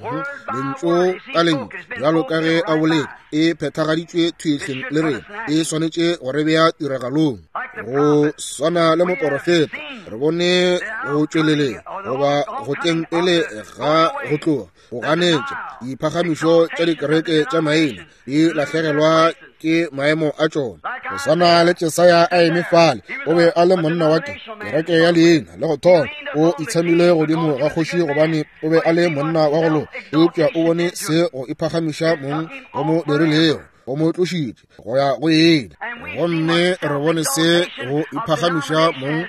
Lentšu ka lentšu, bjalo ka ge a boletše, e phethagaditšwe thwihleng le rena, e swanetše go re bea tiragalong. Go swana le moporofeta, re bone go tšweleleng goba go tleng pele ga go tloga go ganetša diphagamišo tša dikereke tša maina di lahlegelwa ke maemo a tšona. Go swana le Jesaya a eme fale, o be a le monna wa kereke ya leina le go thoma, o itshamile godimo ga kgoši gobane o be a le monna wa go loka, eupša o bone se go iphagamiša mong go mo dirilego, go mo tlošitše go ya go ena. Gomme re bone se go iphagamiša mong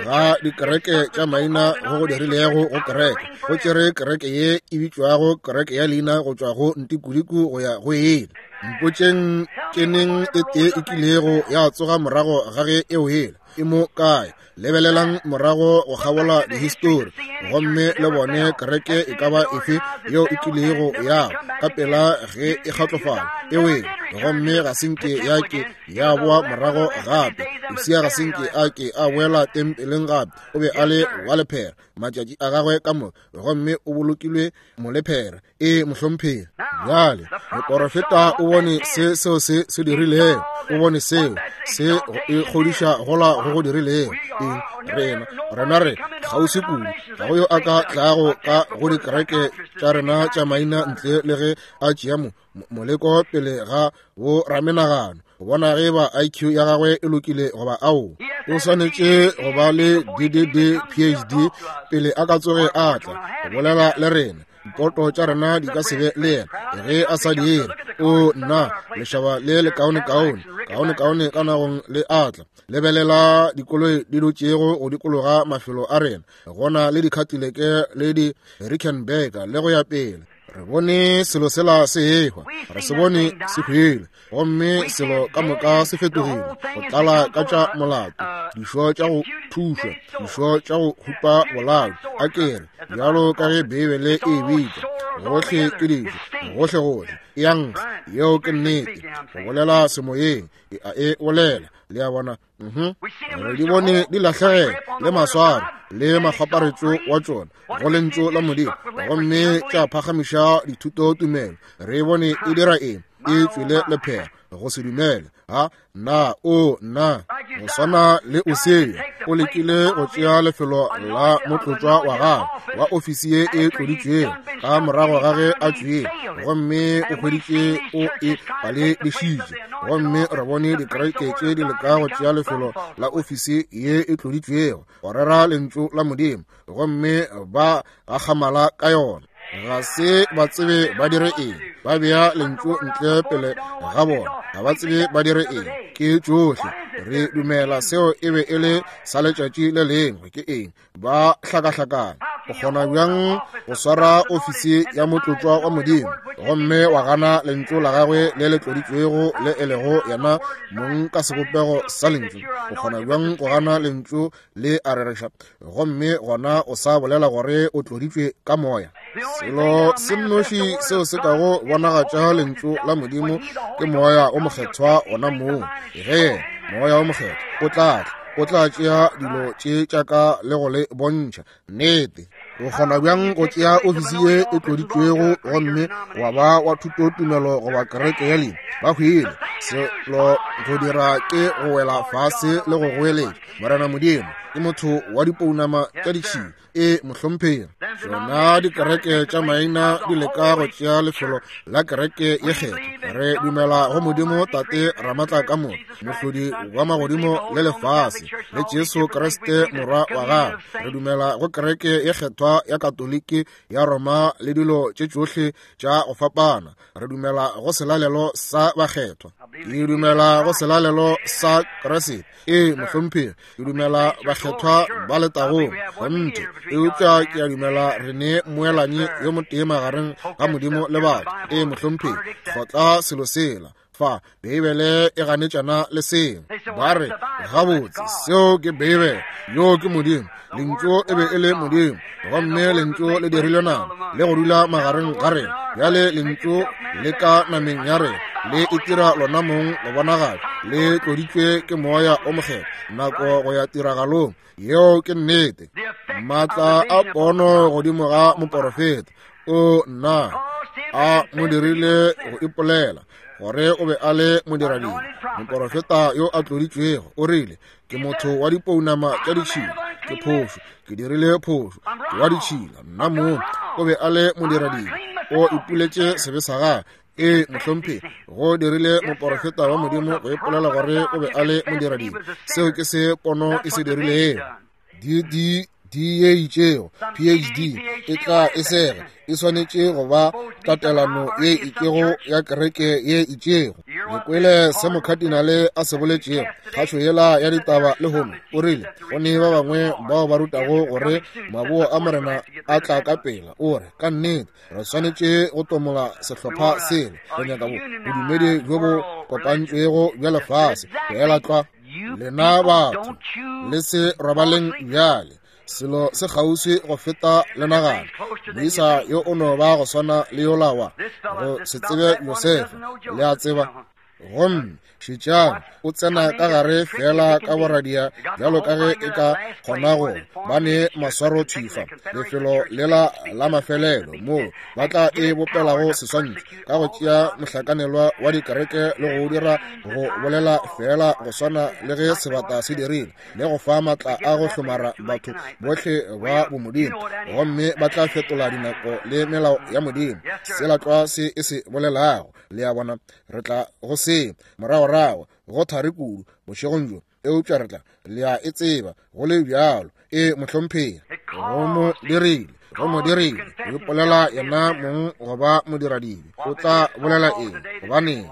ga dikereke tša maina go go dirilego go kereke, go tšere kereke ye e bitšwago kereke ya leina go tšwa go ntikudiku go ya go ena. Mpotšeng ke neng e tee e kilego ya tsoga morago ga ge e wela, e mo kae? Lebelelang morago go kgabola dihistori gomme le bone kereke e ka ba efe yeo e kilego ya ka pela ge e kgatlofala e wele, gomme ga se nke ya ke ya boa morago gape. Usia ga se nke a ke a boela tempeleng gape, o be a le wa lephera matšatši a gagwe ka moka, gomme o bolokilwe molephera. E mohlomphegi. Bjale moporofeta o bone se seo se se dirilego, o bone seo se e kgodiša gola go go dirilego. Eng? Rena, rena re kgauswi kudu, ga go yo a ka tlago ka go dikereke tša rena tša maina ntle le ge a tšea moleko pele ga bo ramenagano go bona ge ba IQ ya gagwe e lokile goba ao. O swanetše go ba le DDD PhD pele a ka tsoge a tla go bolela le rena. Poto tša rena di ka se be le yena ge a sa dire. O nna, lešaba le le kaonekaone, kaonekaone ka nagong le atla. Lebelela dikoloi di dutšego go dikologa mafelo a rena, gona le dikhatileke le di Rickenbacker le go ya pele. Re bone selo sela se ehwa, re se bone se hwele, gomme selo ka moka se fetogile go tlala ka tša molato, dišo tša go thušwa, dišo tša go hupa bolao, a ke re, bjalo ka ge Beibele e bitša. Gohle ke dijo, gohlegohle e a nkga. Yeo ke nnete. Go bolela semoyeng, e a e bolela. Le a bona? Re di bone di lahlegela le maswaro le makgwaparetšo wa tšona go lentšu la Modimo, gomme tša phagamiša dithutotumelo. Re bone e dira eng? E tšwele lephera go se dumele. Ha na o na go swana le Usia o lekile go tšea lefelo la motlotšwa wa gagwe wa ofisi ye e tloditšwego ka morago ga ge a tšwile, gomme o hweditše o e paledišitše. Gomme re bone dikereke tše di leka go tšea lefelo la ofisi ye e tloditšwego go rera lentšu la Modimo, gomme ba gakgamala ka yona. Ga se ba tsebe ba dire eng. Ba bea lentšu ntle pele ga bona, ga ba tsebe ba dire eng. Ke tšohle re dumela seo e be e le sa letšatši le lengwe. Ke eng? Ba hlakahlakana. O kgona bjang go swara ofisi ya motlotšwa wa Modimo gomme wa gana lentšu la gagwe le le tloditšwego le e lego yena mong ka sebopego sa lentšu? O kgona bjang go gana lentšu le a rereša gomme gona o sa bolela gore o tloditšwe ka moya? Selo se nnoši seo se kago bonagatša lentšu la Modimo ke Moya o Mokgethwa ona mong. Ge Moya o Mokgethwa o tla tla, o tla tšea dilo tše tša ka le go le bontšha nnete. O kgona bjang go tšea ofisi ye e tloditšwego gomme wa ba wa thutotumelo goba kereke ya leina? Ba hwile. Selo go dira ke go wela fase le go goeletša, Morena Modimo, ke motho wa dipounama tša ditšhila. E mohlomphegi. Tšona dikereke tša maina di leka go tšea lefelo la kereke ye kgethwa. Re dumela go Modimo Tate Ramatla ka moka, Mohlodi wa magodimo le lefase, le Jesu Kriste Morwa wa gagwe. Re dumela go kereke ye kgethwa ya Katoliki ya Roma le dilo tše tšohle tša go fapana. Re dumela go selalelo sa bakgethwa. Ke dumela go selalelo sa Kriste. Ee, mohlomphegi. Ke dumela bakgethwa ba letagong kgonthe, eupša ke a dumela re ne mmoelanyi yo motee magareng ga Modimo le batho. Ee, mohlomphegi. Kgotla selo sela fa. Beibele e ganetšana le seo. Ba re, gabotse, seo ke Beibele. Yoo ke Modimo. Lentšu e be e le Modimo, gomme Lentšu le dirilwe nama le go dula magareng ga rena. Bjale Lentšu le ka nameng ya rena, le itira lona mong go bonagala, le tloditšwe ke Moya o Mokgethwa nako go ya tiragalong. Yeo ke nnete. Maatla a pono godimo ga moporofeta, o nna a mo dirile go ipolela gore o be a le modiradibe. Moporofeta yo a tloditšwego o rile, ke motho wa dipounama tša ditšhila, ke phošo, ke dirile phošo, ke wa ditšhila nna mong. O be a le modiradibe, o ipuletše sebe sa gagwe. Ee, mohlomphegi, go dirile moporofeta wa Modimo go ipolela gore o be a le modiradibe. Seo ke se pono e se dirilego. D D ye itšego, PhD, e tla e sega, e swanetše go ba tatelano ye itšego ya kereke ye itšego. Le kwele se mokhatinale a se boletšego kgašo yela ya ditaba lehono. O rile go ne ba bangwe bao ba rutago gore maboa a Morena a tla ka pela. O re, ka nnete re swanetše go tomola sehlopha sele, re nyaka bodumedi bjo bo kopantšwego bja lefase. Feela tlwa. Lena batho le se robaleng bjale, selo se kgauswi go feta le nagana. Moisa yo o no ba go swana le yola wa go se tsebe Josefa, le a tseba. Gomme šetšang, o tsena ka gare feela ka boradia bjalo ka ge e ka kgona go ba ne maswaro thwifa, lefelo lela la mafelelo moo ba tla e bopelago seswantšho ka go tšea mohlakanelwa wa dikereke le go dira go bolela feela go swana le ge sebata se dirile, le go fa maatla a go hlomara batho bohle ba bomodimo, gomme ba tla fetola dinako le melao ya Modimo, sela tlwa se e se bolelago. Le a bona, re tla go se moragorago go thari kudu bošegong bjo, eupša re tla, le a e tseba go le bjalo. E mohlomphegi, go mo dirile, go mo dirile go ipolela yena mong go ba modiradibe. O tla bolela eng? Gobaneng,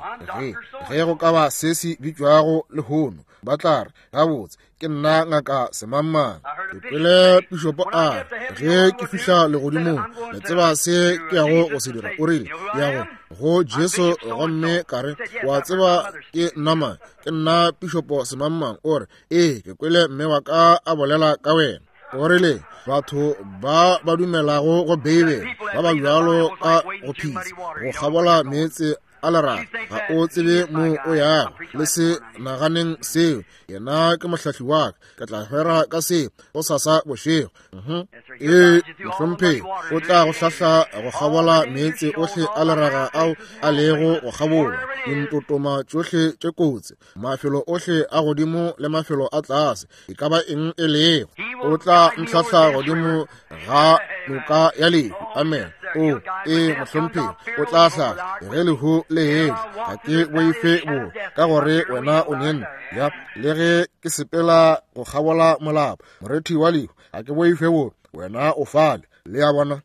ge go ka ba se se bitšwago lehono, ba tla re, gabotse, ke nna ngaka semangmang. Ke kwele pišopo a re, ge ke fihla legodimong, le tseba se ke yago go se dira? O rile, ke ya go Jesu, gomme ka re, wa tseba ke nna mang? Ke nna pišopo semangmang. O re, ee, ke kwele mme wa ka a bolela ka wena. O rile, Batho ba ba dumelago go Beibele ba ba bjalo ka go phisa go kgabola meetse a lerato. Ga o tsebe mo o yago. Le se naganeng seo. Yena ke mohlahli wa ka. Ke tla hwera ka seo go sasa bošego. Ee, mohlomphegi, o tla go hlahla go kgabola meetse ohle a leraga ao a lego go kgabola, dintotoma tšohle tše kotsi, mafelo ohle a godimo le mafelo a tlase, e ka ba eng e lego. O tla ntlhahla godimo ga noka ya lehu. Amen. O, ee, mohlomphegi, o tla hlahla ge lehu le etla. Ga ke boife bo, ka gore wena o ne nna. Ya, le ge ke sepela go kgabola molapo, morethi wa lehu, ga ke boife bo, wena o fale. Le a bona?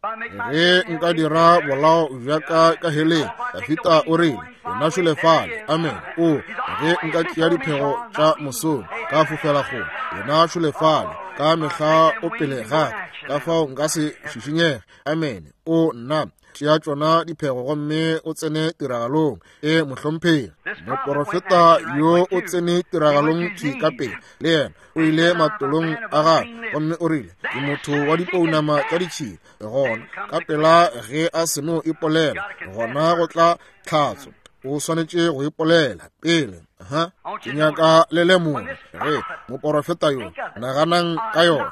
Ge nka dira bolao bja ka ka heleng, Dafita o rile, wena šole fale. Amen. O, ge nka tšea diphego tša mosong, ka fofela kgole, wena šole fale. Ka mehla o pele ga ka, ka fao nka se šišinyege. Amen. O, nna, tšea tšona diphego gomme o tsene tiragalong. E, mohlomphegi, moporofeta yo o tsene tiragalong thwi ka pele, le yena o ile matolong a gagwe gomme o rile, ke motho wa dipounama tša ditšhila. Gona ka pela ge a seno ipolela, gona go tla tlhatso. O swanetše go ipolela pele. Ha, ke nyaka le lemoge ge moporofeta yo, naganang ka yona,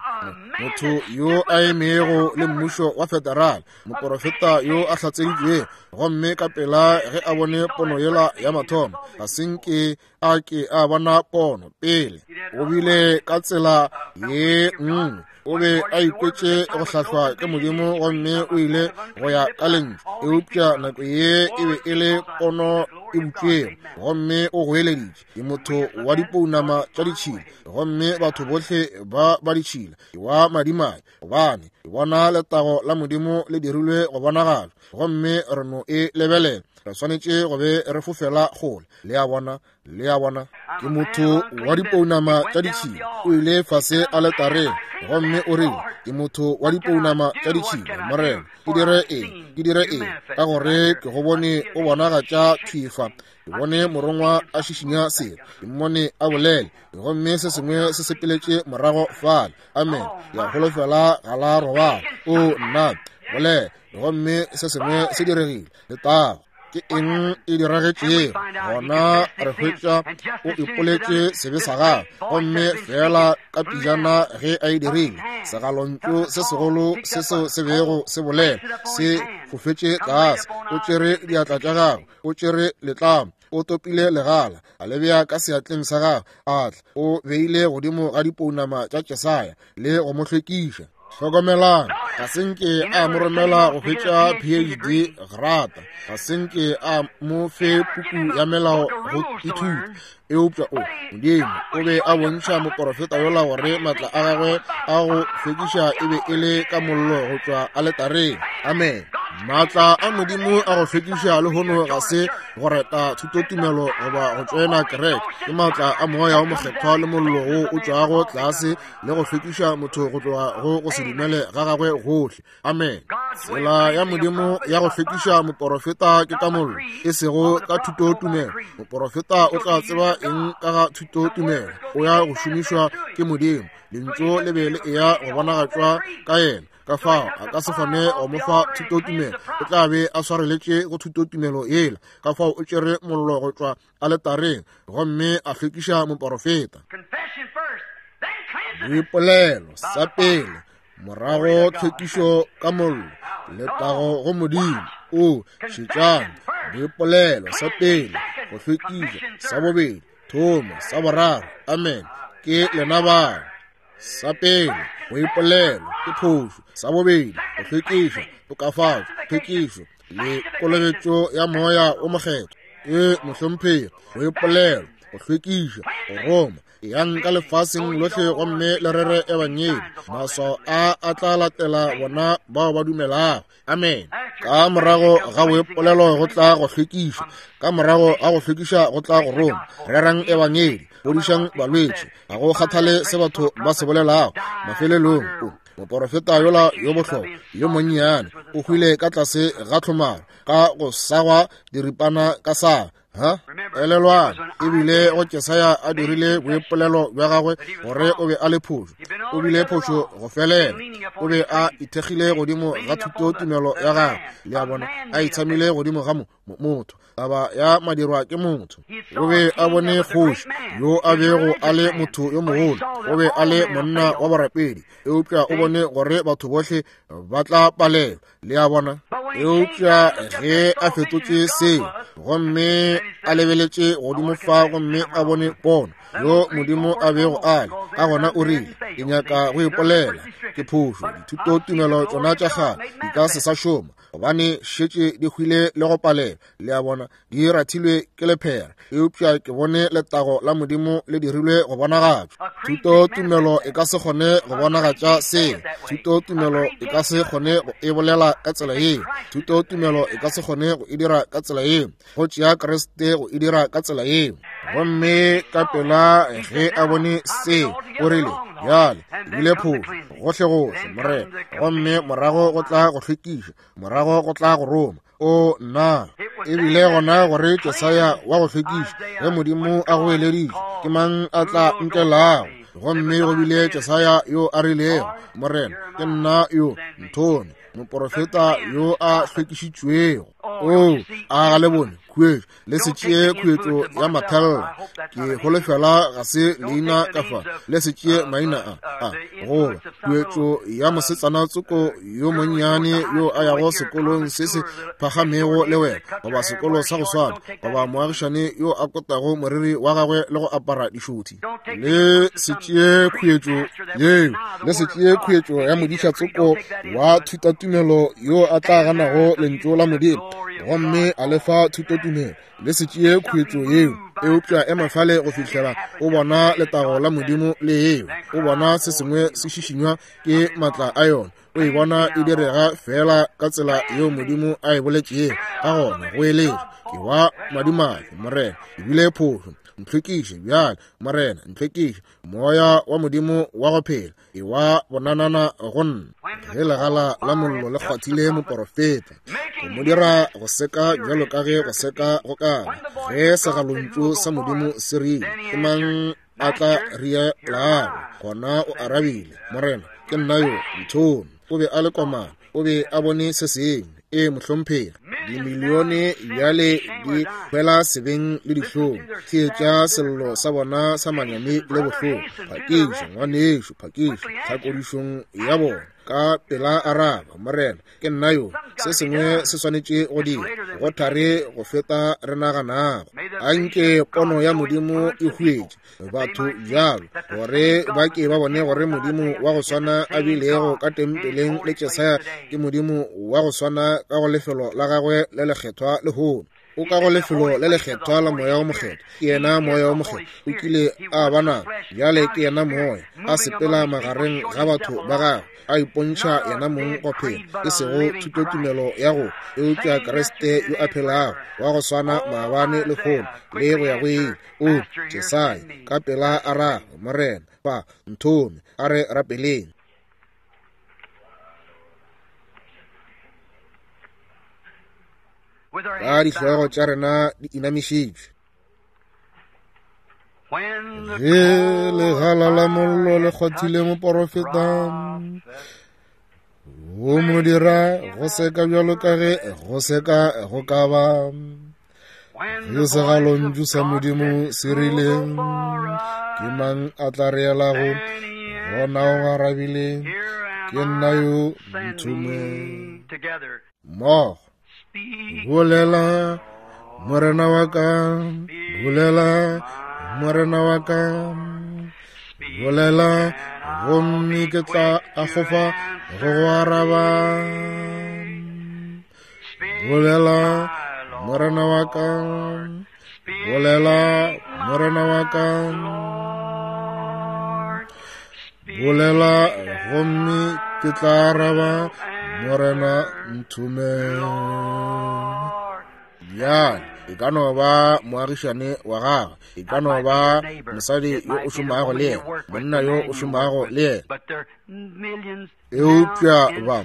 motho yo a emego le mmušo wa federal, moporofeta yo a hlatseditšwego, gomme ka pela ge a bone pono yela ya mathomo, ga se nke a ke a bona pono pele. O bile ka tsela ye nngwe, o be a ikwetše go hlahlwa ke Modimo gomme o ile go ya ka lentšu, eupša nako ye e be e le pono e butšwego, gomme o goeleditše, ke motho wa dipounama tša ditšhila, gomme batho bohle ba ba ditšhila, ke wa madimabe, gobane ke bona letago la Modimo le dirilwe go bonagala, gomme re no e lebelela. Re swanetše go be re fofela kgole. Le a bona? Le a bona? Ke motho wa dipounama tša ditšhila. O ile fase aletareng gomme o rile, ke motho wa dipounama tša ditšhila, Morena, ke dire eng? Ke dire eng? Ka gore ke go bone o bonagatša thwi fa. Ke bone morongwa a šišinya selo. Ke mmone a bolele, gomme se sengwe se sepeletše morago fale. Amen. Ke a holofela ga la robala. O, nna, bolela, gomme se sengwe se diregile. Letago. Ke eng e diragetšego? Gona re hwetša o ipoletše sebe sa gagwe, gomme feela ka pijana ge a e dirile, segalontšu se segolo se seo se bego se bolela se fofetše tlase. O tšere diatla tša gagwe, o tšere letlamo, o topile legala, a le bea ka seatleng sa gagwe, a tla o beile godimo ga dipounama tša Jesaya le go mo hlwekiša. Hlokomelang, ga se nke a mo romela go hwetša PhD grata, ga se nke a mo fe puku ya melao go ithuta, eupša o, Modimo o be a bontšha moporofeta yola gore matla a gagwe a go hlwekiša e be e le ka mollo go tšwa aletareng. Amen. Matla a Modimo a go hlwekiša lehono ga se go reta thutotumelo goba go tšoena kereke, ke matla a Moya wo Mokgethwa le mollo wo o tšwago tlase le go hlwekiša motho go tloga go go se dumele ga gagwe gohle. Amen. Tsela ya Modimo ya go hlwekiša moporofeta ke ka mollo, e sego ka thutotumelo. Moporofeta o tla tseba eng ka ga thutotumelo? O ya go šomišwa ke Modimo. Lentšu le be le eya go bonagatšwa ka yena. Ka fao a ka se kgone go mo fa thutotumelo, o tla be a swareletše go thutotumelo yela. Ka fao o tšere mollo go tšwa aletareng gomme a hlwekiša moporofeta. Boipolelo sa pele, morago tlhwekišo ka mollo. Letago go Modimo. O, šetšang, boipolelo sa pele, go hlwekiša, sa bobedi, thomo, sa boraro. Amen. Ke lena bao. Sa pele, go ipolelo ke phošo. Sa bobedi, go hlwekiša, tokafatšo, tlhwekišo le kolobetšo ya Moya wo Mokgethwa. E, mohlomphegi, go ipolelo, go hlwekiša, go roma. Eyang ka lefaseng lohle gomme le rere ebangedi. Maswao a a tla latela bona bao ba dumelago. Amen. Ka morago ga boipolelo go tla go hlwekiša, ka morago ga go hlwekiša go tla go roma. Rerang ebangedi, fodišang balwetši, ga go kgathale se batho ba se bolelago. Mafelelong, o moporofeta yola yo bohlokwa yo monnyane o hwile ka tlase ga tlhomaro ka go sagwa diripana ka saga. Ha? Elelwang, e bile go Jesaya a dirile boipolelo bja gagwe gore o be a le phošo. O bile phošo go felela. O be a ithekgile godimo ga thutotumelo ya gagwe, le a bona, a itshamile godimo ga motho, taba ya madirwa ke motho. O be a bone kgoši yo a bego a le motho yo mogolo, o be a le monna wa borapedi, eupša o bone gore batho bohle ba tla palelwa, le a bona. Eupša ge a fetotše seo gomme a lebeletše godimo fa gomme a bone pono yo Modimo a bego a le ka gona, o rile, ke nyaka go ipolela ke phošo, dithutotumelo tšona tša kgale di ka se sa šoma, gobane šetše di hwile le go palelwa, le a bona, di rathilwe ke lephera. Eupša ke bone letago la Modimo le dirilwe go bonagatšwa. Thutotumelo e ka se kgone go bonagatša seo. Thutotumelo e ka se kgone go e bolela ka tsela yeo. Thutotumelo e ka se kgone go e dira ka tsela yeo. Go tšea Kriste go e dira ka tsela yeo. Gomme ka pela ge a bone seo, o rile, bjale ke bile phošo gohlegohle, Morena. Gomme morago go tla go hlwekiša, morago go tla go roma. O nna, e bile gona gore Jesaya wa go hlwekiša, ge Modimo a goeleditše, ke mang a tla nkelago? Gomme go bile Jesaya yo a rilego, Morena, ke nna yo, nthome, moporofeta yo a hlwekišitšwego. O, a ga le bone khuetšo? Le se tšee khuetšo ya mathella, ke holofela ga se leina ka fa. Le se tšee maina a goba khuetšo ya mosetsana tsoko yo monnyane yo a yago sekolong se se phagamego le wena, goba sekolo sa go swana, goba moagišane yo a kotago moriri wa gagwe le go apara dišothi. Le se tšee khuetšo yeo. Le se tšee khuetšo ya modiša tsoko wa thutatumelo yo a tla ganago lentšu la Modimo gomme a le fa thutotumelo. Le se tšee khuetšo yeo, eupša ema fale go fihlela o bona letago la Modimo le eo, o bona se sengwe se šišinywa ke matla a yona, o e bona e direga fela ka tsela yeo Modimo a e boletšego ka gona. Go eletša, ke wa madimabe, Morena, ke bile phošo, ntlhwekiše bjale, Morena, ntlhwekiše, moya wa Modimo wa go phela e wa bonanana go nna. Ge legala la mollo le kgwathile moporofeta, go mo dira go seka bjalo ka ge go seka go ka ba, ge segalontšu sa Modimo se rile, ke mang a tla rielago? Gona o arabile, Morena, ke nna yo, nthome. O be a le komana, o be a bone se sengwe. Ee, mohlomphegi. Dimilione bjale di hwela sebeng le dihlong. Theetša sello sa bona sa manyami le bohloko. Phakiša, ngwanešu, phakiša tlhakodišong ya bona. Ka pela araba, Morena, ke nna yo. Se sengwe se swanetše go dira, go thari go feta re naganago. Anke pono ya Modimo e huetše batho bjalo, gore ba ke ba bone gore Modimo wa go swana a bilego ka tempeleng le Jesaya ke Modimo wa go swana ka go lefelo la gagwe le lekgethwa lehono. O ka go lefelo le lekgethwa la Moya wo Mokgethwa. Ke yena Moya wo Mokgethwa. O kile a ba nabo, bjale ke yena Moya, a sepela magareng ga batho ba gagwe, a ipontšha yena mong go phela, e sego thutotumelo ya go, eupša Kriste yo a phelago, wa go swana maabane, lehono, le go ya go ile. O, Jesaya, ka pela araba, Morena, fa, nthome, a re rapeleng. Ka dihlogo tša rena di inamišitšwe, ge legala la mollo le kgwathile moporofeta, go mo dira go seka bjalo ka ge go seka go ka ba. Ge segalontšu sa Modimo se rile, ke mang a tla re elago? Gona o arabile, ke nna yo, nthome. Mmogo, bolela, Morena wa ka, bolela, Morena wa ka, bolela, gomme ke tla akgofa go go araba. Bolela, Morena wa ka, bolela, Morena wa ka, bolela, gomme ke tla araba, Morena nthome. Bjale, e ka no ba moagišane wa gagwe, e ka no ba mosadi yo o šomago le yena, monna yo o šomago le yena, eupša ba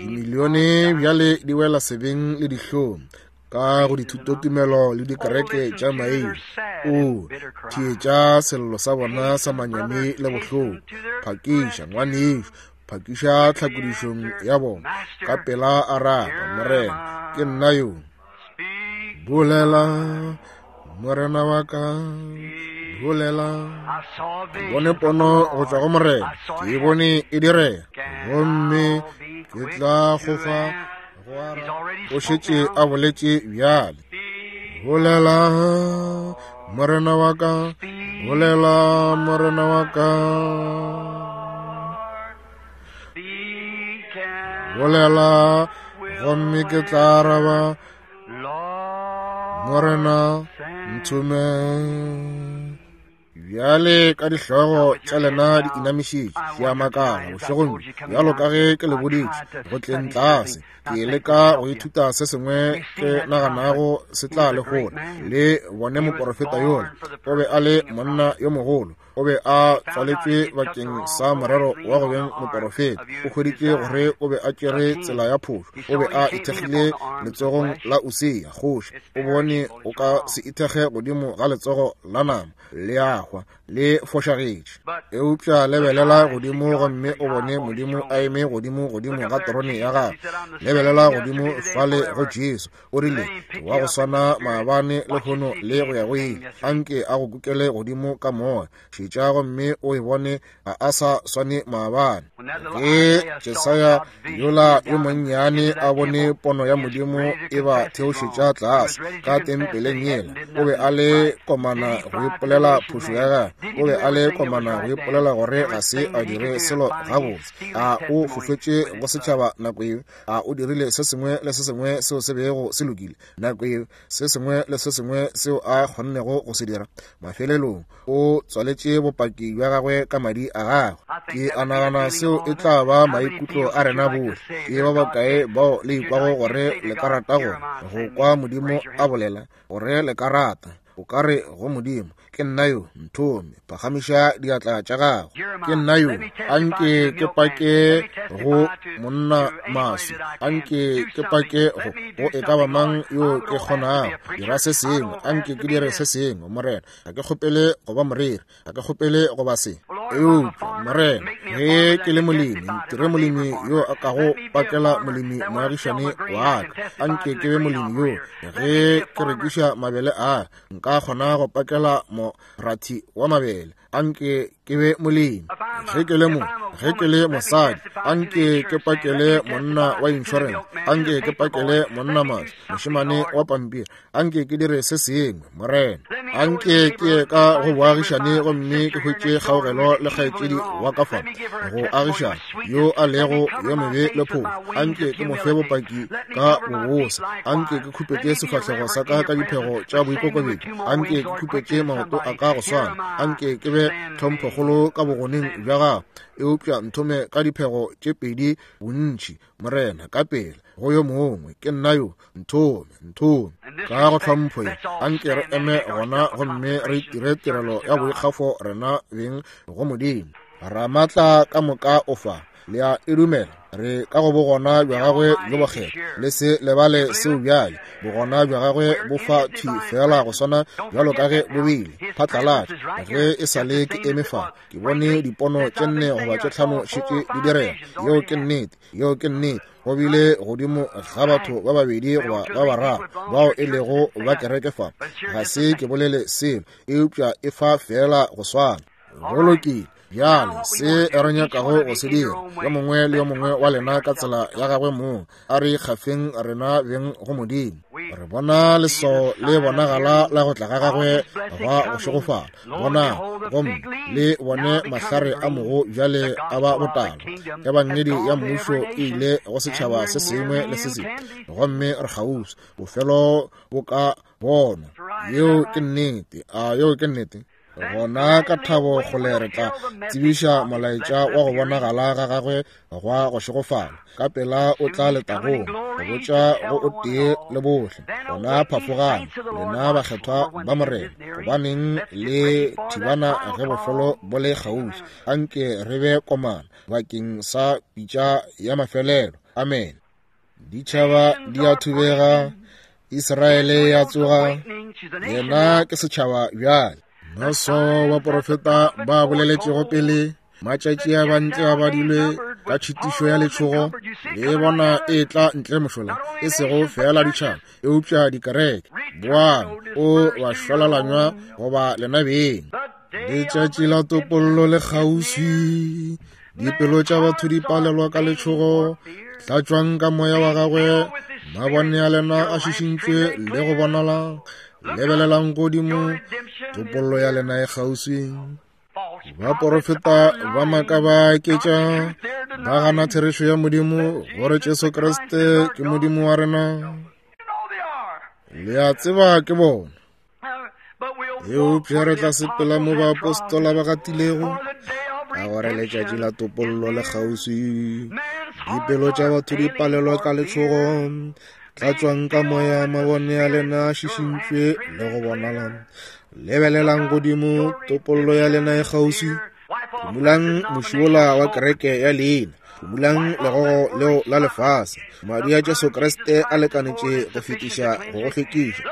dimilione bjale di wela sebeng le dihlong. ka go dithutotumelo le dikereke tša maina. O theetša sello sa bona sa manyami le bohloko. Phakiša, ngwanešu, phakiša tlhakodišong ya bona. Ka pela araba, Morena, ke nna yo. Bolela, Morena wa ka, bolela. Ke bone pono go tšwa go Morena, ke e bone e direga, gomme ke tla go fa go araba. O šetše a boletše bjale. Bolela, Morena wa ka, bolela, Morena wa ka. Bolela, gomme ke tla araba, Morena, nthome. Bjale ka dihlogo tša lena di inamišitše, ke a makala bošegong bjo, bjalo ka ge ke le boditše go tleng tlase, ke leka go ithuta se sengwe ke naganago se tla le hola. Le bone moporofeta yola, o be a le monna yo mogolo, o be a tswaletšwe bakeng sa morero wa go beng moporofeta. O hweditše gore o be a tšere tsela ya phošo, o be a ithekgile letsogong la Usia kgoši. O bone o ka se ithekge godimo ga letsogo la nama, le a hwa, le fošagetše. Eupša lebelela godimo gomme o bone Modimo a eme godimo godimo ga terone ya gagwe. Lebelela godimo fale go Jesu, O rile, Wa go swana maabane, lehono, le go ya go ile. Anke a go kukele godimo ka moya. Šetša gomme o e bone, ga a sa swane maabane. Ge Jesaya yola yo monnyane a bone pono ya Modimo e ba theošetša tlase ka tempeleng yela, o be a le komana go ipolela phošo ya gagwe. O be a le komana go ipolela gore ga se a dire selo gabotse. A o fofetše go setšhaba nako yeo? A o dirile se sengwe le se sengwe seo se bego se lokile nako yeo, se sengwe le se sengwe seo a kgonnego go se dira? Mafelelong o tswaletše bopaki bja gagwe ka madi a gagwe. Ke a nagana seo e tla ba maikutlo a rena bohle. Ke ba bakae bao le ikwago gore le ka rata go go kwa Modimo a bolela, gore le ka rata o ka re go Modimo, Ke nna yo, nthome, phagamiša diatla tša gago. Ke nna yo, anke ke pake go monna maswi, anke ke pake go go e ka ba mang yo ke kgonago. Dira se sengwe, anke ke dire se sengwe, Morena. Ga ke kgopele go ba moreri, ga ke kgopele go ba se. Eupša, Morena, ge ke le molemi, ntire molemi yo a kago pakela molemi moagišane wa ka. Anke ke be molemi yo, ge ke rekiša mabele a, nka kgona go pakela morathi wa mabele. Anke ke be molemi. Ge ke le mo, ge ke le mosadi, anke ke pakele monna wa insurance. Anke ke pakele monna maswi, mošemane wa pampiri. Anke ke dire se sengwe, Morena. Anke ke ye ka go boagišane gomme ke hwetše kgaogelo le kgaetšedi wa ka fa go agišana, yo a lego yo mobe le phošo. Anke ke mo fe bopaki ka bobose. Anke ke khupetše sefahlego sa ka ka diphego tša boikokobetšo. Anke ke khupetše maoto a ka go swana. Anke ke be tlhomphokgolo ka bogoneng bja gago. Eupša nthome ka diphego tše pedi bontši, Morena, ka pela go yo mongwe. Ke nna yo, nthome, nthome. Ka go tlhompho ye, anke re eme gona gomme re dire tirelo ya boikgafo rena beng go Modimo. Ramatla ka moka o fa. Le a e dumela? Re ka go bogona bja gagwe bjo bokgethwa. Le se lebale seo bjale. Bogona bja gagwe bo fa thwi feela go swana bjalo ka ge bo bile phatlalatša. Ge e sa le ke eme fa, ke bone dipono tše nne goba tše tlhano šetše di direga. Yeo ke nnete. Yeo ke nnete. Go bile godimo ga batho ba babedi goba ba bararo bao e lego ba kereke fa. Ga se ke bolele selo, eupša e fa feela go swana. Go lokile. Bjale se re nyakago go se dira, yo mongwe le yo mongwe wa lena ka tsela ya gagwe mong, a re ikgafeng rena beng go Modimo. Re bona leswao le bonagala la go tla ga gagwe gwa go šegofala. Bonang, gomme le bone mahlare a mogo bjale a ba botala. Ebangedi ya mmušo e ile go setšhaba se sengwe le se sengwe, gomme re kgauswi. Bofelo bo ka bonwa. Yeo ke nnete. A yeo ke nnete? Gona ka thabo kgole re tla tsebiša molaetša wa go bonagala ga gagwe gwa go šegofala. Ka pela o tla letagong go botša go o tee le bohle. Gona phafogang, lena bakgethwa ba Morena, gobaneng le thibana ge bofelo bo le kgauswi. Anke re be komana bakeng sa pitša ya mafelelo. Amene. Ditšhaba di a thubega. Israele ya tsoga, yena ke setšhaba bjale. Maswao baporofeta ba boleletšego pele, matšatši a bantle a badilwe ka tšhitišo ya letšhogo, le bona e tla ntle mošola, e sego feela ditšhaba, eupša dikereke. Boang, o bašwalalanywa goba lena beng. Letšatši la topollo le kgauswi, dipelo tša batho di palelwa ka letšhogo. Tlatšwang ka moya wa gagwe, mabone a lena a šišintšwe le go bonala. Lebelelang godimo, topollo ya lena e kgauswi. Baporofeta ba maaka ba aketša, ba gana therešo ya Modimo, gore Jesu Kriste ke Modimo wa rena. Le a tseba ke bona. Eupša re tla sepela mo baapostola ba gatilego, ka gore letšatši la topollo le kgauswi. Dipelo tša batho di palelwa ka letšhogo. Tlatšwang ka moya, mabone a lena a šišintšwe le go bonala. Lebelelang godimo, topollo ya lena e kgauswi. Phumulang moši wola wa kereke ya leina, phumulang legogo leo la lefase. Madi a Jesu Kriste a lekanetše go fetiša go go hlwekiša.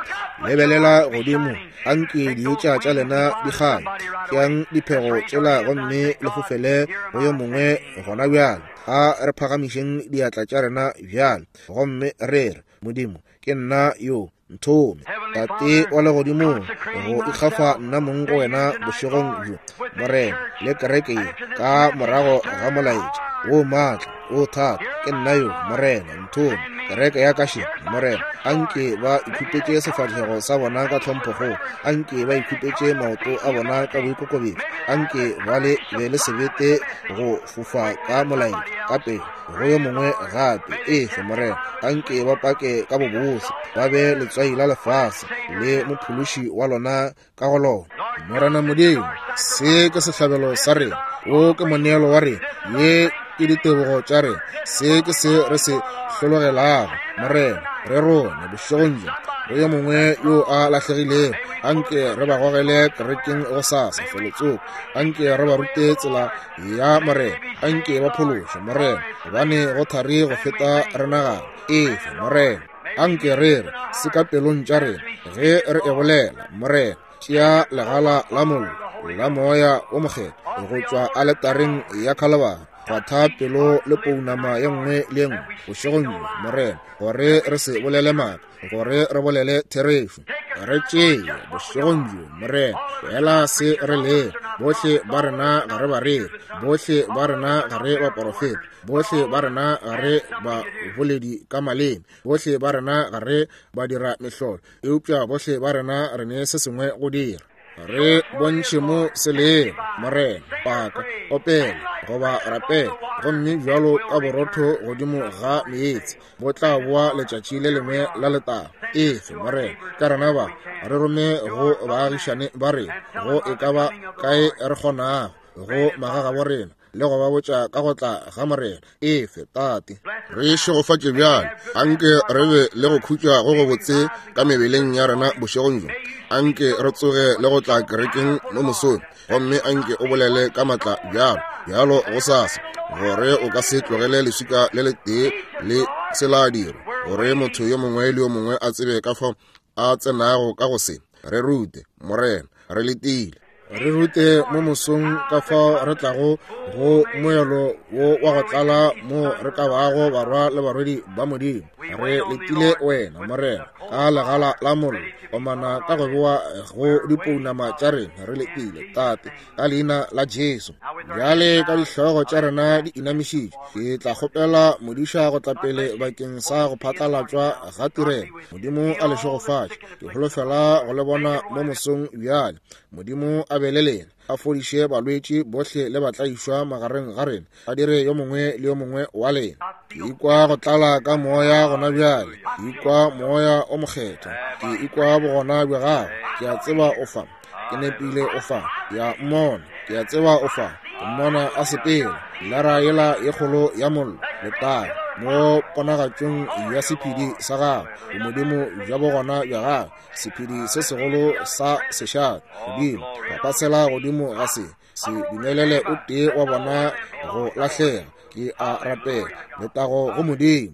Lebelela godimo, anke dietša tša lena di kganye. Tšeang diphego tšela gomme le fofele go yo mongwe gona bjale. A re phagamišeng diatla tša rena bjale gomme re re, Modimo, ke nna yo, nthome. Tate wa legodimong, go ikgafa nna mong go wena bošegong bjo, Morena, le kereke ye, ka morago ga molaetša wo maatla wo thata, ke nna yo, Morena, nthome. Kereke ya ka še, Morena, anke ba ikhupetše sefahlego sa bona ka tlhomphokgolo, anke ba ikhupetše maoto a bona ka boikokobetšo, anke ba le be le sebete go fofa ka molaetša ka pele go yo mongwe gape. Efe, Morena, anke ba pake ka bobose, ba be letswai la lefase le mophološi wa lona ka go lona. Morena Modimo, se ke sehlabelo sa rena, wo ke moneelo wa rena, ye ke ditebogo tša rena, se ke se re se hlologelago. Morena, re rone bošegong bjo go yo mongwe yo a lahlegilego, anke re ba gogele kerekeng gosasa felotsoko, anke re ba rute tsela ya Morena, anke ba phološwe, Morena, gobane go thari go feta re nagana. Efe, Morena, anke re re se ka pelong tša rena ge re e bolela. Morena, tšea legala la mollo la moya o mokgethwa go tšwa aletareng ya Khalabari, kgwatha pelo le pounama ye nngwe le ye nngwe bošegong bjo, Morena, gore re se bolele maaka, gore re bolele therešo. Re tšee bošegong bjo, Morena, fela se re lego. Bohle ba rena ga re bareri, bohle ba rena ga re baporofeta, bohle ba rena ga re baboledi ka maleme, bohle ba rena ga re badira mehlolo, eupša bohle ba rena re ne se sengwe go dira. Re bontšhe mo se lego, Morena, paka, opela, goba rapela, gomme bjalo ka borotho godimo ga meetse bo tla boa letšatši le lengwe la letago. Efe, Morena, ka rena ba re rome go baagišane ba rena, go e ka ba kae re kgonago, go magagabo rena, le go ba botša ka go tla ga Morena. Efe, Tate. Re šegofatše bjale. Anke re be le go khutša go gobotse ka mebeleng ya rena bošegong bjo. Anke re tsoge le go tla kerekeng mo mosong, gomme anke o bolele ka matla bjalo bjalo gosasa, gore o ka se tlogele leswika le letee le se la dirwa, gore motho yo mongwe le yo mongwe a tsebe ka fao a tsenago ka go se. Re rute, Morena, re letile. Re rute mo mosong ka fao re tlago go moelo wo wa go tlala mo re ka bago barwa le barwedi ba Modimo. Re letile wena, Morena, ka legala la mollo, komana ka go bewa go dipounama tša rena. Re letile, Tate, ka leina la Jesu. Bjale ka dihlogo tša rena di inamišitšwe, ke tla kgopela modiša go tla pele bakeng sa go phatlalatšwa ga tirelo. Modimo a le šegofatše. Ke holofela go le bona mo mosong bjale. Modimo a be le lena, a fodiše balwetši bohle le batlaišwa magareng ga rena, a dire yo mongwe le yo mongwe wa lena. Ke ikwa go tlala ka moya gona bjale, ke ikwa moya o mokgethwa, ke ikwa bogona bja gago. Ke a tseba o fa, ke nepile o fa, ke a mmona, ke a tseba o fa, ke mmona a sepela, lara yela ye kgolo ya mollo, letago mo ponagatšong ya sephedi sa gagwe, bomodimo bja bogona bja gagwe, sephedi se segolo sa sešate. Modimo, papasela godimo ga se, se dumelele o tee wa bona go lahlega. Ke a rapela, letago go Modimo.